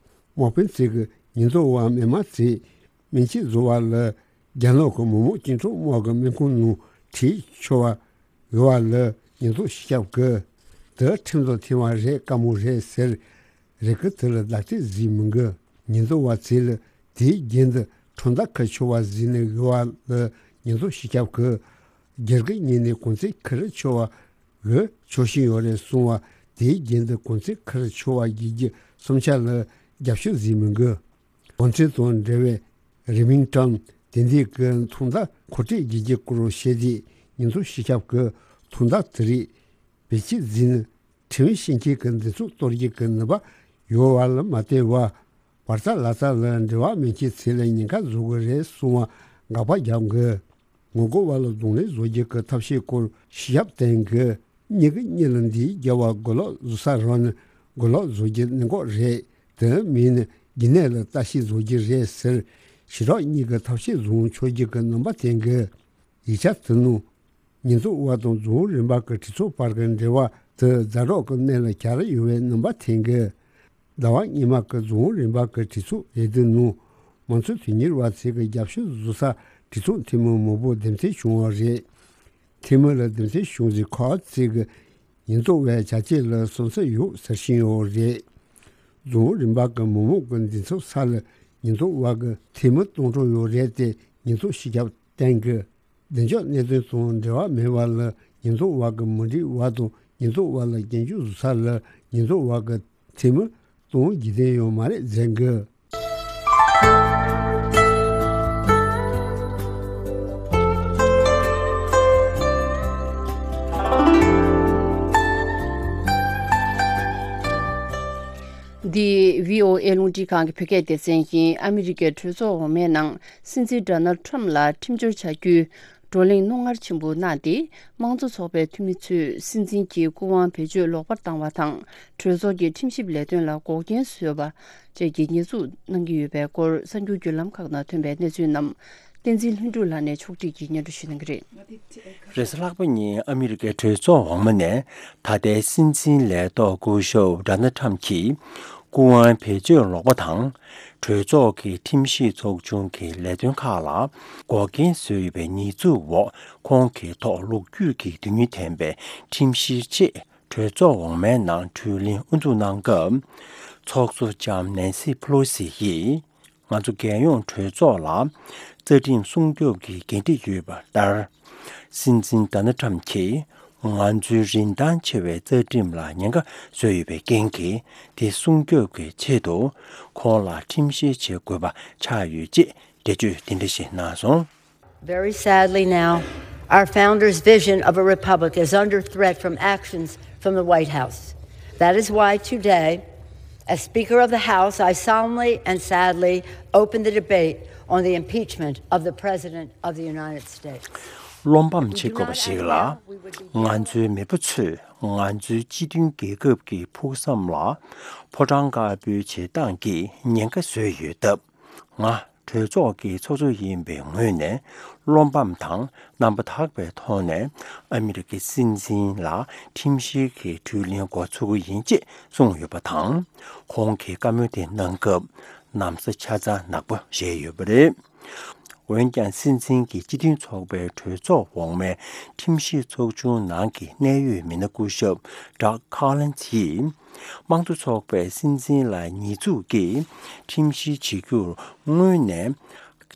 དམག་དཔོན་ཚེ་གི་ཉེན་རྟོག་པ་མི་མང་ཚེ་སྨན་བཅོས་བཟོ་བ་ལ་རྒྱ་ནག་གི་མི་དམངས་བཅིངས་འགྲོལ་དམག་གི་སྨན་ཁང་ནང་ཁྲིད་ཆོག་པ། འོས་པ་ལ་ཉེན་རྟོག་སྤྱི་ཁྱབ་ཀྱིས་དེ་ཁྲིམས་དང་མཐུན་པ་རེད་དཀའ་མོ་རེད་ཟེར། རེ་སྐུལ་དེ་ལ་ལག་དེབ་ཟིག་མི་འགི། ཉེན་རྟོག་པ་ཚོས་ལ་དེའི་རྒྱན་དུ་ཁྲོམ་བརྡ་ཁུར་ཆོག་པ་ཟིག་ནི་འོས་པ་ལ་ཉེན་རྟོག་སྤྱི་ཁྱབ་ཀྱིས་སྒེར་གྱི་ངོས་ནས་གོང་ཚད་ཁུར་ཆོག་པ་འོས་ཆོག་བཞིན་ཡོད་རེད་གསུངས་པ། དེའི་རྒྱན་དུ་གོང་ཚད་ཁུར་ཆོག་པ་བརྒྱད་ཀྱི་སུམ་ཆ་ལ་ རྒྱབ་སྐྱོར་གཟིགས་མི་དགོས། གོང་ཚད་དང་འབྲེལ་བའི་རིང་མིན་ཀྲམ་དེ་འདྲའི་གི་ཐོག་མཐའ་མཁོ་སྤྲོད་བགྱིད་རྒྱུ་སྐོར་བཤད་དེ། ཉེས་འཛུགས་སྤྱི་ཁྱབ་ཀྱི་ཐོག་མཐའ་དེ་རིགས་བེད་སྤྱད་བཟོས་ནས་ཁྲིམས་ཡིག་ཤེས་མཁན་གྱི་འདི་ཚོ་གཏོར་རྒྱུ་གི་ནུས་པ་ཡོད་པ་ལ་མ་བལྟས་པར། བར་ཐག་ལ་ཐག་ལ་འབྲེལ་བ་མེད་མཁན་ཚོ་ལ་ཉེན་ཁ་བཟོ་གི་རེད་གསུང་བ་དགག་པ་རྒྱབ་དགོས། ངོ་རྒོལ་བ་ལ་གདོང་ལེན་བཟོ་རྒྱུ་གི་ཐབས་ཤེས་སྐོར་ཞིབ་བསྟན་དགོས། མྱི་གིས་མྱི་ལ་འདི་རྒྱབ་པ་གོ་ལོག་བཟོ་ས་རང་ནི་གོ་ལོག་བཟོ་རྒྱུ་གནད་འགག་རེད། དེ་མིན་ནི་རྒྱུ་ནད་ལ་ལྟ་ཞིབ་བཟོ་རྒྱུ་རེད་ཟེར། ཞི་དྲག་གཉིས་ཀྱི་ཐབས་ཤེས་བཟུང་ཆོག་རྒྱུ་གི་རྣམ་པ་བསྟན་དགོས། ཡིག་ཆ་དེ་ནང་ཉེས་འཛུགས་པ་དང་རྫོང་རིམ་པ་གི་གྲོས་ཚོགས་བར་གྱི་འབྲེལ་བ་དེ་ཛ་དྲག་གི་གནས་ལ་གྱར་ཡོད་པའི་རྣམ་པ་བསྟན་དགོས། ཟླ་བ་སྔོན་མ་གི་རྫོང་རིམ་པ་གི་གྲོས་ཚོགས་རེ་འདུན་ནང་། མང་གཙོ་དོན་གཉེར་བ་ཚོས་ཀྱི་རྒྱབ་སྐྱོར་བཟོ་ས་གྲོས་ཚོགས་འཐུས་མི་མང་པོ་འདེམས་ཐོན་བྱུང་བ་རེད། འཐུས་མི་ལ་འདེམས་ཐོན་བྱུང་ཚེ་ཁོ་ཚོས་ཀྱི་ཉེས་འཛུགས་པའི་བྱ་སྤྱོད་ལ་བསམ་ཚུལ་ཡོད་ཟེར་བཞིན་ཡོད་རེད། རྫོང་རིམ་པ་གི་མི་མང་གི་འདུ་འཛོམས་ས་ལ་ཉེས་འཛུགས་པ་གི་འཐུས་མི་སྟོང་ཕྲག་ཡོད་རེད་དེ། ཉེས་འཛུགས་སྤྱི་ཁྱབ་བསྟན་དགོས། བདེ་འཇགས་གནད་དོན་དང་འབྲེལ་བ་མེད་པ་ལ་ཉེས་འཛུགས་པ་གི་མི་སྒྲིག་པ་དང་ཉེས་འཛུགས་པ་ལ་སྐྱོན་བརྗོད་བཟོ་ས་ལ་ཉེས་འཛུགས་པ་གི་འཐུས་མི་གཏོང་རྒྱུ་དེ་ཡོད་མ་རེད་ཟེར་གི། འདི་བྷི་ཨོ་ཨེ་རླུང་འཕྲིན་ཁང་གི་བོད་སྐད་སྡེ་ཚན་ཡིན། ཨ་མི་རི་ཀའི་གྲོས་ཚོགས་འོག་མའི་ནང་སྲིད་འཛིན་ཌོ་ནལ་ཌི་ཊརམ་ཕི་ལ་ཁྲིམས་སྦྱོར་བྱ་རྒྱུའི་བགྲོ་གླེང་རྣོ་ངར་ཆེན་པོ་གནང་སྟེ། དམངས་གཙོ་ཚོགས་པའི་འཐུས་མི་ཚོས་སྲིད་འཛིན་གྱི་སྐུ་དབང་བེད་སྤྱོད་ལོག་པར་བཏང་བ་དང་། གྲོས་ཚོགས་ཀྱི་ཁྲིམས་ཞིབ་ལས་དོན་ལ་འགོག་རྐྱེན་བཟོས་པ་བཅས་ཀྱི་ཉེས་འཛུགས་གནང་གི་ཡོད་པའི་སྐོར། གསར་འགྱུར་བརྒྱུད་ལམ་ཁག་ནང་ཐོན་པའི་གནས་ཚུལ་རྣམས་བསྟན་འཛིན་ལྷུན་གྲུབ་ལགས་ནས་ཕྱོགས་སྒྲིག་གིས་སྙན་སྒྲོན་ཞུ་གནང་གི་རེད། རེས་གཟའ་ལྷག་པ་ཉིན་ཨ་མི་རི་ཀའི་གྲོས་ཚོགས་འོག་མ་ནས་ད་ལྟའི་སྲིད་འཛིན་ལས་ཐོག་སྐུ་ཞབས་ཌོ་ནལ་ཌི་ཊརམ་ཕི་གྱི་སྐུ་དབང་བེད་སྤྱོད་ལོག་པ་དང་། གྲོས་ཚོགས་ཀྱི་ཁྲིམས་ཞིབ་ཚོགས་ཆུང་གི་ལས་དོན་ཁག་ལ་འགོག་རྐྱེན་བཟོས་ཡོད་པའི་ཉེས་འཛུགས་འོག་ཁོང་གི་ཐོག་ལོ་རྒྱུས་ཀྱི་དོན་སྙིང་ལྡན་པའི་ཁྲིམས་བཤེར་ཆེད་གྲོས་ཚོགས་འོག་མའི་ནང་གྲོས་གླེང་དབུ་འཛུགས་གནང་སྐབས། ཚོགས་གཙོ་ལྕམ་ནན་སི་ཕེ་ལོ་སི་ཡིས། ང་ཚོ་རྒྱལ་ཡོངས་གྲོས་ཚོགས་ལ་རྩ་ཁྲིམས་སྲུང་སྐྱོབ་ཀྱི་འགན་འཁྲི་ཡོད་པ་ལྟར། སྲིད་འཛིན་ཌོ་ནལ་ཌི་ཊརམ་ཕི་གྱིས་ང་ཚོའི་རིན་ཐང་ཆེ་བའི་རྩ་ཁྲིམས་ལ་ཉེན་ཁ་བཟོས་ཡོད་པའི་རྐྱེན་གྱིས། དེ་སྲུང་སྐྱོབ་ཀྱི་ཆེད་དུ་ཁོང་ལ་ཁྲིམས་བཤེར་བྱེད་དགོས་པ་ཆགས་ཡོད་ཅེས་འགྲེལ་བརྗོད་དེ་འདྲ་ཞིག་གནང་སོང་། Very sadly now, our founders' vision of a republic is under threat from actions from the White House. That is why today, as Speaker of the House, I solemnly and sadly open the debate on the impeachment of the President of the United States. བློ་ཕམ་བྱེད་དགོས་པ་ཞིག་ལ། ང་ཚོའི་མེས་པོ་ཚོས་ང་ཚོའི་སྤྱི་མཐུན་རྒྱལ་ཁབ་ཀྱི་ཕུགས་བསམ་ལ་ཕོ་བྲང་དཀར་པོའི་བྱེད་སྟངས་ཀྱིས་ཉེན་ཁ་བཟོས་ཡོད་སྟབས། ང་གྲོས་ཚོགས་ཀྱི་ཚོགས་གཙོ་ཡིན་པའི་ངོས་ནས་བློ་ཕམ་དང་རྣམ་པ་དག་པའི་ཐོག་ནས་ཨ་མི་རི་ཀའི་སྲིད་འཛིན་ལ་ཁྲིམས་བཤེར་གྱི་གྲོས་གླེང་འགོ་ཚུགས་ཀྱི་ཡིན་ཅེས་གསུངས་ཡོད་པ་དང་། ཁོང་གིས་བཀའ་མོལ་དེ་གནང་སྐབས་ན་བཟའ་ཆ་ཚང་ནག་པོ་བཞེས་ཡོད་པ་རེད། འོན་ཀྱང་སྲིད་འཛིན་གྱི་སྤྱི་མཐུན་ཚོགས་པའི་གྲོས་ཚོགས་འོག་མའི་ཁྲིམས་ཞིབ་ཚོགས་ཆུང་ནང་གི་གནད་ཡོད་མི་སྣ་སྐུ་ཞབས་Doug Collins ཡིས། དམངས་གཙོ་ཚོགས་པས་སྲིད་འཛིན་ལ་ཉེས་འཛུགས་ཀྱིས་ཁྲིམས་བཤེར་བྱེད་རྒྱུར་སྔོན་ནས་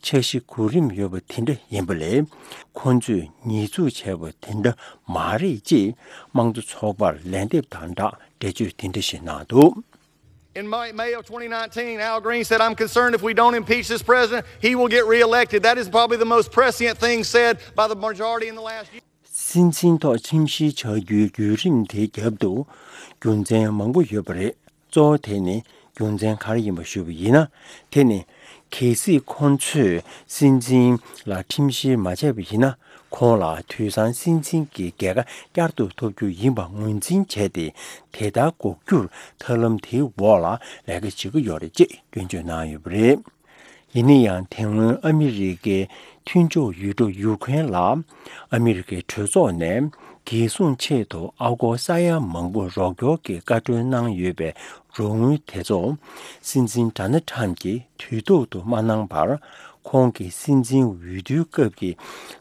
འཆར་གཞི་གོ་རིམ་ཡོད་པ་དེ་འདྲ་ཡིན་པ་ལས། ཁོ་ཚོས་ཉེས་འཛུགས་བྱས་པ་དེ་འདྲ་མ་རེད་ཅེས་དམངས་གཙོ་ཚོགས་པར་ལན་འདེབས་དང་སྦྲགས་འགྲེལ་བརྗོད་དེ་འདྲ་ཞིག་གནང་འདུག། In May, May of twenty nineteen, Al Green said, "I'm concerned if we don't impeach this president, he will get reelected." That is probably the most prescient thing said by the majority in the last year. སྲིད་འཛིན་ཐོག་ཁྲིམས་བཤེར་བྱ་རྒྱུའི་བརྒྱུད་རིམ་དེའི་རྒྱབ་ཏུ་རྒྱུ་མཚན་མང་པོ་ཡོད་པ་རེད། གཙོ་བོ་དེ་ནི་རྒྱུ་མཚན་ག་རེ་ཡིན་པ་ཞུས་པ་ཡིན་ན། དེ་ནི་གལ་སྲིད་ཁོང་ཚོས་སྲིད་འཛིན་ལ་ཁྲིམས་བཤེར་མ་བྱས་པ་ཡིན་ན། ཁོང་ལ་དུས་སང་སྲིད་འཛིན་གྱི་རྒྱལ་ཁ་བསྐྱར་དུ་ཐོབ་རྒྱུ་ཡིན་པ་ངོས་འཛིན་བྱས་ཏེ། དེ་ལྟར་འགོག་རྒྱུར་ཐབས་ལམ་དེའི་འོག་ལ་ལས་ཀ་བྱེད་ཀྱི་ཡོད་རེད་ཅེས་སྐྱོན་བརྗོད་གནང་ཡོད་པ་རེད། ཡིན་ན་ཡང་། དེ་སྔོན་ཨ་མི་རི་ཀའི་མཐུན་ཕྱོགས་ཡུལ་གྲུ་ཡུ་ཁུ་རེན་ལ་ཨ་མི་རི་ཀའི་གྲོས་ཚོགས་ནས་རྒྱལ་སྲུང་ཆེད་དུ་ཨ་སྒོར་ས་ཡ་མང་པོ་རོགས་སྐྱོར་གྱི་བཀའ་འཁྲོལ་གནང་ཡོད་པའི་རོགས་དངུལ་དེ་ཚོ་སྲིད་འཛིན་ཌོ་ནལ་ཊམ་གྱིས་དུས་ཐོག་ཏུ་མ་གནང་བར། ཁོང་གི་སྲིད་འཛིན་འོས་བསྡུའི་སྐབས་ཀྱི་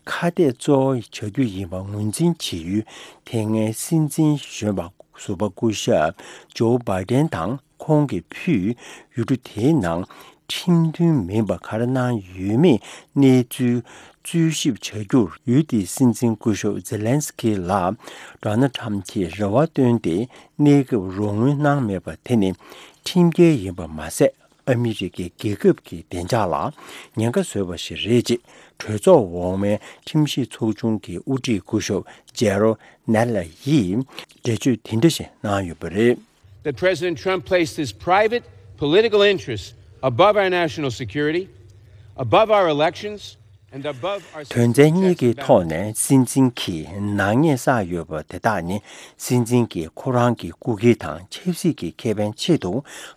ཁ་གཏད་གཙོ་བོ་བྱ་རྒྱུ་ཡིན་པ་ངོས་འཛིན་བྱེད་ཡུལ་དེ་སྔའི་སྲིད་འཛིན་གཞོན་པ་ཟུར་པ་སྐུ་ཞབས་ཇོ་བྷའི་ཌེན་དང་། ཁོང་གིས་ཕུལ་ཡུལ་གྲུ་དེའི་ནང་ཁྲིམས་མཐུན་མིན་པ་ག་རེ་གནང་ཡོད་མེད་གནས་ཚུལ་འཚོལ་ཞིབ་བྱ་རྒྱུར། ཡུལ་དེའི་སྲིད་འཛིན་སྐུ་ཞབས་ཛེ་ལན་སི་ཀི་ལ་ཌོ་ནལ་ཊམ་གྱིས་རེ་བ་བཏོན་ཏེ། གནས་སྐབས་རོགས་དངུལ་གནང་མེད་པ་དེ་ནི་ ཁྲིམས་འགལ་ཡིན་པ་མ་ཟད། ཨ་མི་རི་ཀའི་རྒྱལ་ཁབ་ཀྱི་བདེ་འཇགས་ལ་ཉེན་ཁ་བཟོས་པ་ཞིག་རེད་ཅེས་གྲོས་ཚོགས་འོག་མའི་ཁྲིམས་ཞིབ་ཚོགས་ཆུང་གི་དབུ་ཁྲིད་སྐུ་ཞབས་ཇེ་རོ་ནེ་ལ་ཡིས་འགྲེལ་བརྗོད་དེ་འདྲ་ཞིག་གནང་ཡོད་པ་རེད། That President Trump placed his private political interests above our national security, above our elections, and above our དོན་ཚན་གཉིས་ཀྱི་ཐོག་ནས་སྲིད་འཛིན་གྱིས་ནག་ཉེས་བསགས་ཡོད་པ་དེ་དག་ནི། སྲིད་འཛིན་གྱིས་ཁོ་རང་གི་སྐུ་སྒེར་དང་ཆབ་སྲིད་ཀྱི་ཁེ་ཕན་ཆེད་དུ་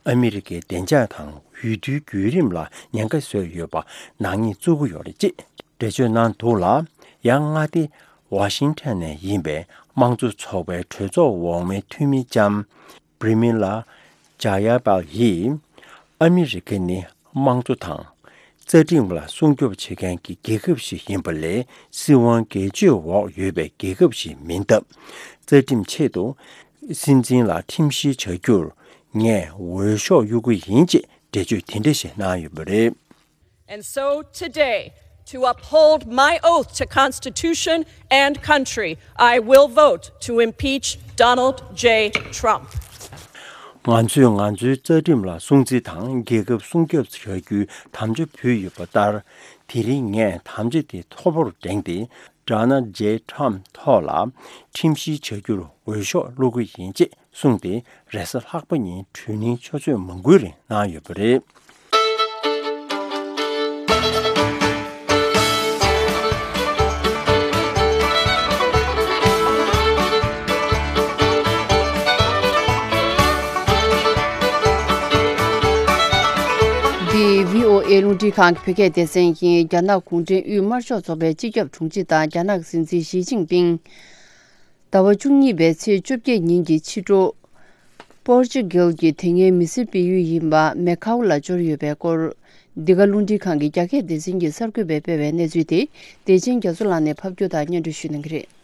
ཨ་མི་རི་ཀའི་བདེ་འཇགས་དང་འོས་བསྡུའི་བརྒྱུད་རིམ་ལ་ཉེན་ཁ་བཟོས་ཡོད་པ་ནག་ཉེས་བཙུགས་ཀྱི་ཡོད་རེད་ཅེས་འགྲེལ་བརྗོད་གནང་འདུག་ལ། ཡང་མངའ་སྡེ་ཝ་ཤིང་ཊོན་ནས་ཡིན་པའི་དམངས་གཙོ་ཚོགས་པའི་གྲོས་ཚོགས་འོག་མའི་འཐུས་མི་ལྕམ་པྲི་མི་ལ་ཇཱ་ཡ་པལ་ཡིས། ཨ་མི་རི་ཀ་ནི་དམངས་གཙོ་དང་། རྩ་ཁྲིམས་ལ་སྲུང་སྐྱོབ་བྱེད་མཁན་གྱི་རྒྱལ་ཁབ་ཞིག་ཡིན་པ་ལས། སྲིད་དབང་སྒེར་གཅོད་འོག་ཡོད་པའི་རྒྱལ་ཁབ་ཞིག་མིན་སྟབས། རྩ་ཁྲིམས་ཆེད་དུ་སྲིད་འཛིན་ལ་ཁྲིམས་བཤེར་བྱ་རྒྱུར་ངས་འོས་ཤོག་གཡུག་གི་ཡིན་ཅེས་འགྲེལ་བརྗོད་དེ་འདྲ་ཞིག་གནང་ཡོད་པ་རེད། And so today, to uphold my oath to Constitution and country, I will vote to impeach Donald J. Trump. ང་ཚོས་ང་ཚོའི་རྩ་ཁྲིམས་ལ་སྲུང་བརྩི་དང་རྒྱལ་ཁབ་སྲུང་སྐྱོབ་བྱ་རྒྱུའི་དམ་བཅའ་ཕུལ་ཡོད་པ་ལྟར། དེ་རིང་ངས་དམ་བཅའ་དེ་མཐོ་པོར་བསྒྲེངས་ཏེ། ཌོ་ནལ་ཌི་ཇེ་ཊམ་ཐོག་ལ་ཁྲིམས་བཤེར་བྱ་རྒྱུར་འོས་ཤོག་བླུག་གི་ཡིན་ཅེས་གསུངས་ཏེ། རེས་གཟའ་ལྷག་པ་ཉིན་གྲོས་གླེང་ཆུ་ཚོད་མང་པོའི་རིང་གནང་ཡོད་པ་རེད། འདི་བྷི་ཨོ་ཨེ་རླུང་འཕྲིན་ཁང་གི་བོད་སྐད་སྡེ་ཚན་ཡིན། རྒྱ་ནག་གུང་ཁྲན་དབུས་དམར་ཤོག་ཚོགས་པའི་སྤྱི་ཁྱབ་དྲུང་ཆེ་དང་རྒྱ་ནག་གི་སྲིད་འཛིན་ཞི་ཅིན་ཕིང་ཟླ་བ་བཅུ་གཉིས་པའི་ཚེས་བཅོ་བརྒྱད་ཉིན་གྱི་ཕྱི་དྲོ། པོར་ཅུ་གལ་གྱི་དེ་སྔའི་མི་སེར་སྤེལ་ཡུལ་ཡིན་པ་མེ་ཁའུ་ལ་འབྱོར་ཡོད་པའི་སྐོར། འདི་ག་རླུང་འཕྲིན་ཁང་གི་རྒྱ་སྐད་སྡེ་ཚན་གྱི་གསར་འགོད་པས་སྤེལ་བའི་གནས་ཚུལ་དེ། བདེ་ཆེན་རྒྱ་མཚོ་ལགས་ནས་ཕབ་སྒྱུར་དང་སྙན་སྒྲོན་ཞུ་གནང་གི་རེད།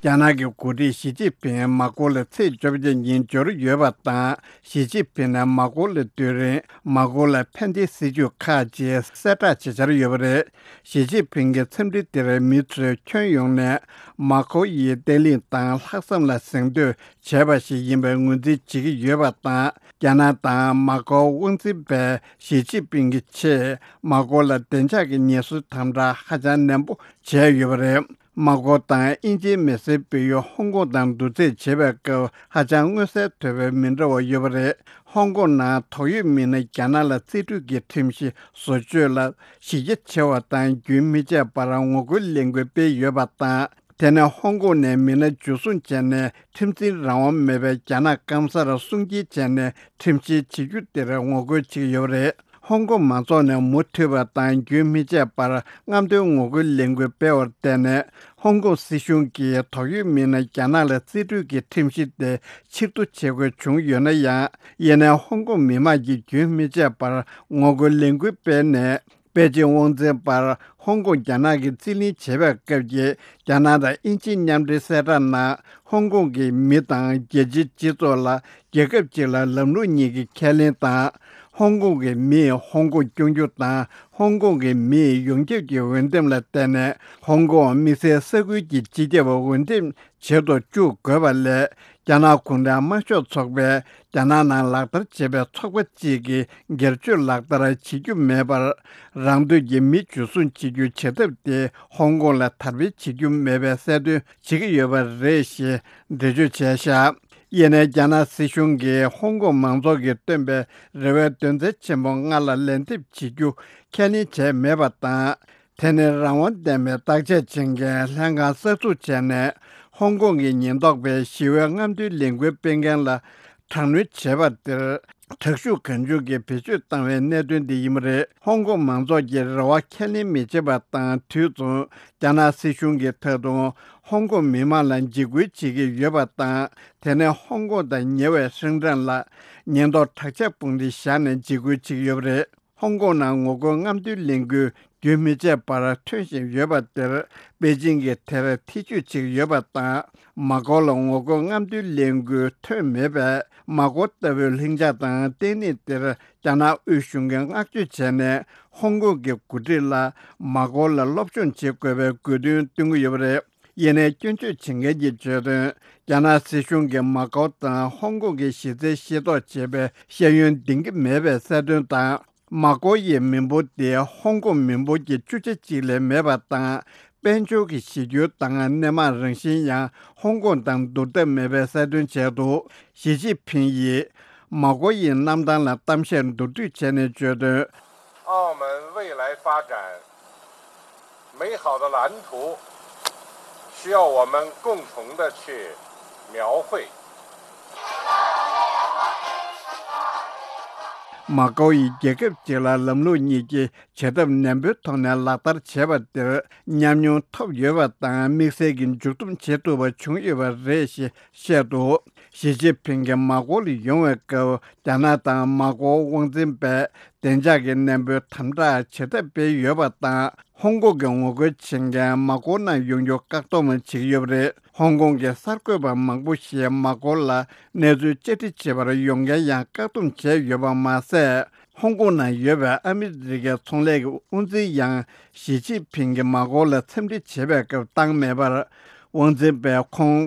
རྒྱ་ནག་གི་འགོ་ཁྲིད་ཞི་ཅིན་ཕིང་མ་ཀོ་ལ་ཚེས་བཅོ་བརྒྱད་ཉིན་འབྱོར་ཡོད་པ་དང་། ཞི་ཅིན་ཕིང་ནས་མ་ཀོ་ལ་སྡོད་རིང་མ་ཀོ་ལ་ཕན་བདེའི་སྲིད་ཇུས་ཁག་ཅིག་གསལ་བསྒྲགས་བྱེད་འཆར་ཡོད་པ་རེད། ཞི་ཅིན་ཕིང་གི་འཚམས་འདྲི་དེར་མི་ཚོས་ཁྱོན་ཡོངས་ནས་མ་ཀོ་ཡི་བརྟན་ལྷིང་དང་ལྷག་བསམ་ལ་གཟེངས་བསྟོད་བྱས་པ་ཞིག་ཡིན་པའི་ངོས་འཛིན་བྱེད་ཀྱི་ཡོད་པ་དང་། རྒྱ་ནག་དང་མ་ཀོ་དབང་འཛིན་པས་ཞི་ཅིན་ཕིང་གི་ཆེད་མ་ཀོ་ལ་བདེ་འཇགས་ཀྱི་ཉེན་སྲུང་དམ་དྲག་ཧ་ཅང་ནན་པོ་བྱས་ཡོད་པ་རེད། མ་ཀོ་དང་དབྱིན་ཇིའི་མི་སེར་སྤེལ་ཡུལ་ཧོང་ཀོང་དང་བསྡུར་ཚད་བྱེད་པའི་སྐབས་ཧ་ཅང་མངོན་གསལ་དོད་པའི་མི་འདྲ་བ་ཡོད་པ་རེད། ཧོང་ཀོང་ནང་དོགས་ཡོད་མི་སྣ་རྒྱ་ནག་ལ་རྩིས་སྤྲོད་ཀྱི་ཁྲིམས་གཞི་བཟོ་བཅོས་ལ་གཞི་རྒྱ་ཆེ་བ་དང་རྒྱུན་མི་ཆད་པར་ངོ་རྒོལ་ལས་འགུལ་སྤེལ་ཡོད་པ་དང་། དེ་ནས་ཧོང་ཀོང་ནས་མི་སྣ་འཇུ་བཟུང་བྱས་ནས་ཁྲིམས་འཛིན་རང་དབང་མེད་པའི་རྒྱ་ནག་སྐམ་སར་སྲུང་སྐྱེལ་བྱས་ནས་ཁྲིམས་བཤེར་བྱེད་རྒྱུ་དེར་ངོ་རྒོལ་བྱེད་ཀྱི་ཡོད་པ་རེད། ཧོང་ཀོང་མང་ཚོགས་ནས་མུ་མཐུད་པ་དང་རྒྱུན་མི་ཆད་པར་རྔམ་སྟོན་ངོ་རྒོལ་ལས་འགུལ་སྤེལ་བར་བརྟེན་ནས། ཧོང་ཀོང་སྲིད་གཞུང་གིས་དོགས་ཡོད་མི་སྣ་རྒྱ་ནག་ལ་རྩིས་སྤྲོད་ཀྱི་ཁྲིམས་གཞི་དེ་ཕྱིར་བསྡུ་བྱེད་དགོས་བྱུང་ཡོད་ན་ཡང་། ཡིན་ནའི་ཧོང་ཀོང་མི་མང་གིས་རྒྱུན་མི་ཆད་པར་ངོ་རྒོལ་ལས་འགུལ་སྤེལ་ནས། པེ་ཅིང་དབང་འཛིན་པར་ཧོང་ཀོང་རྒྱ་ནག་གིས་རྩིས་ལེན་བྱེད་པའི་སྐབས་ཀྱི་རྒྱ་ནག་དང་དབྱིན་ཇིའི་མཉམ་འབྲེལ་གསལ་བསྒྲགས་ནང་། ཧོང་ཀོང་གི་མི་དང་རྒྱལ་སྤྱིའི་སྤྱི་ཚོགས་ལ་རྒྱལ་ཁབ་ཅིག་ལ་ལམ་ལུགས་གཉིས་ཀྱི་ཁས་ལེན་དང་། ཧོང་ཀོང་གི་མིས་ཧོང་ཀོང་སྐྱོང་རྒྱུ་དང་། ཧོང་ཀོང་གི་མིའི་ཡོངས་ཁྱབ་ཀྱི་འོས་འདེམས་ལ་བརྟེན་ནས། ཧོང་ཀོང་དམིགས་བསལ་ས་ཁུལ་གྱི་སྤྱི་ཁྱབ་འོས་འདེམས་བྱེད་དུ་བཅུག་དགོས་པ་ལས། རྒྱ་ནག་གུང་ཁྲན་དམར་ཤོག་ཚོགས་པས་རྒྱ་ནག་ནང་ལག་བསྟར་བྱེད་པའི་ཚོགས་པ་གཅིག་གི་སྒེར་གཅོད་ལག་བསྟར་བྱེད་རྒྱུ་མེད་པར། རང་འདོད་ཀྱིས་མི་འཇུ་བཟུང་བྱེད་རྒྱུ་བྱེད་ཐབས་དེ་ཧོང་ཀོང་ལ་དར་སྤེལ་བྱེད་རྒྱུ་མེད་པའི་གསལ་སྟོན་བྱེད་ཀྱི་ཡོད་པ་རེད་ཞེས་འགྲེལ་བརྗོད་བྱས་བཞག་ཡིན་ནའི་རྒྱ་ནག་སྲིད་གཞུང་གིས་ཧོང་ཀོང་མང་ཚོགས་ཀྱིས་བཏོན་པའི་རེ་བའི་དོན་ཚན་ཆེན་པོ་ལྔ་ལ་ལན་འདེབས་བྱེད་རྒྱུ་ཁས་ལེན་བྱས་མེད་པ་དང་། དེ་ནི་རང་དབང་ལྡན་པའི་བརྟག་དཔྱད་བྱེད་མཁན་ལྷན་ཁང་གསར་འཛུགས་བྱས་ནས། ཧོང་ཀོང་གི་ཉེན་རྟོག་པས་ཞི་བའི་རྔམ་སྟོན་ལས་འགུལ་སྤེལ་མཁན་ལ་དྲག་གནོན་བྱས་པ་དེར། དྲག་ཤུགས་གང་བྱུང་གིས་བེད་སྤྱོད་བཏང་བའི་གནད་དོན་འདི་ཡིན་པ་རེད། ཧོང་ཀོང་མང་ཚོགས་ཀྱིས་རེ་བ་ཁས་ལེན་མི་བྱེད་པ་དང་དུས་མཚུངས། རྒྱ་ནག་སྲིད་གཞུང་གིས་ད་དུང་ཧོང་ཀོང་མི་མང་ལ་འཇིགས་སྐུལ་བྱེད་ཀྱི་ཡོད་པ་དང་། དེ་ནས་ཧོང་ཀོང་དང་ཉེ་བའི་ཧྲེང་ཀྲེན་ལ་ཉེན་རྟོག་དྲག་ཆས་དཔུང་སྡེ་བཞག་ནས་འཇིགས་སྐུལ་བྱེད་ཀྱི་ཡོད་པ་རེད། ཧོང་ཀོང་ནང་ངོ་རྒོལ་རྔམ་སྟོན་ལས་འགུལ་རྒྱུན་མི་ཆད་པར་ཐོན་བཞིན་ཡོད་པ་དེར་པེ་ཅིང་གིས་དེར་ཐེ་བྱུས་བྱེད་ཀྱི་ཡོད་པ་དང་། མ་ཀོ་ལ་ངོ་རྒོལ་རྔམ་སྟོན་ལས་འགུལ་ཐོན་མེད་པས། མ་ཀོ་ལྟ་བུའི་ལྷིང་འཇགས་དང་བརྟན་ལྷིང་དེར་རྒྱ་ནག་དབུས་གཞུང་གིས་བསྔགས་བརྗོད་བྱས་ནས། ཧོང་ཀོང་གི་འགོ་ཁྲིད་ལ་མ་ཀོ་ལ་སློབ་སྦྱོང་བྱེད་དགོས་པའི་དགོས་འདུན་བཏོན་གྱི་ཡོད་པ་རེད། ཡིན་ནའི་སྐྱོན་བརྗོད་བྱེད་མཁན་གྱིས་བརྗོད་དོན། རྒྱ་ནག་སྲིད་གཞུང་གིས་མཱ་ཀོ་དང་ཧོང་ཀོང་གི་གཞི་རྩའི་ཤེས་རྟོགས་བྱེད་པའི་ཤེས་ཡོན་འདིང་གི་མེད་པའི་གསལ་སྟོན་དང་། མཱ་ཀོ་ཡི་མི་འབོར་དེ་ཧོང་ཀོང་མི་འབོར་གྱི་བཅུ་ཆ་གཅིག་ལས་མེད་པ་དང་། དཔལ་འབྱོར་གྱི་གཞི་རྒྱུ་དང་སྣེ་མང་རང་བཞིན་ཡང་ཧོང་ཀོང་དང་བསྡུར་ཐབས་མེད་པའི་གསལ་སྟོན་བྱས་འདུག། ཞི་ཅིན་ཕིང་ཡིས་མཱ་ཀོ་ཡི་གནམ་ཐང་ལ་གཏམ་བཤད་མདོར་བསྡུས་བྱས་ནས་བརྗོད་དོན། 澳门未来发展 美好的蓝图需要我们共同的去描绘。 མཱ་ཀོ་ཡིས་རྒྱལ་ཁབ་ཅིག་ལ་ལམ་ལུགས་གཉིས་ཀྱི་བྱེད་ཐབས་ནན་པོའི་ཐོག་ནས་ལག་བསྟར་བྱས་པ་དེར་ཉམས་མྱོང་ཐོབ་ཡོད་པ་དང་། དམིགས་བསལ་གྱི་མཇུག་སྡོམ་བྱེད་ཐུབ་པ་བྱུང་ཡོད་པ་རེད་ཞེས་བཤད་འདུག། ཞི་ཅིན་ཕིང་གིས་མཱ་ཀོ་ལ་ཡོང་བའི་སྐབས། རྒྱ་ནག་དང་མཱ་ཀོ་དབང་འཛིན་པས་བདེ་འཇགས་ཀྱི་ནན་པོའི་དམ་དྲག་བྱེད་ཐབས་སྤེལ་ཡོད་པ་དང་། ཧོང་ཀོང་གི་ངོ་རྒོལ་བྱེད་མཁན་མཱ་ཀོ་ནང་ཡོང་རྒྱུ་བཀག་སྡོམ་བྱེད་ཀྱི་ཡོད་པ་རེད། ཧོང་ཀོང་གི་གསར་འགོད་པ་མང་པོ་ཞིག་མཱ་ཀོ་ལ་གནས་ཚུལ་བཅར་འདྲི་བྱེད་པར་ཡོང་མཁན་ཡང་བཀག་སྡོམ་བྱས་ཡོད་པ་མ་ཟད། ཧོང་ཀོང་ནང་ཡོད་པའི་ཨ་མི་རི་ཀའི་ཚོང་ལས་ཀྱི་དབང་འཛིན་ཡང་ཞི་ཅིན་ཕིང་གིས་མཱ་ཀོ་ལ་འཚམས་འདྲི་བྱེད་པའི་སྐབས་བཏང་མེད་པར། དབང་འཛིན་པས་ཁོང་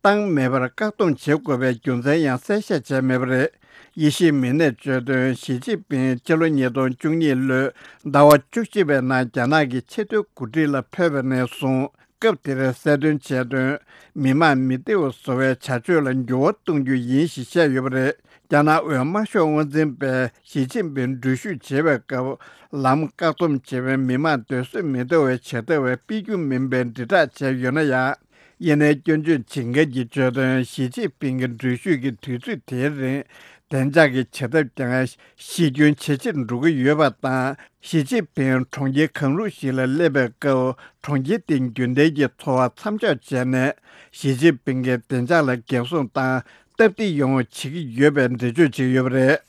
བཏང་མེད་པར་བཀག་སྡོམ་བྱེད་དགོས་པའི་རྒྱུ་མཚན་ཡང་གསལ་བཤད་བྱས་མེད་པ་རེད། དབྱེ་ཞིབ་མི་སྣས་བརྗོད་དོན། ཞི་ཅིན་ཕིང་ཕྱི་ལོ་ཉིས་སྟོང་བཅུ་གཉིས་ལོའི་ཟླ་བ་བཅུ་གཅིག་པའི་ནང་རྒྱ་ནག་གི་ཆེས་མཐོའི་འགོ་ཁྲིད་ལ་ཕེབས་པ་ནས་བཟུང་སྐབས་དེར་གསལ་སྟོན་བྱས་དོན། མི་དམངས་མི་བདེ་བ་བཟོ་བའི་བྱ་སྤྱོད་ལ་འགྱུར་བ་གཏོང་རྒྱུ་ཡིན་ཞེས་བཤད་ཡོད་པ་རེད། རྒྱ་ནག་འོས་དམར་ཤོག་དབང་འཛིན་པས་ཞི་ཅིན་ཕིང་འགྲུལ་བཞུད་བྱེད་པའི་སྐབས་ལམ་བཀག་སྡོམ་བྱེད་པའི་མི་དམངས་སྡོད་ས་མི་འདྲ་བའི་བྱེད་ཐབས་སྤེལ་རྒྱུ་མིན་པའི་དྲིལ་བསྒྲགས་བྱས་ཡོད་ན་ཡང་། ཡིན་ནའི་སྐྱོན་བརྗོད་བྱེད་མཁན་གྱིས་བརྗོད་དོན། ཞི་ཅིན་ཕིང་གི་འགྲུལ་བཞུད་ཀྱི་དུས་ཚོད་དེའི་རིང་བདེ་འཇགས་ཀྱི་བྱེད་ཐབས་ཀྱང་གཞི་རྒྱུན་ཇེ་ཆེར་འགྲོ་གི་ཡོད་པ་དང་། ཞི་ཅིན་ཕིང་གྲོང་ཁྱེར་གང་རུང་ཞིག་ལ་སླེབས་པའི་སྐབས་གྲོང་ཁྱེར་དེའི་རྒྱུན་ལྡན་གྱི་འཚོ་བ་མཚམས་འཇོག་བྱས་ནས། ཞི་ཅིན་ཕིང་གི་བདེ་འཇགས་ལ་འགན་སྲུང་དང་སྟབས་བདེ་ཡོང་བ་བྱེད་ཀྱི་ཡོད་པའི་འགྲེལ་བརྗོད་བྱས་ཡོད་པ་རེད།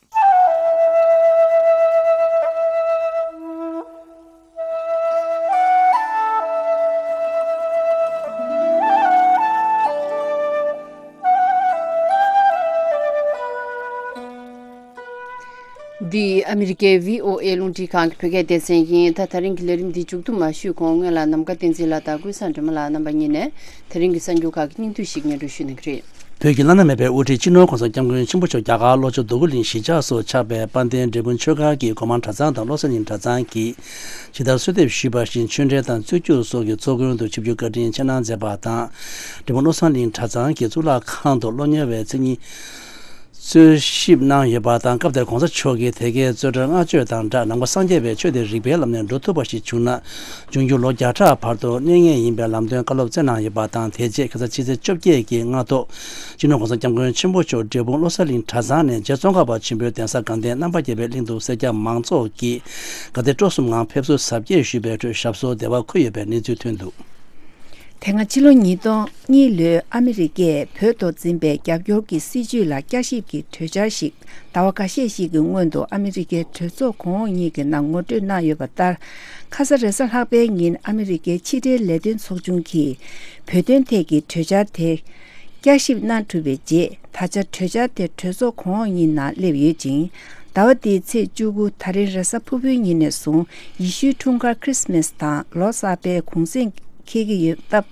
འདི་ཨ་མི་རི་ཀའི་བྷི་ཨོ་ཨེ་རླུང་འཕྲིན་ཁང་གི་བོད་སྐད་སྡེ་ཚན་ཡིན། ད་ད་རིང་གི་ལས་རིམ་འདི་མཇུག་བསྡོམས་མ་ཞུས་གོང་སྔོན་ལ་ནམ་མཁའ་བསྟན་འཛིན་ལགས་དང་ཀུན་བཟང་སྒྲོལ་མ་ལགས་རྣམ་པ་གཉིས་ནས་ད་རིང་གི་གསར་འགྱུར་ཁག་གི་སྙིང་བསྡུས་ཤིག་སྙན་སྒྲོན་ཞུ་གནང་གི་རེད། བོད་ཀྱི་བླ་ན་མེད་པའི་དབུ་ཁྲིད་སྤྱི་ནོར་༸གོང་ས་༸སྐྱབས་མགོན་ཆེན་པོ་མཆོག་རྒྱ་གར་ལྷོ་ཕྱོགས་རྡོ་སྐུ་གླིང་གཞིས་ཆགས་སུ་ཆགས་པའི་དཔལ་ལྡན་འབྲས་སྤུངས་ཆོས་སྒར་གྱི་སྒོ་མང་གྲྭ་ཚང་དང་བློ་གསལ་གླིང་གྲྭ་ཚང་གིས་ཇི་ལྟར་གསོལ་འདེབས་ཞུས་པ་བཞིན་ཆོས་འབྲེལ་དང་རྩོད་རྒྱུགས་སོགས་ཀྱི་ཚོགས་མགོན་དུ་ཆིབས་བསྒྱུར་བཀའ་དྲིན་ཆེ་གནང་མཛད་པ་དང་། འབྲས་སྤུངས་བློ་གསལ་གླིང་གྲྭ་ཚང་གི་གཙུག་ལག་ཁང་དུ་སློབ་གཉེར་བའི་མཚན་ཉིད། གསོལ་ཞིབ་གནང་ཡོད་པ་དང་། སྐབས་དེར་༸གོང་ས་མཆོག་གིས་དེ་གའི་རྩོད་བྲལ་བསྔགས་བརྗོད་དང་སྦྲགས་ནང་པ་སངས་རྒྱས་པའི་ཆོས་དེ་རིགས་པའི་ལམ་ནས་འགྲོ་ཐུབ་པ་ཞིག་བྱུང་ན། འབྱུང་འགྱུར་ལོ་བརྒྱ་ཕྲག་བར་དུ་གནས་ངེས་ཡིན་པའི་ལམ་སྟོན་བཀའ་སློབ་སྩལ་གནང་ཡོད་པ་དང་། དེ་རྗེས་ཁ་སང་ཕྱི་ཚེས་བཅོ་བརྒྱད་ཀྱི་སྔ་དྲོ། སྤྱི་ནོར་༸གོང་ས་༸སྐྱབས་མགོན་ཆེན་པོ་མཆོག་འབྲས་སྤུངས་བློ་གསལ་གླིང་གྲྭ་ཚང་ནས་རྗེ་ཙོང་ཁ་པ་ཆེན་པོའི་གདན་ས་དགའ་ལྡན་རྣམ་པ་རྒྱལ་བའི་གླིང་དུ་སེར་སྐྱ་མང་ཚོགས་ཀྱིས་དགའ་དད་སྤྲོ་གསུམ་ངང་ཕེབས་བསུ་གཟབ་རྒྱས་ཞུས་པའི་ཁྲོད་ཞབས་སོར་བདེ་བར་འཁོད་ཡོད་པའི་གནས་ཚུལ་ཐོན་འདུག། དེ་སྔ་ཕྱི་ལོ་ཉིས་སྟོང་གཉིས་ལོའི་ཨ་མི་རི་ཀས་བོད་ཐོག་འཛིན་པའི་རྒྱབ་སྐྱོར་གྱི་སྲིད་བྱུས་ལ་བསྐྱར་ཞིབ་ཀྱི་གྲོས་འཆར་ཞིག་ཟླ་བ་འགའ་ཤས་ཤིག་གི་སྔོན་དུ་ཨ་མི་རི་ཀའི་གྲོས་ཚོགས་གོང་འོག་གཉིས་ཀྱི་ནང་ངོ་སྤྲོད་གནང་ཡོད་པ་ལྟར། ཁ་ས་རེས་གཟའ་ལྷག་པའི་ཉིན་ཨ་མི་རི་ཀའི་ཕྱི་འབྲེལ་ལས་དོན་ཚོགས་ཆུང་གིས་བོད་དོན་ཐད་ཀྱི་གྲོས་འཆར་དེ་བསྐྱར་ཞིབ་གནང་གྲུབ་པའི་རྗེས། ད་ཆ་གྲོས་འཆར་དེ་གྲོས་ཚོགས་གོང་འོག་གཉིས་ནང་སླེབས་ཡོད་ཅིང་། ཟླ་བ་འདིའི་ཚེས་བཅུ་དགུ་ད་རིང་རེས་གཟའ་ཕུར་བུའི་ཉིན་ནས་བཟུང་ཡེ་ཤུའི་འཁྲུངས་སྐར་ཁྲིས་མེས་དང་ལོ་གསར་པའི་གུང་སེང་འཁེལ་གྱི་ཡོད་སྟབས།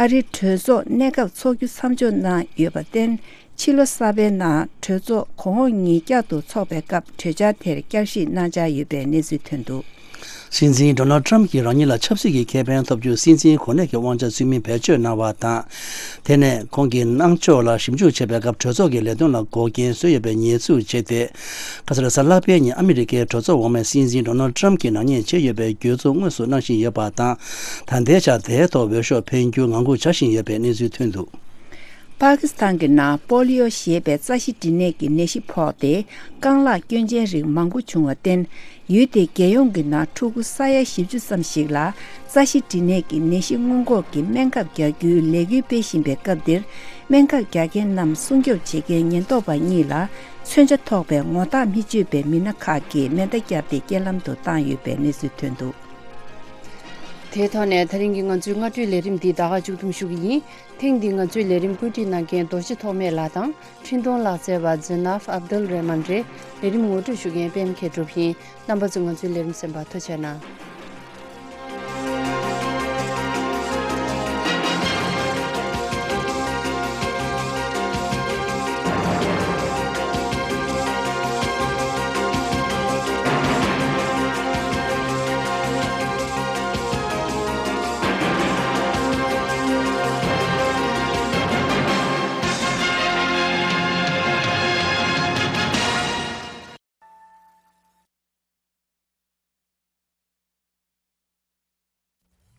ཨ་རིའི་གྲོས་ཚོགས་གནས་སྐབས་འཚོགས་རྒྱུ་མཚམས་འཇོག་གནང་ཡོད་པར་བརྟེན། ཕྱི་ལོ་གསར་པའི་ནང་གྲོས་ཚོགས་གོང་འོག་གཉིས་བསྐྱར་དུ་འཚོགས་པའི་སྐབས་གྲོས་འཆར་དེར་བསྐྱར་ཞིབ་གནང་འཆར་ཡོད་པའི་གནས་ཚུལ་ཐོན་འདུག། སྲིད་འཛིན་ཌོ་ནལ་ཊམ་གྱིས་རང་ཉིད་ལ་ཆབ་སྲིད་ཀྱི་ཁེ་ཕན་ཐོབ་རྒྱུར་སྲིད་འཛིན་གོ་གནས་ཀྱི་དབང་ཆ་ཚུལ་མིན་བེད་སྤྱོད་གནང་བ་དང་། དེ་ནས་ཁོང་གི་གནང་ཕྱོགས་ལ་ཞིབ་འཇུག་བྱེད་པའི་སྐབས་གྲོས་ཚོགས་ཀྱི་ལས་དོན་ལ་འགོག་རྐྱེན་བཟོས་ཡོད་པའི་ཉེས་འཛུགས་བྱས་ཏེ། ཁ་ས་རེས་གཟའ་ལྷག་པའི་ཉིན་ཨ་མི་རི་ཀའི་གྲོས་ཚོགས་འོག་མས་སྲིད་འཛིན་ཌོ་ནལ་ཊམ་གྱིས་ནག་ཉེས་བྱས་ཡོད་པའི་འགྱོད་འཛུགས་དངོས་སུ་གནང་བཞིན་ཡོད་པ་དང་། ད་ལྟའི་ཆར་དེའི་ཐོག་འོས་ཤོག་འཕེན་རྒྱུ་ངང་སྒུག་བྱ་བཞིན་ཡོད་པའི་གནས་ཚུལ་ཐོན་འདུག། པ་ཀི་སི་ཐན་གྱི་ནང་པོ་ལི་ཡོ་ཞེས་པའི་རྩ་ཤེད་འབྲི་ནད་ཀྱི་ནད་གཞི་ཕོག་སྟེ། རྐང་ལག་སྐྱོན་ཅན་རིགས་མང་པོ་བྱུང་བར་བརྟེན། ཡུལ་དེའི་རྒྱལ་ཡོངས་ཀྱི་ནང་ཕྲུ་གུ་ས་ཡ་བཞི་བཅུ་ཙམ་ཞིག་ལ་རྩ་ཤེད་འབྲི་ནད་ཀྱི་ནད་གཞི་སྔོན་འགོག་གི་སྨན་ཁབ་རྒྱག་རྒྱུའི་ལས་འགུལ་སྤེལ་བཞིན་པའི་སྐབས་འདིར། སྨན་ཁབ་རྒྱག་མཁན་རྣམས་སྲུང་སྐྱོབ་བྱེད་མཁན་ཉེན་རྟོག་པ་གཉིས་ལ་མཚོན་ཆ་ཐོགས་པའི་ངོ་རྟགས་མི་ཆོད་པའི་མི་སྣ་ཁག་གིས་མེ་མདའ་བརྒྱབ་སྟེ་རྐྱེན་ལམ་དུ་བཏང་ཡོད་པའི་གནས་ཚུལ་ཐོན་འདུག། དེའི་ཐོག་ནས་ད་རིང་གི་ང་ཚོའི་སྔ་དྲོའི་ལས་རིམ་འདི་ད་ག་མཇུག་བསྡོམས་ཞུ་གི་ཡིན། ཐེངས་འདིའི་ང་ཚོའི་ལས་རིམ་བཀོད་སྒྲིག་གནང་མཁན་རྡོ་རྗེ་ཐོགས་མེད་ལགས་དང་། འཕྲིན་གཏོང་ལག་རྩལ་བ་ཛི་ནཱབ་ཨབ་དུལ་རེ་མན་རེད། ལས་རིམ་ངོ་སྤྲོད་ཞུ་མཁན་པད་མ་མཁས་གྲུབ་ཡིན། རྣམ་པ་ཚོས་ང་ཚོའི་ལས་རིམ་གསན་པར་ཐུགས་རྗེ་གནང་།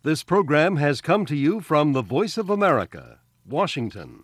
This program has come to you from the Voice of America, Washington.